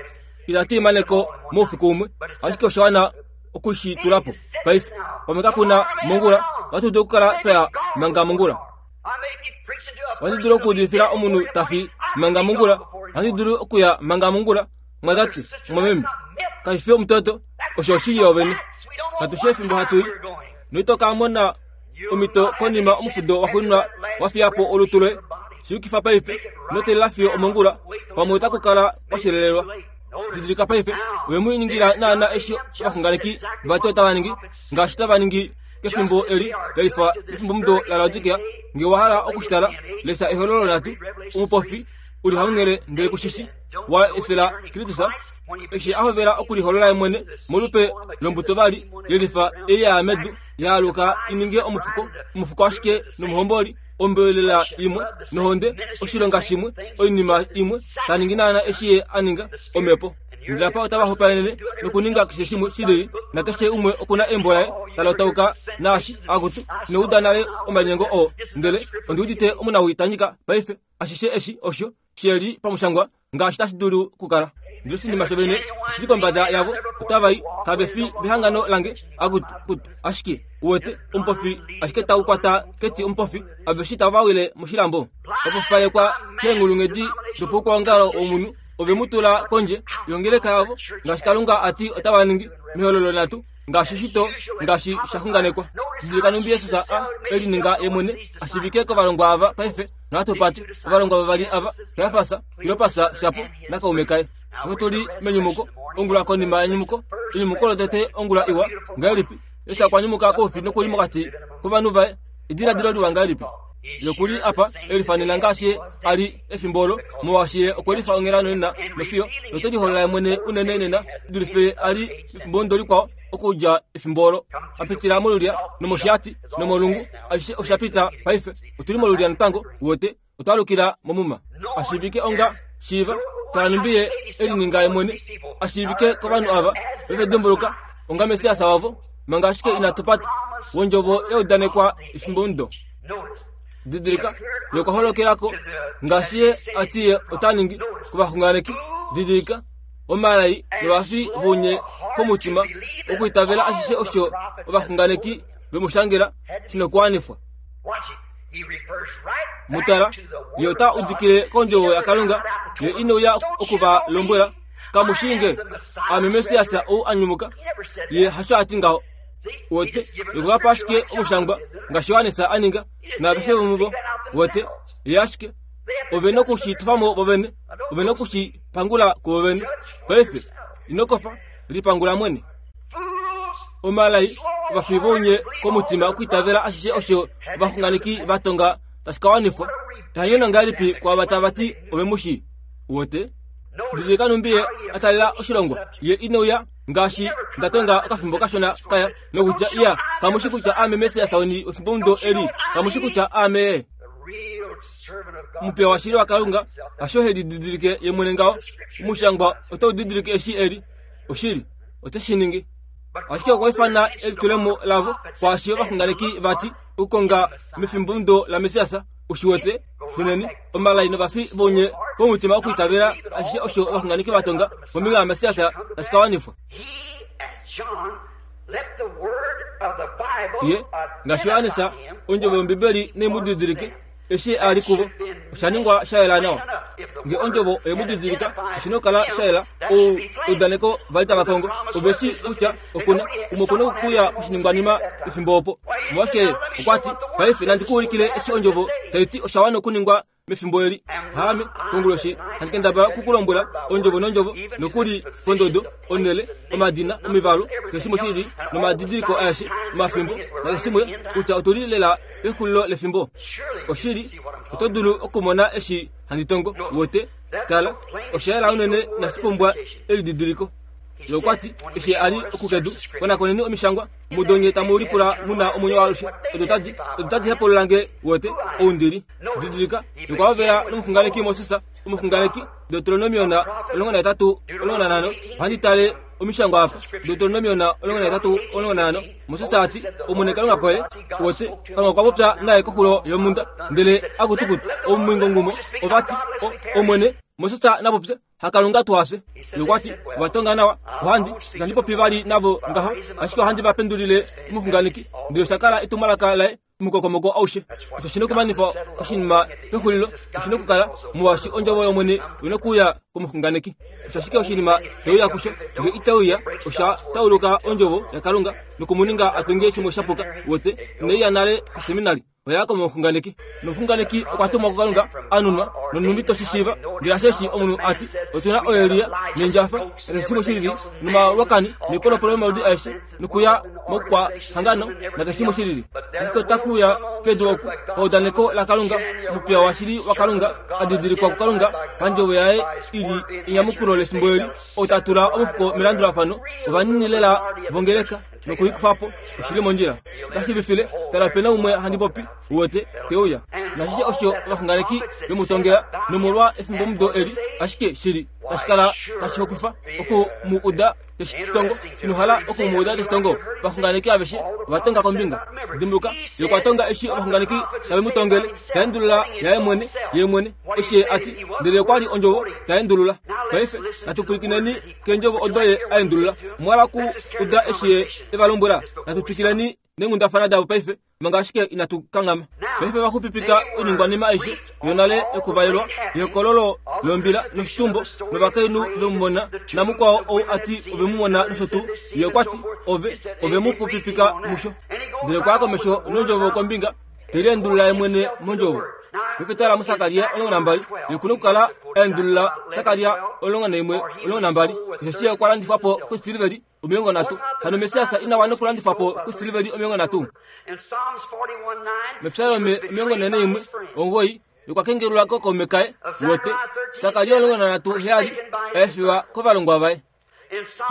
Itatu i mane ko moufiku umwe, ashike osha wana oku shi tula po paife. Pamwe kaku na mongula, ohatu dulu okukala twa ya manga mongula. Ohandi dulu okuudifila omunhu ta fi manga mongula. Ohandi dulu okuya manga mongula, mwatate, mwameme. Kashi fi omutoto, osho oshili yoovene. Katu shi efimbo hatu i. Noito ka mona omhito konima omufudo waxuuninwa wa fiya po olutu loye. Shi yukifa paife, ino teelela fiyo omongula, pamwe otaku kala kwa shelelelwa. Didilika paife, ove mu ningila naana eshi ovaxunganeki vati otava ningi, ngaashi tava ningi. kefimbo eli lelifa mefimbomudo laLaodikea. Nge wa hala oku shi tala, lesa Ehololo latu, omupofi u li hamunghele ndele ku shi shi, wa efela Kristus eshi a hovela okuliholola ye mwene molupe lombuto vali yelifa ei ya ya medu, ya aluka i ninge omufuko, omufuko ashike nomuhomboli, ombelela imwe nohonde, oshilonga shimwe, oinima imwe, ta ningi naana eshi ye a ninga, omhepo. Ndele apa otava hopaenene nokuninga keshe shimwe shi lili, nakeshe umwe oku na embo laye ta lotauka naashi, akutu, ino uda nale omalinyengo oo, ndele ondi udite omunawii ta nyika paife, ashishe eshi osho she li pamushangwa ngaashi tashi dulu okukala. Ndele oshinima shovene oshi li kombada yavo, otava i, kave fi vehangano lange, akutu, kutu, ashike, uwete, omupofi ashike tau kwata keti omupofi, aveshe tava wile moshilambo. Vapofipalekwa keenghulunghedi dopoukwaongalo womunhu, ove mu tula kondje yongeleka yavo, ngaashi Kalunga a ti otava ningi, mehololo nhatu, ngaashi shito, ngaashi sha xunganekwa. Didilika nhumbi Jesus a e lininga ye mwene a shiivike kovalongwa ava paife, nohatu pati, ovalongwa vavali ava, Kajafas, Kleopas shapo, nakaume kaye. Paife otu li menyumuko, ongula konima yenyumuko, enyumuko lotete ongula iwa ngahelipi. Jesus okwa nyumuka koufi noku li mokati kovanhu vaye. Ediladilo liwa ngahelipi! Ye oku li apa e lifanena ngaashi ye a li efimbo olo, molwaashi ye okwe lifa onghela nonena nofiyo note liholola ye mwene unene nena dulife ye a li mefimbo likwao okudja efimbo olo. A pitila molulya nomoshiati nomolungu, ashishe osha pita paife. Otu li molulya natango, uwete, otwa alukila momuma. A shiivike onga shiiva, tala nhumbi ye e lininga ye mwene a shiivike kovanhu ava ve dimbuluka onga Messias wavo, manga ashike inatu pata wondjovo ya udanekwa efimbomudo. Didilika, ye okwa holokela ko ngaashi ye a ti ye ota ningi kovaxunganeki. Didilika, omalai novafi vounye komutima okuitavela ashishe osho ovaxunganeki ve mu shangela shi nokuwanifwa. Mu tala, ye ota udikile kondjovo yaKalunga, ye ine uya oku va lombwela, Kamu shii nge, aame Messias ou a nyumuka. Ye hasho a ti ngaho. Wote, ye okwa pa ashike omushangwa, ngaashi Johannes a ninga, naaveshe vomuvo. Wote, ye ashike. Ove noku shi tufa mo vovene. Ove noku shi pangula kuvovene. Paife, ino kofa, lipangula mwene. Omalai, ovafi vounye komutima okuitavela ashishe osho ovaxunganeki va tonga tashi ka wanifwa. Ehanyono ngahelipi kwaava tava ti ove mu shii? Wote? Didilika nhumbi ye a talela oshilongo. Ye ine uya ngaashi nda tonga okafimbo kashona kaya nokutya iya kamu shi kutya aame Messias weni wefimbomudo eli, kamu shi kutya aame ye. Omupiya washili waKalunga hasho he lididilike ye mwene ngaho. Omushangwa otau didilike eshi e li. Oshili, ote shi ningi. Ashike okwa ifana elitulemo lavo kwaashi ovaxunganeki va ti okukonga mefimbomudo laMessias, u shi wete, Shuneni, omalai novafi vounye vomutima okwiitavela ashishe osho ovaxunganeki va tonga kombinga yaMessias tashi ka wanifwa. Ye, ngaashi Johannes, ondjovo yOmbibeli nai mu didilike eshi a li kuvo. Osha ningwa sha yela nawa. Nge ondjovo oye mu didilika, oshi na okukala sha yela. Ou eudaneko va li tava kongo. Ove shi kutya oku na umwe oku na okuya poshiningwanima pefimbo opo. Omolwashike okwa ti, Paife nandi ku ulikile eshi ondjovo tai ti osha wana okuningwa mefimbo eli. Haame, konguloshi, handi kendabala oku ku lombwela ondjovo nondjovo, nokuli pondodo, onhele, omadina, omivalu, keshe shimwe shi li, nomadidiliko aeshe, omafimbo, nakeshe shimwe, kutya otu li lela pexulilo lefimbo. Oshili, oto dulu okumona eshi handi tongo, wote. Tala, osha yela unene inashi pumbwa elididiliko. Ye okwa ti, eshi a li okukedu, konakoneni omishangwa, mudo nye tamu lipula mu na omwenyo waalushe. Odo tadi, odo tadi hepulula nge, wote, ou ndi li. Didilika, ye okwa hovela nomuxunganeki Moses, omuxunganeki, Deuteronomion 18, 15. Ohandi tale omishangwa apa. Deuteronomion 18, 15. Moses a ti, Omwene Kalunga koye, wote, Kalunga okwa popya naye koxulo yomhunda, ndele akutukutu, omumwingongumo, ova ti, Omwene, Moses na popye, haKalunga tu hafye. Ye okwa ti, Ova tonga nawa, ohandi, itandi popi vali navo ngaho, ashike ohandi va pendulile omuxunganeki. Ndele osha kala etumwalaka laye omukokomoko aushe. Osho shi nokumanifa oshinima pexulilo, oshi nokukala, molwaashi ondjovo yOmwene oi nokuuya komuxunganeki. Osho ashike oshinima te uya kusho, nge ite uya, osha tauluka ondjovo yaKalunga noku mu ninga a tunge shimwe sha puka. Wote, inai ya nale koseminari. Oya komuxunganeki. Nomuxunganeki okwa tumwa kuKalunga, a nunwa, nonhumbi to shi shiiva. Ndele asheshi omunhu a ti, Otu na oElia, nEndjafa, nakeshe shimwe shilili, nomalwakani, noipolopolo yomaludi aeshe, nokuya moukwahangano, nakeshe shimwe shilili. Ashike ota ku uya kedu oku, paudaneko laKalunga, omupiya washili waKalunga, a didilikwa kuKalunga, pandjovo yaye i li enyamukulo lefimbo eli, ou ta tula omufuko melandulafano, ovanini lela vongeleka. Noku i kufa po, oshi li mondjila. Ota shiivifile, Tala ope na umwe handi popi, uwete, te uya. Nashishe osho ovaxunganeki ve mu tongela, nomolwa efimbomudo eli, ashike shili tashi kala tashi hokwifa oku mu uda te shi tongo. Ino hala oku mu uda te shi tongo? Ovaxunganeki aveshe ova tonga kombinga. Dimbuluka, ye okwa tonga eshi ovaxunganeki tave mu tongele, ta endulula yaye mwene, ye mwene, eshi ye a ti, ndele okwa li ondjovo ta endulula. Paife natu pwilikineni keendjovo odo ye a endulula. Omwa hala ku uda eshi ye e va lombwela? Natu twikileni neenghundafana davo paife, manga ashike inatu kanghama. Paife va xupipika oiningwanima aishe yonale yokuvalelwa, yehokololo lombila noshitumbo, novakainhu ve mu mona, namukwao ou a ti ove mu mona nosho tuu. Ye okwa ti, Ove, ove mu xupipika musho. Ndele okwa ya komesho nondjovo kombinga, te liendulula ye mwene mondjovo. Paife tala muSakaria 12, ye oku na okukala a endulula Sakaria 11, 12, osheshi ye okwa landifwa po koisiliveli 30. Hano Messias ina wana okulandifwa po koisiliveli 30? Mepsalome 41, 9, okwa kengelelwa kookaume kaye, wote, Sakaria 13, 7, a efiwa kovalongwa vaye.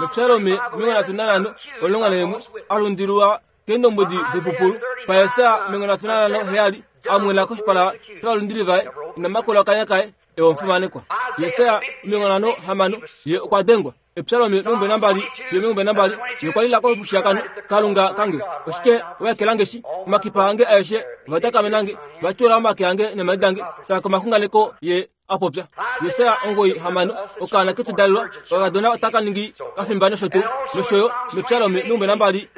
Mepsalome 35, 11, a lundilwa keendombwedi doipupulu. PaJesaja 35, 7, a mwena koshipala shovalundili vaye, ina makula okanya kaye, e omufimanekwa. Jesaja 56, ye okwa dengwa. Epsalome 22, 22, ye okwa lila komushiyakano, Kalunga kange, oshike wa ekela nge shi? Omakipa ange aeshe ova dakamena nge, va tyuula omake ange neemhadi dange. Tala komaxunganeko ye a popya. Jesaja 96, okaana ke tudalelwa, okakadona otaka ningi kafimba nosho tuu, nosho yo mEpsalome 23,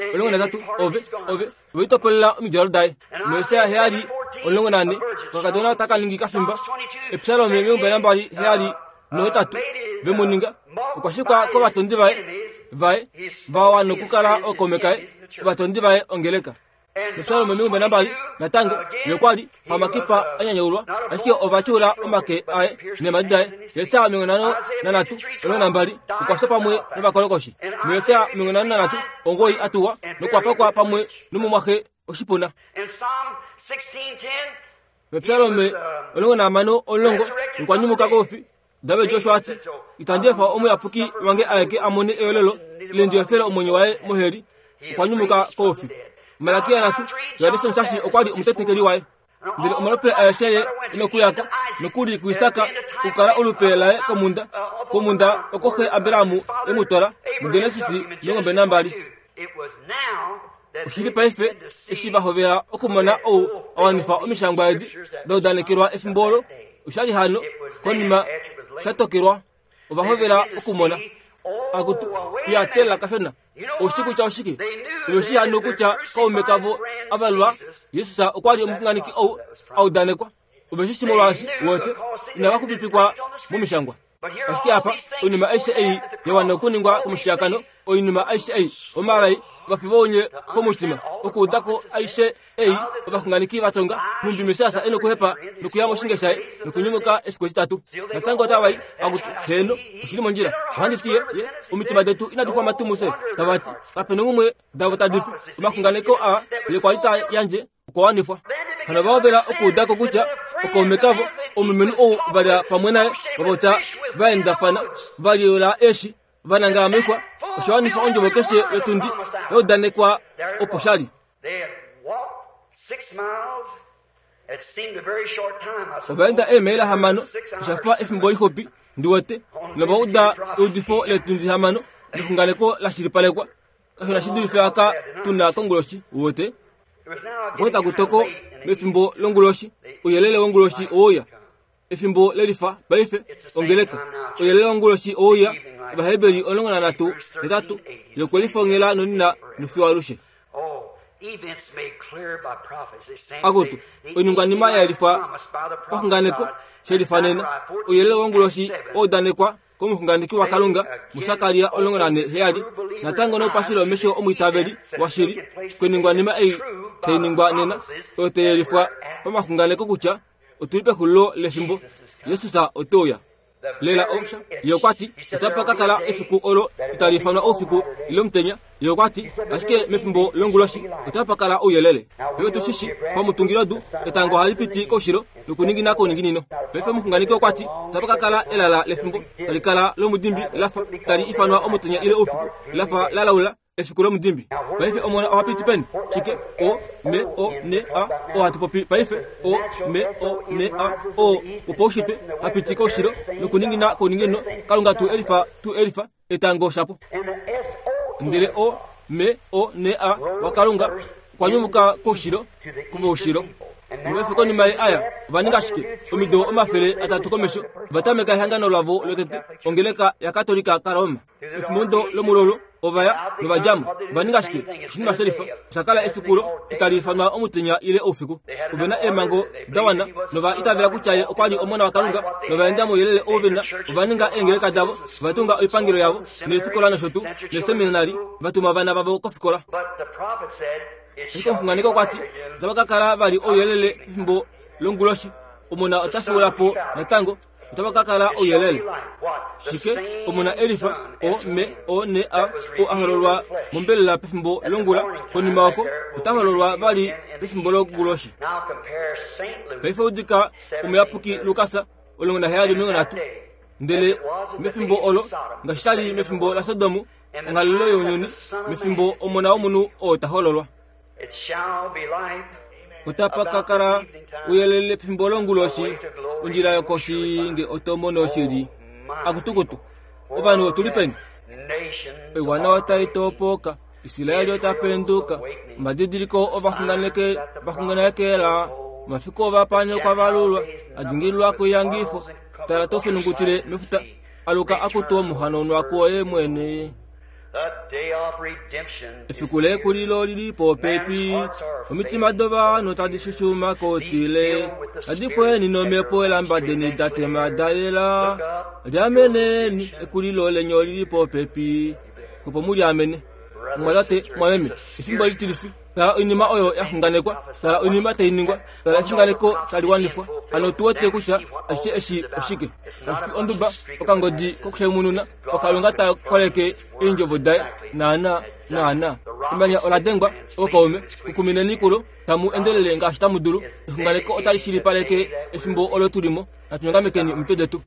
ove, ove, ove litopolela omidjalo daye. MuJesaja 7, 14, okakadona otaka ningi kafimba. Epsalome 27, 8, ve mu ninga, okwa shikwa kovatondi vaye, vaye, va wana okukala ookaume kaye, ovatondi vaye ongeleka. Mepsalome 22, natango, ye okwa li hamakipa a nyanyaulwa, ashike ova tyuula omake aye neemhadi daye. Jesaja 53, 12, okwa fya pamwe novakolokoshi. MuJesaja 53, 9 a tuwa nokwa pakwa pamwe nomumwaxe oshipuna. Mepsalome 16, 10, okwa nyumuka koufi. David osho a ti, Itandi efa omuyapuki wange aeke a mone eyolelo, ile ndi efele omwenyo waye moheli. Okwa nyumuka koufi. Malakia nhatu, Johannes Omusasi okwa li omutetekeli waye. Ndele omalope aeshe ye e nokuya ko, nokuli kuIsak, okukala olupe laye komhunda, komhunda oko xe Abraham e mu twala, muGenesis 22. Oshili paife eshi va hovela okumona ou a wanifa omishangwa edi da udanekelwa efimbo olo, osha li hano konima sha tokelwa ova hovela okumona. Akutu, ya tela kashona. Oushi kutya oshike? Ove shii hano kutya kaume kavo a valwa, Jesus okwa li omuxunganeki ou a udanekwa. Ove shi shi molwaashi wete inava xupipikwa momishangwa. Ashike apa, oinima aishe ei ya wana okuningwa komushiyakano, oinima aishe ei, omalai, ovafi vounye komutima, okuuda ko aishe ei ovaxunganeki va tonga, nhumbi Messias e nokuhepa nokuya moshinge shaye nokunyumuka efiku etitatu. Natango otava i, akutu, heeno, oshi li mondjila. Ohandi ti ye, ye, omitima detu inadi xwama tuu mufye, tava ti, kape nongumwe davo tadi pu. Omaxunganeko aa ye kwa li ta yandje okwa wanifwa. Hano va hovela okuuda ko kutya okaume kavo, omulumenhu ou va lya pamwe naye, va popya va endafana, va liyula eeshi, va nangala moixwa, osha wanifa ondjovo keshe yotundi ya udanekwa opo sha li. Ova enda eemaila hamano, osha fa efimbo lixupi, ndi wete, nova uda eudifo leetundi hamano nexunganeko la shilipalekwa. Kashi na shi dulife aka tu na konguloshi, uwete. Okwa taku toko mefimbo longuloshi, ouyelele wonguloshi oweuya. Efimbo lelifa paife, ongeleka. Ouyelele wonguloshi oweuya, Ovaheberi 13, 8, ye okwe lifongela nonina nofiyo alushe. Akutu, oiningwanima ya yelifwa paxunganeko, she lifa nena. Ouyelele wonguloshi owa udanekwa komuxunganeki waKalunga muSakaria 14:7, natango noupashile womesho omwiitaveli washili koiningwanima ei. tai ningwa nena oyo tai yelifwa pamaxunganeko kutya otu li pexulilo lefimbo. Jesus ote uya. Lela osha, ye okwa ti, otapa ka kala efiku olo itali ifanwa oufiku ile omutenya. Ye okwa ti, ashike mefimbo longuloshi otapa kala ouyelele. Paife otu shi shi, pamutungilodu, etango ohali piti koushilo nokuningina kouninginino. Paife omuxunganeki okwa ti, otapa ka kala elala lefimbo tali kala lomudimbi la fa tali ifanwa omutenya ile oufiku, la fa la laula. Efiku lomudimbi. Paife omona oha piti peni? Shike? O, M, O, N, A, o hatu popi paife. O, M, O, N, A, o wopaushitwe ha piti koushilo nokuningina kouninginino. Kalunga tu elifa, tu elifa etango shapo. Ndele O, M, O, N, A waKalunga okwa nyumuka koushilo kuvoushilo. Nopaife konima ye aya, ova ninga shike? Omido 300 komesho, ova tameka ehangano lavo lotete, ongeleka yaKatolika kaRoma. Pefimbo lomulolo ova ya nova dja mo. Ova ninga shike? Oshinima shelifa. Osha kala efiku lo itali ifanwa omutenya ile oufiku. Ove na eemhango da wana nova itavela kutya ye okwa li Omona waKalunga nova enda mouyelele ou ve na. Ova ninga eengeleka davo, ova tunga oipangelo yavo neefikola nosho tuu, neeseminari, va tuma ovana vavo kofikola. Ashike omuxunganeki okwa ti, Otava ka kala vali ouyelele pefimbo longuloshi. Omona ota fyuula po natango. Otava ka kala ouyelele. Shike? Omona Elifa, O, M, O, N, A, o a hololwa mombelela pefimbo longula, konima oko ota hololwa vali pefimbo longuloshi. Paife udika omuyapuki Lukas 17:30. Ndele mefimbo olo, ngaashi sha li mefimbo laSodom, onghalelo younyuni, mefimbo Omona womunhu oo ta hololwa. Otapa ka kala ouyelele pefimbo longuloshi, ondjila yokoshi nge oto mono shili. Akutukutu, ovanhu otu li peni? Oiwana otai topoka, Israel ota penduka, omadidiliko ovaxunganeke vaxunganekela, omafiku ovapaani okwa valulwa, a dingililwa koiyangifo, tala to fenungutile mefuta, aluka akutu omuhanaunwa kuoye mwene. Efiku lekulilo oli li popepi. Omitima dovanhu tadi shushuma kotile, tadi fweni nomhepo elamba deni da tema da yela. Liameneni, ekulilo leni oli li popepi. Opo mu liamene. Mumwatate, mumwameme, efimbo litilifi. Tala oinima oyo ya xunganekwa, tala oinima tai ningwa, tala exunganeko tali wanifwa. Hano otu wete kutya ashishe eshi oshike. Kashi fi onduba, okangodi kokushaimununa, oKalunga ta koleke eendjovo daye. Naana, naana. Emanya ola dengwa, ookaume. Kukumineni kulo, tamu endelele ngaashi tamu dulu. Exunganeko otali shilipaleke efimbo olo tu li mo. Natu nyongamekeni omitwe detu.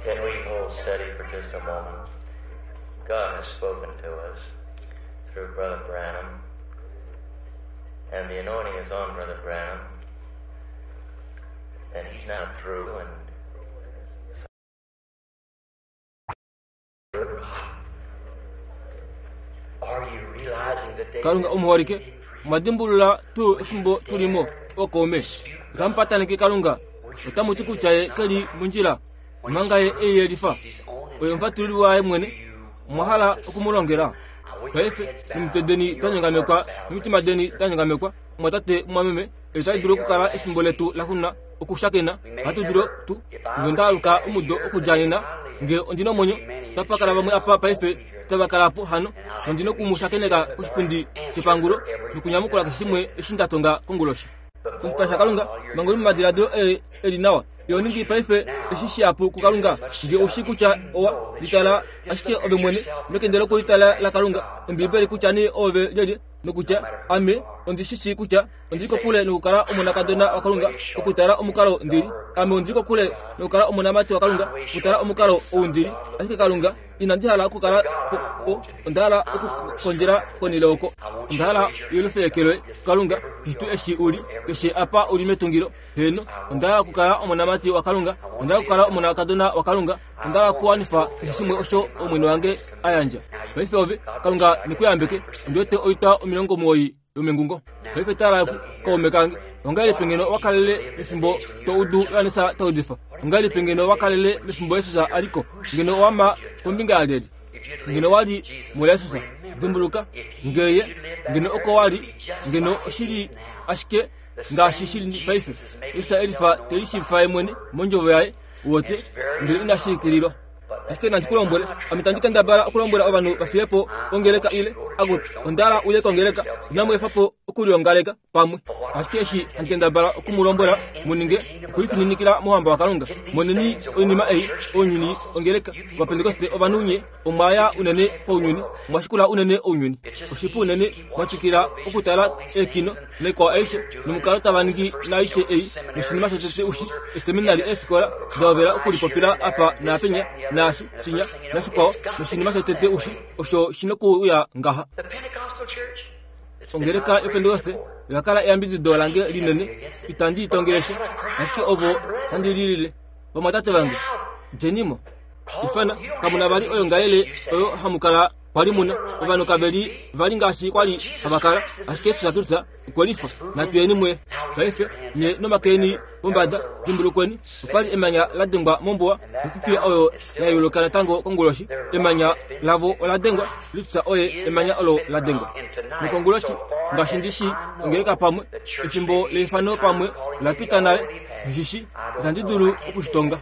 Can we hold steady for just a moment? God has spoken to us through Brother Branham, and the anointing is on Brother Branham, and he's now through, and Are you realizing the day kalunga omuholike mwadimbulula tuu efimbo tulimo okaume otamu pataneke kalunga otamu ti kutya ye keli mondjila omanga ye eiyelifa oye omufatululi waye mwene omwa hala okumulongela paife omitwe deni da nyongamekwa nomitima deni da nyongamekwa mwatate mwameme eli tali dulu okukala efimbo letu laxuna okushakena ohatu dulu tu nge nda aluka omudo okudja nena nge ondi na omwenyo otapa kala vamwe apa paife tava kala po hano nondi na oku mu shakeneka koshipundi shepangulo nokunyamukula keshe shimwe eshi nda tonga konguloshi koshipala shakalunga manga uli momadiladilo e e li nawa iho ningi paife eshi shihapu kukalunga nge ou shii kutya owa litala ashike ove mwene mekende lokulitala lakalunga ombibeli kutya nee oove lyelye nokutya ame ondi shi shii kutya ondi li kokule nokukala omonakadona wakalunga okutala omukalo ndi li ame ondi li kokule nokukala omonamati wakalunga okutala omukalo ou ndi li ashike kalunga inandi hala okukala po po onda hala okukondjela konile oko onda hala yelufeekelwe kalunga keshe tuu eshi u li keshe apa u li metungilo heeno onda hala okukala omonamati wakalunga onda hala okukala omonakadona wakalunga onda hala okuwanifa keshe shimwe osho omwene wange a yandja paife ove kalunga ne ku yambeke ondi wete oitwa 90 yomengungo paife tala ku kaume kange ongahelipi ngeno wa kalele mefimbo to udu Johannes ta udifa ongahelipi ngeno wa kalele mefimbo Jesus a li ko ngeno owa ma kombinga yalyelye ngeno wa li muJesus dimbuluka ngeye ngeno oko wa li ngeno oshi li ashike ngaashi shi li paife Jesus e lifa te lishiivifa ye mwene mondjovo yaye uwete ndele inashi ikililwa Ashike nandi ku lombwele, ame tandi kendabala okulombwela ovanhu va fiye po ongeleka ile, akutu, onda hala uye kongeleka, inamu efa po okuliongaleka pamwe. Ashike eshi handi kendabala oku mu lombwela mu ninge, okulifininikila mouhamba waKalunga. Moneni oinima ei, ounyuni, ongeleka, Ovapentekoste ovanhu nye, omwa ya unene pounyuni, omwa shikula unene ounyuni. Oshipu unene mwa twikila okutala eekino naikwao aishe, nomukalo tava ningi naaishe ei, noshinima shotete ushi, eeseminari eefikola da hovela okulipopila apa naapenya, naashi, shinya, nashikwao, noshinima shotete ushi, osho shi nokuuya ngaha. Ongeleka yOpentekoste oya kala eyambidido lange linene, itandi i tongele sha, ashike ovo tandi lilile. Vamwatate vange, djeni mo. Ifana, kamu na vali oyoongalele oyo hamu kala kwa li mu na. Ovanhu kave li vali ngaashi kwa li hava kala, ashike Jesus Kristus okwe lifa. Natu yeni muye. Paife, nye nomake eni pombada, dimbulukweni, opa li emanya la dengwa mombuwa, nofifiya oyo ya yuluka natango konguloshi. Emanya lavo ola dengwa, Kristus oye emanya olo la dengwa. Nokonguloshi, ngaashi ndi shii, ongeleka pamwe, efimbo leifano pamwe ola pita nale, nghi shi shii, itandi dulu oku shi tonga.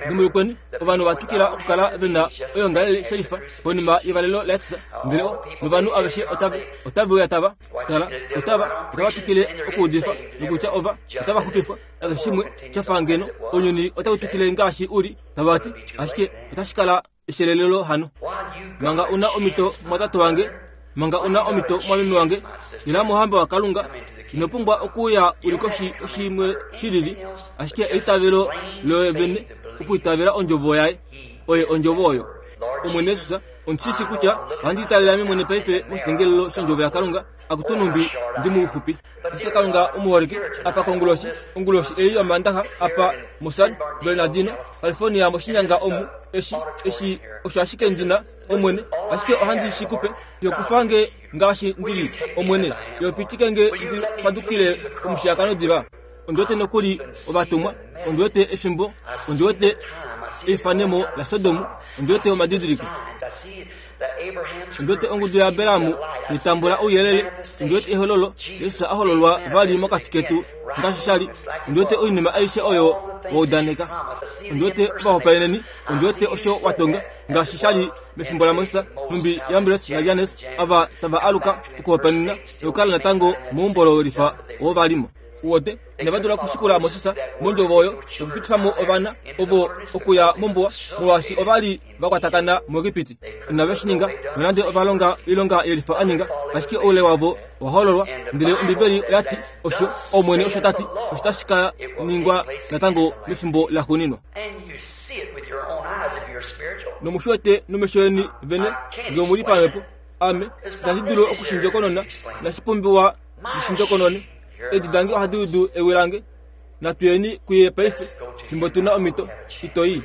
Dimbulukweni, ovanhu ova twikila okukala ve na oyoongalele shelifa konima yevalelo laJesus, ndele o, novanhu aveshe otave, otave uya tava, tala, otava, otava twikile okuudifa, nokutya ova, otava xupifwa, nakeshe shimwe sha fa ngeno ounyuni otau twikile ngaashi u li, tava ti, ashike otashi kala eshelelelo hano. Manga u na omhito, mumwatate wange, manga u na omhito, mumwameme wange, ila mouhamba waKalunga. Ino pumbwa okuuya u li koshi yoshimwe shi lili, ashike eitavelo loye vene okwiitavela Ondjovo Yaye. Oye Ondjovo oyo. Omwene Jesus, ondi shi shii kutya ohandi itavele ame mwene paife moshitengelelo shOndjovo yaKalunga, akutu nhumbi ndi muxupi. Ashike Kalunga omuholike, apa konguloshi, onguloshi ei yOmandaxa, apa muSan Bernardino, California, moshinyanga omu, eshi, eshi osho ashike ndi na, Omwene, ashike ohandi shi ku pe. Yo kufa nge ngaashi ndi li, Omwene, yo pitike nge ndi fadukile omushiyakano diva. Ondi wete nokuli ovatumwa, ondi wete efimbo, ondi wete eifanemo laSodom, ondi wete omadidiliko. Ondi wete ongudu yaAbraham tai tambula ouyelele, ondi wete ehololo, Jesus a hololwa vali mokati ketu ngaashi sha li. Ondi wete oinima aishe oyo wa udaneka. Ondi wete ovahopaeneni, ondi wete osho wa tonga, ngaashi sha li mefimbo laMoses, nhumbi Jambres naJannes ava tava aluka okuhopaenena nokukala natango meumbo lolifa oo va li mo. Uwete, inava dula okushikula Moses mondjovo oyo nokupitifa mo ovana ovo okuya mombuwa, molwaashi ova li va kwatakana muEgipiti. Inave shi ninga, nonande ova longa oilonga yelifa a ninga, ashike oule wavo owa hololwa. Ndele Ombibeli oya ti, Osho, Omwene osho ta ti, osho tashi ka ningwa natango mefimbo laxuuninwa. Nomu shi wete nomesho eni vene ngee omu li pamhepo. Ame itandi dulu oku shi ndjokonona, inashi pumbiwa ndi shi ndjokonone. Eedi dange ohadi udu ewi lange. Natu yeni kuye paife, fimbo tu na omhito. Ito i.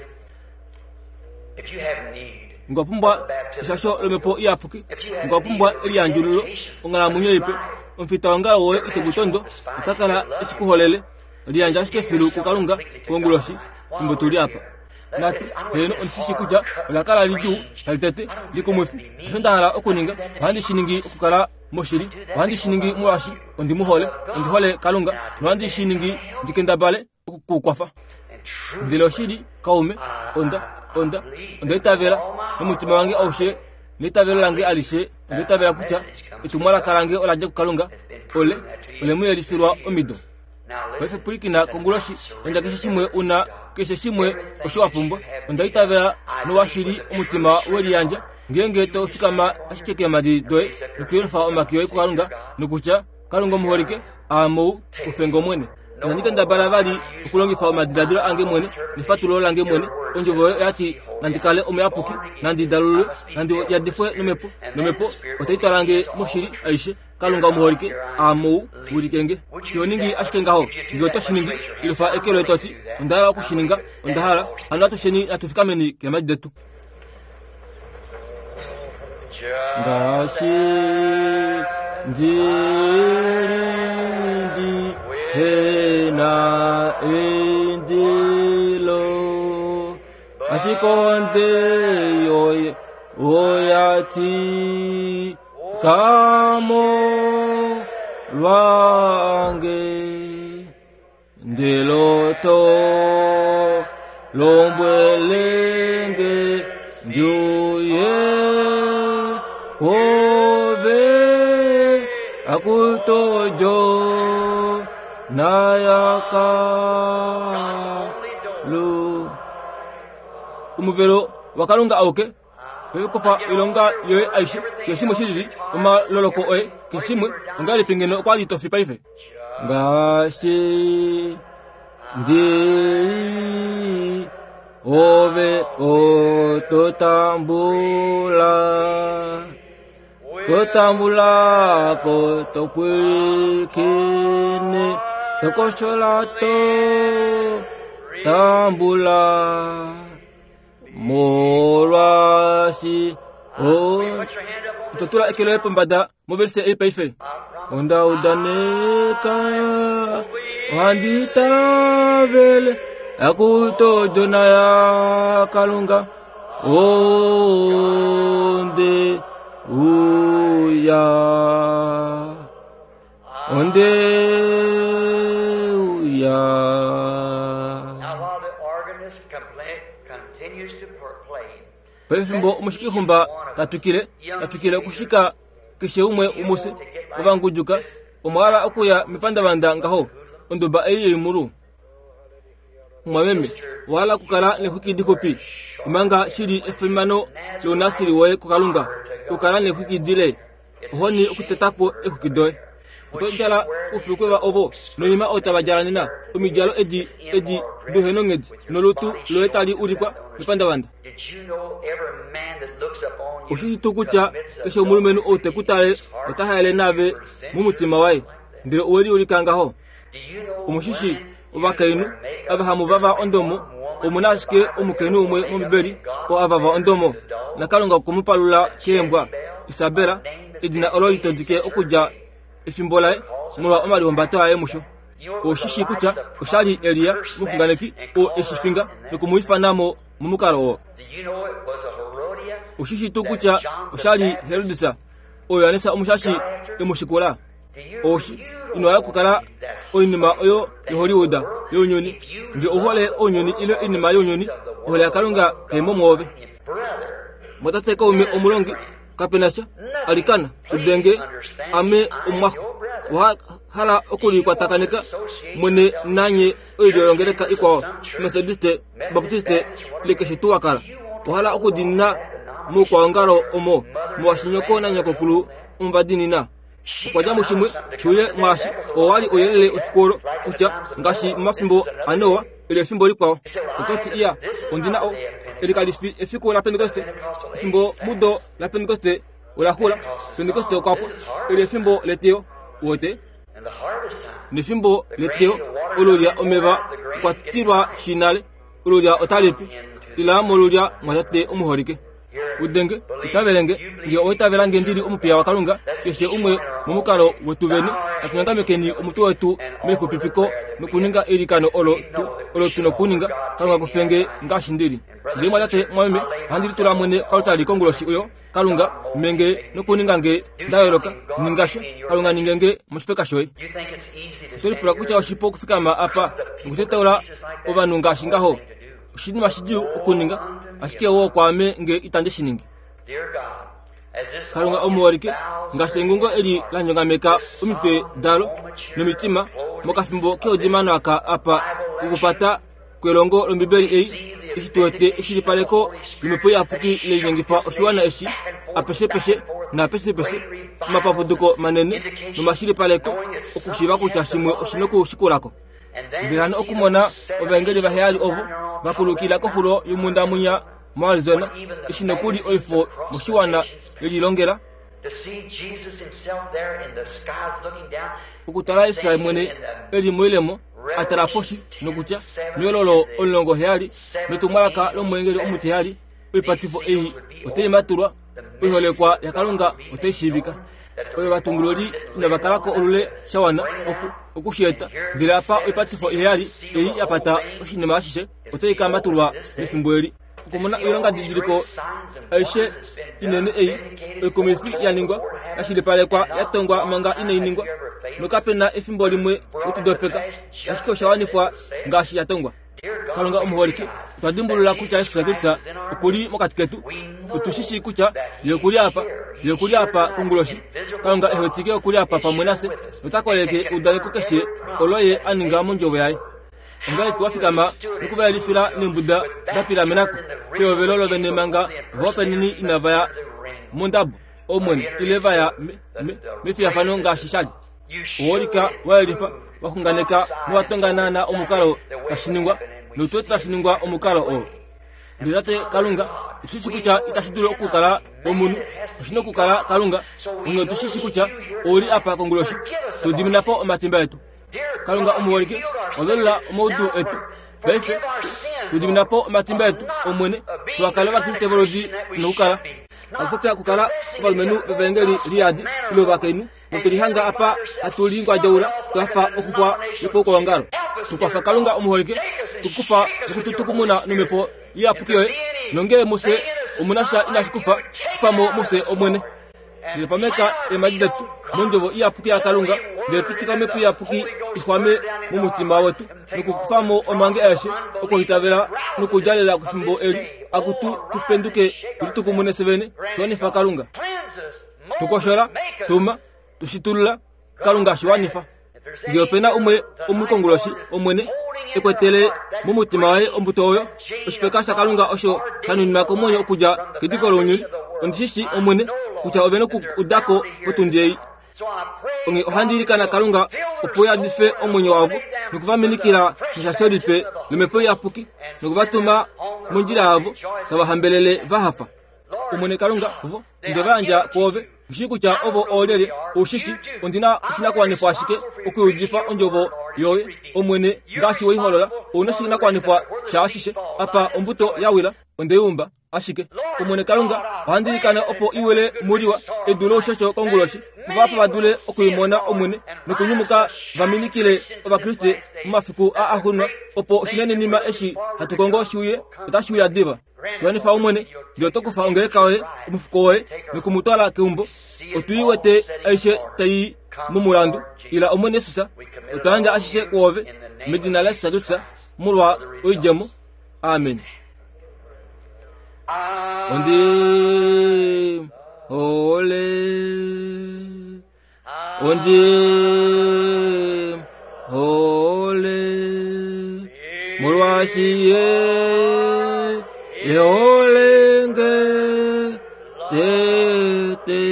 Nge wa pumbwa eshasho lOmhepo Iyapuki, nge wa pumbwa eliyandjululo, onghalamwenyo ipe, omufitaongalo woye ite ku tondo, ota kala e shi ku holele. Liyandja ashike filu kuKalunga konguloshi, fimbo tu li apa. Natu, heeno, ondi shi shii kutya ola kala lidjuu, tali tete, likumwifi. Osho nda hala okuninga, ohandi shi ningi okukala moshili. Ohandi shi ningi molwaashi ondi mu hole. Ondi hole Kalunga, nohandi shi ningi ndi kendabale oku ku kwafa. Ndele oshili, kaume, onda, onda, onda itavela nomutima wange aushe, neitavelo lange alishe, onda itavela kutya etumwalaka lange ola dja kuKalunga, ole, ole mu yelifilwa omido. Paife pwilikina konguloshi, yandja keshe shimwe u na, keshe shimwe osho wa pumbwa. Onda itavela nowashili omutima we liyandja, ngeenge to fikama ashike keemhadi doye nokuyelufa omake oye kuKalunga, nokutya, Kalunga omuholike, aame ou, kufe nge Omwene. Inandi kendabala vali okulongifa omadiladilo ange mwene nefatululo lange mwene. Ondjovo yoye oya ti nandi kale omuyapuki, nandi dalululwe, nandi yadifwe nomhepo, nomhepo otai twala nge moshili aishe. Kalunga omuholike, aame ou, wilike nge. To ningi ashike ngaho, nge oto shi ningi, yelufa eke loye to ti, Onda hala oku shi ninga, onda hala. Hano atusheni natu fikameni keemhadi detu. Ngaashi ndi li ndi he na eindilo, ashike onde yoye oya tika molwange. Ndele oto lombwele nge ndi uye kwoove, akutojo nayakalu. Omuvelo waKalunga auke Oyo kofa oilonga yoye aishe, keshe shimwe shi lili, omaloloko oye, keshe shimwe, ongahelipi ngeno okwa li to fi paife? Ngaashi ndi li, ove oto tambula, to tambula ko to pwilikine, to koshola to tambula. Molwaashi o to tula eke loye pombada movelise ei paife. Onda udaneka ohandi itavele akuto odjona yaKalunga onde uya onde uya. Now, while the organist continues to play, Pefimbo omushikixumba ta twikile, ta twikile okushika keshe umwe womufye ovanguduka, omwa hala okuya mepandavanda ngaho, onduba ei yoimulu. Mumwameme, owa hala okukala nexwiki dixupi, omanga shi li efimano lounasiri woye kuKalunga, okukala nexwiki dile. Ohoni okuteta ko eexwiki doye. Oto djala oufulukweva ovo noinima oyo tava djala nena, omidjalo edi, edi douhenonghedi, nolutu loye tali ulikwa mepandavanda. Osho shi tuu kutya keshe omulumenhu ou te ku tale ota haele naave momutima waye, ndele owe liulika ngaho? Omu shi shii, ovakainhu ava hamu vava ondomo, omu na ashike omukainhu umwe mOmbibeli oo a vava ondomo, naKalunga okwe mu palula keembwa, Isabel, edina olo li tondike okudja efimbo laye molwa omalihumbato aye musho. Ou shi shii kutya osha li Elia, omuxunganeki, oo e shi finga noku mu ifana mo momukalo oo. Ou shi shii tuu kutya osha li Herodes, oo Johannes Omushashi e mu shikula? Oshi ino hala okukala oinima oyo yoHollywood younyuni. Nge ou hole ounyuni ile oinima younyuni, ohole yaKalunga kai mo mwoove. Mwatate kaume omulongi, kape na sha, alikana, udenge, ame omumwaxo. Owa hala okulikwatakaneka mwene nanye oilyo yongeleka ikwao, Methodiste, Baptiste, ile keshe tuu wa kala. Owa hala okudiinina moukwaongalo omo, molwaashi nyoko nanyokokulu omo va diinina. Okwa dja mushimwe shuye mwaashi oo wa li ouyelele wefiku olo, kutya ngaashi momafimbo aNoa ile efimbo likwao. Oto ti, Iya, ondi na o. Eli kali fi efiku laPentekoste. Efimbo mudo laPentekoste ola xula. Pentekoste okwa pwa. Eli efimbo leteyo. Uwete? Nefimbo leteyo olulya omeva okwa tilwa shi nale. Olulya otali pi. Ila molulya mwatate omuholike. Udenge, itavele nge, nge owa itavela nge ndi li omupiya waKalunga, keshe umwe momukalo wetu vene, natu nyangamekeni omutwe wetu melixupipiko nokuninga eilikano olo tu, olo tu nokuninga, Kalunga kufe nge ngaashi ndi li. Ndele mwatate, mwameme, ohandi litula mwene koaltari konguloshi oyo, Kalunga, me nge nokuninga nge nda yooloka, ninga sha, Kalunga ninge nge moshifeka shoye. Oto lipula kutya oshipu okufikama apa nokutetaula ovanhu ngaashi ngaho? Oshinima shidjuu okuninga, ashike woo kwaame nge itandi shi ningi. Kalunga omuholike, ngaashi engungo eli la nyongameka omitwe dalo nomitima mokafimbo keudimano aka apa kokupata kwelongo lOmbibeli ei, eshi tu wete eshilipaleko lOmhepo Iyapuki le linyengifa oshiwana eshi apeshepeshe naapeshepeshe, omapapuduko manene nomashilipaleko okushiiva kutya shimwe oshi nokushikulako. Mbela hano okumona ovaengeli vaheyali ovo va kulukila koxulo yomhunda mwinya moArizona, eshi nokuli oifo moshiwana ye lilongela? Okutala Jesus mwene e li moilemo a tala poshi nokutya, Mehololo 17 netumwalaka lomweengeli omutiheyali, oipatifo ei otai matulwa, oiholekwa yaKalunga otai shiivika. Oyo ovatungululi inava kala ko olule sha wana oku, oku shi eta. Ndele apa oipatifo iheyali ei ya pata oshinima ashishe otai ka matulwa mefimbo eli. Okumona oilongadidiliko aishe inene ei oikumwifi ya ningwa, ya shilipalekwa, ya tongwa manga inai ningwa, nokape na efimbo limwe we tu dopeka, ashike osha wanifwa ngaashi ya tongwa. Kalunga omuholike, otwa dimbulula kutya Jesus Kristus oku li mokati ketu. Otu shi shii kutya Ye oku li apa. Ye oku li apa konguloshi. Kalunga e wetike oku li apa pamwe nafye nota koleke eudaneko keshe olo Ye a ninga mOndjovo Yaye. Ongahelipi wa fikama noku va yelifila neembuda da pilamena ko pehovelo lovene manga ovahopaeneni inava ya mondabo, Omwene, ile va ya me, me, mefiyafano ngaashi sha li? Owa ulika, wa yelifa, wa xunganeka nowa tonga naanaa omukalo tashi ningwa, notu wete tashi ningwa omukalo oo. Ndele Tate Kalunga, otu shi shi kutya itashi dulu okukala omunhu, oshi na okukala Kalunga. Onghee otu shi shi kutya ou li apa konguloshi, tu dimina po omatimba etu. Kalunga omuholike, wa velula omaudu etu. Paife, tu dimina po omatimba etu, Omwene, tuha kale Ovakriste voludi tu na okukala. Akupopya okukala ovalumenhu vevaengeli liyadi ile ovakainhu. Notu lihanga apa hatu lingwadjaula twa fa oxuxwa yopoukolongalo. Tu kwafa Kalunga omuholike, tu kufa nokututukumuna nomhepo iyapuki yoye, nongee mufye omu na sha inashi kufa, kufa mo mufye Omwene. Ndele pameka eemhadi detu mondjovo iyapuki yaKalunga, ndele pitika omhepo iyapuki i xwame momutima wetu nokukufa mo omange aeshe okuitavela nokudjalela kefimbo eli, akutu tu penduke tu litukumune fye vene, tu wanifa Kalunga. Tu koshola, tuma, tu shitulula, Kalunga shi wanifa. Nge ope na umwe omukonguloshi, Omwene, e kwetele momutima waye ombuto oyo, oshifeka shaKalunga osho sha nuninwa komwenyo okudja kediko lounyuni, ondi shi shii, Omwene, kutya ove noku uda ko potundi ei. Onghee ohandi ilikana Kalunga opo yadife omwenyo wavo noku va minikila neshasho lipe lOmhepo Iyapuki noku va tuma mondjila yavo tava hambelele va hafa. Omwene Kalunga, vo onde va yandja kwoove. Ou shii kutya ovo oolyelye. Ou shi shii, ondi na oshinakuwanifwa ashike okuyudifa ondjovo yoye, Omwene, ngaashi we i holola. Ou na oshinakuwanifwa shaashishe. Apa ombuto ya wila, onde i umba ashike. Omwene Kalunga, ohandi ilikana opo i wile muliwa edu loushosho konguloshi, opo vahapu va dule oku i mona, Omwene, nokunyumuka va minikile Ovakriste momafiku aa axuuninwa, opo oshinenenima eshi hatu kongo shi uye, otashi uya diva. Wanifa Omwene, ndele oto kufa ongeleka yoye, omufuko woye, noku mu twala keumbo. Otu i wete aishe tai i momulandu. Ila Omwene Jesus, otwa yandja ashishe kwoove, medina laJesus Kristus, molwa oidjemo. Amen. Ondi hole Ondi hole molwaashi ye e hole nge tete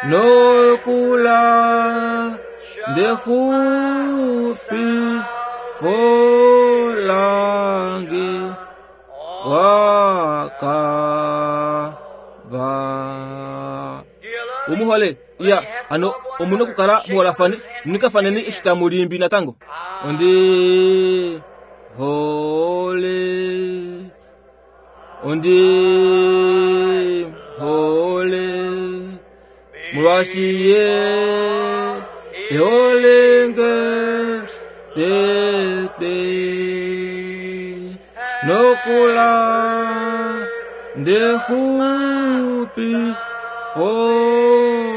nokula ndexupi folange. wakava umuhole iya hano omuna okukala muholafane munikafaneni eshi tamu limbi natango ondi hole ondi hole molwaashi ye eholenge tete nokula ndexupi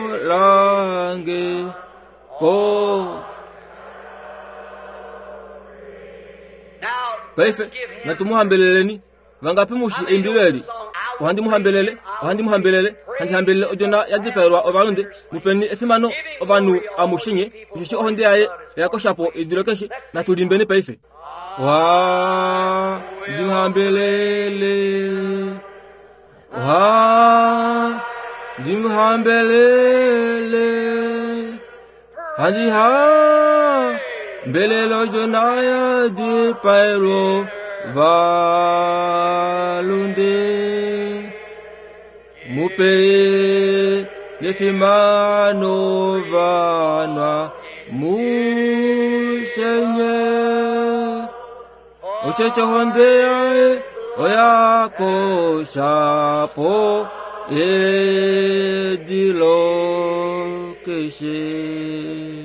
folange ko Now, paife let's give him natu mu hambeleleni vangapi mushi eimbilo eli ohandi mu hambelele ohandi mu hambelele handi hambelele odjona ya dipaelwa ovalunde mupeni efimano ovanhu amushinye osheshi ohonde yaye oyakoshapo edilo keshe natu limbeni paife wa ndi mu hambelele wa ndi mu hambelele handi ha mbelele odjona ya dipaelwa valunde mupe nefimano vanwa mushenye osheche honde yaye oyakoshapo edilo keshe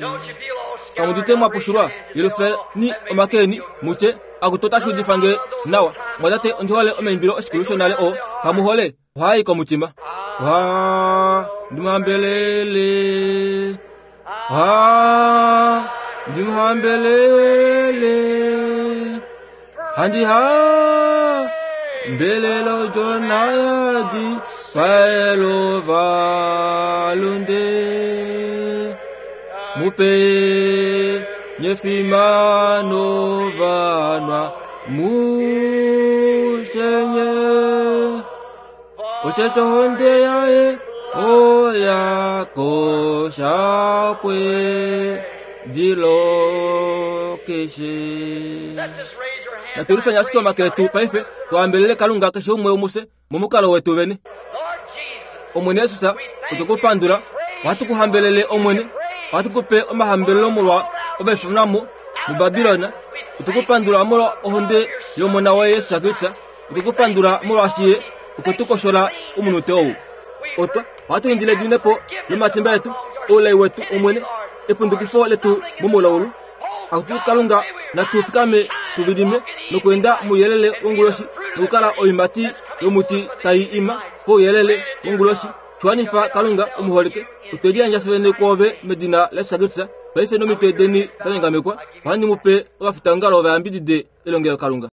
Don't you feel all scattered? kamudite mwapushulwa yelufeni omakeni mutye akutota shuudifange nawa mwatate ondihole omaimbilo oshikulu shonale o kamuhole ohayi komutima oha ndimuhambelele oha ndimuhambelele handi ha mbelelo jonayadi paelo valunde mupe nyefimano vanwa mushenye osheche honde yaye oyakoshapwe dilo keshe Let's just raise our hands. natulifanya ashike omake etu paife twahambelele kalunga keshe umwe umuse momukalo wetu vene Lord Jesus, omwene yesus otukupandula ohatu kuhambelele omwene ohatu kupe omahambelelo molwa ovaifanamo mubabilona otukupandula molwa ohonde yomona waye yesus kristus otukupandula molwaashi ye okwe tu koshola omunute ou otwa ohatu indile dinepo lomatimba etu oulai wetu omwene epundukifo letu momulaulu akutu kalunga natu fikame tuvilime nokuenda muuyelele wonguloshi nokukala oimati yomuti tai ima kouyelele wonguloshi shiwanifa kalunga omuholike otwe liyandja fyevene kwoove medina la yesu kristus paife nomitwe deni da nyangamekwa ohandi mupe ovafitaongalo vayambidide elongelo kalunga.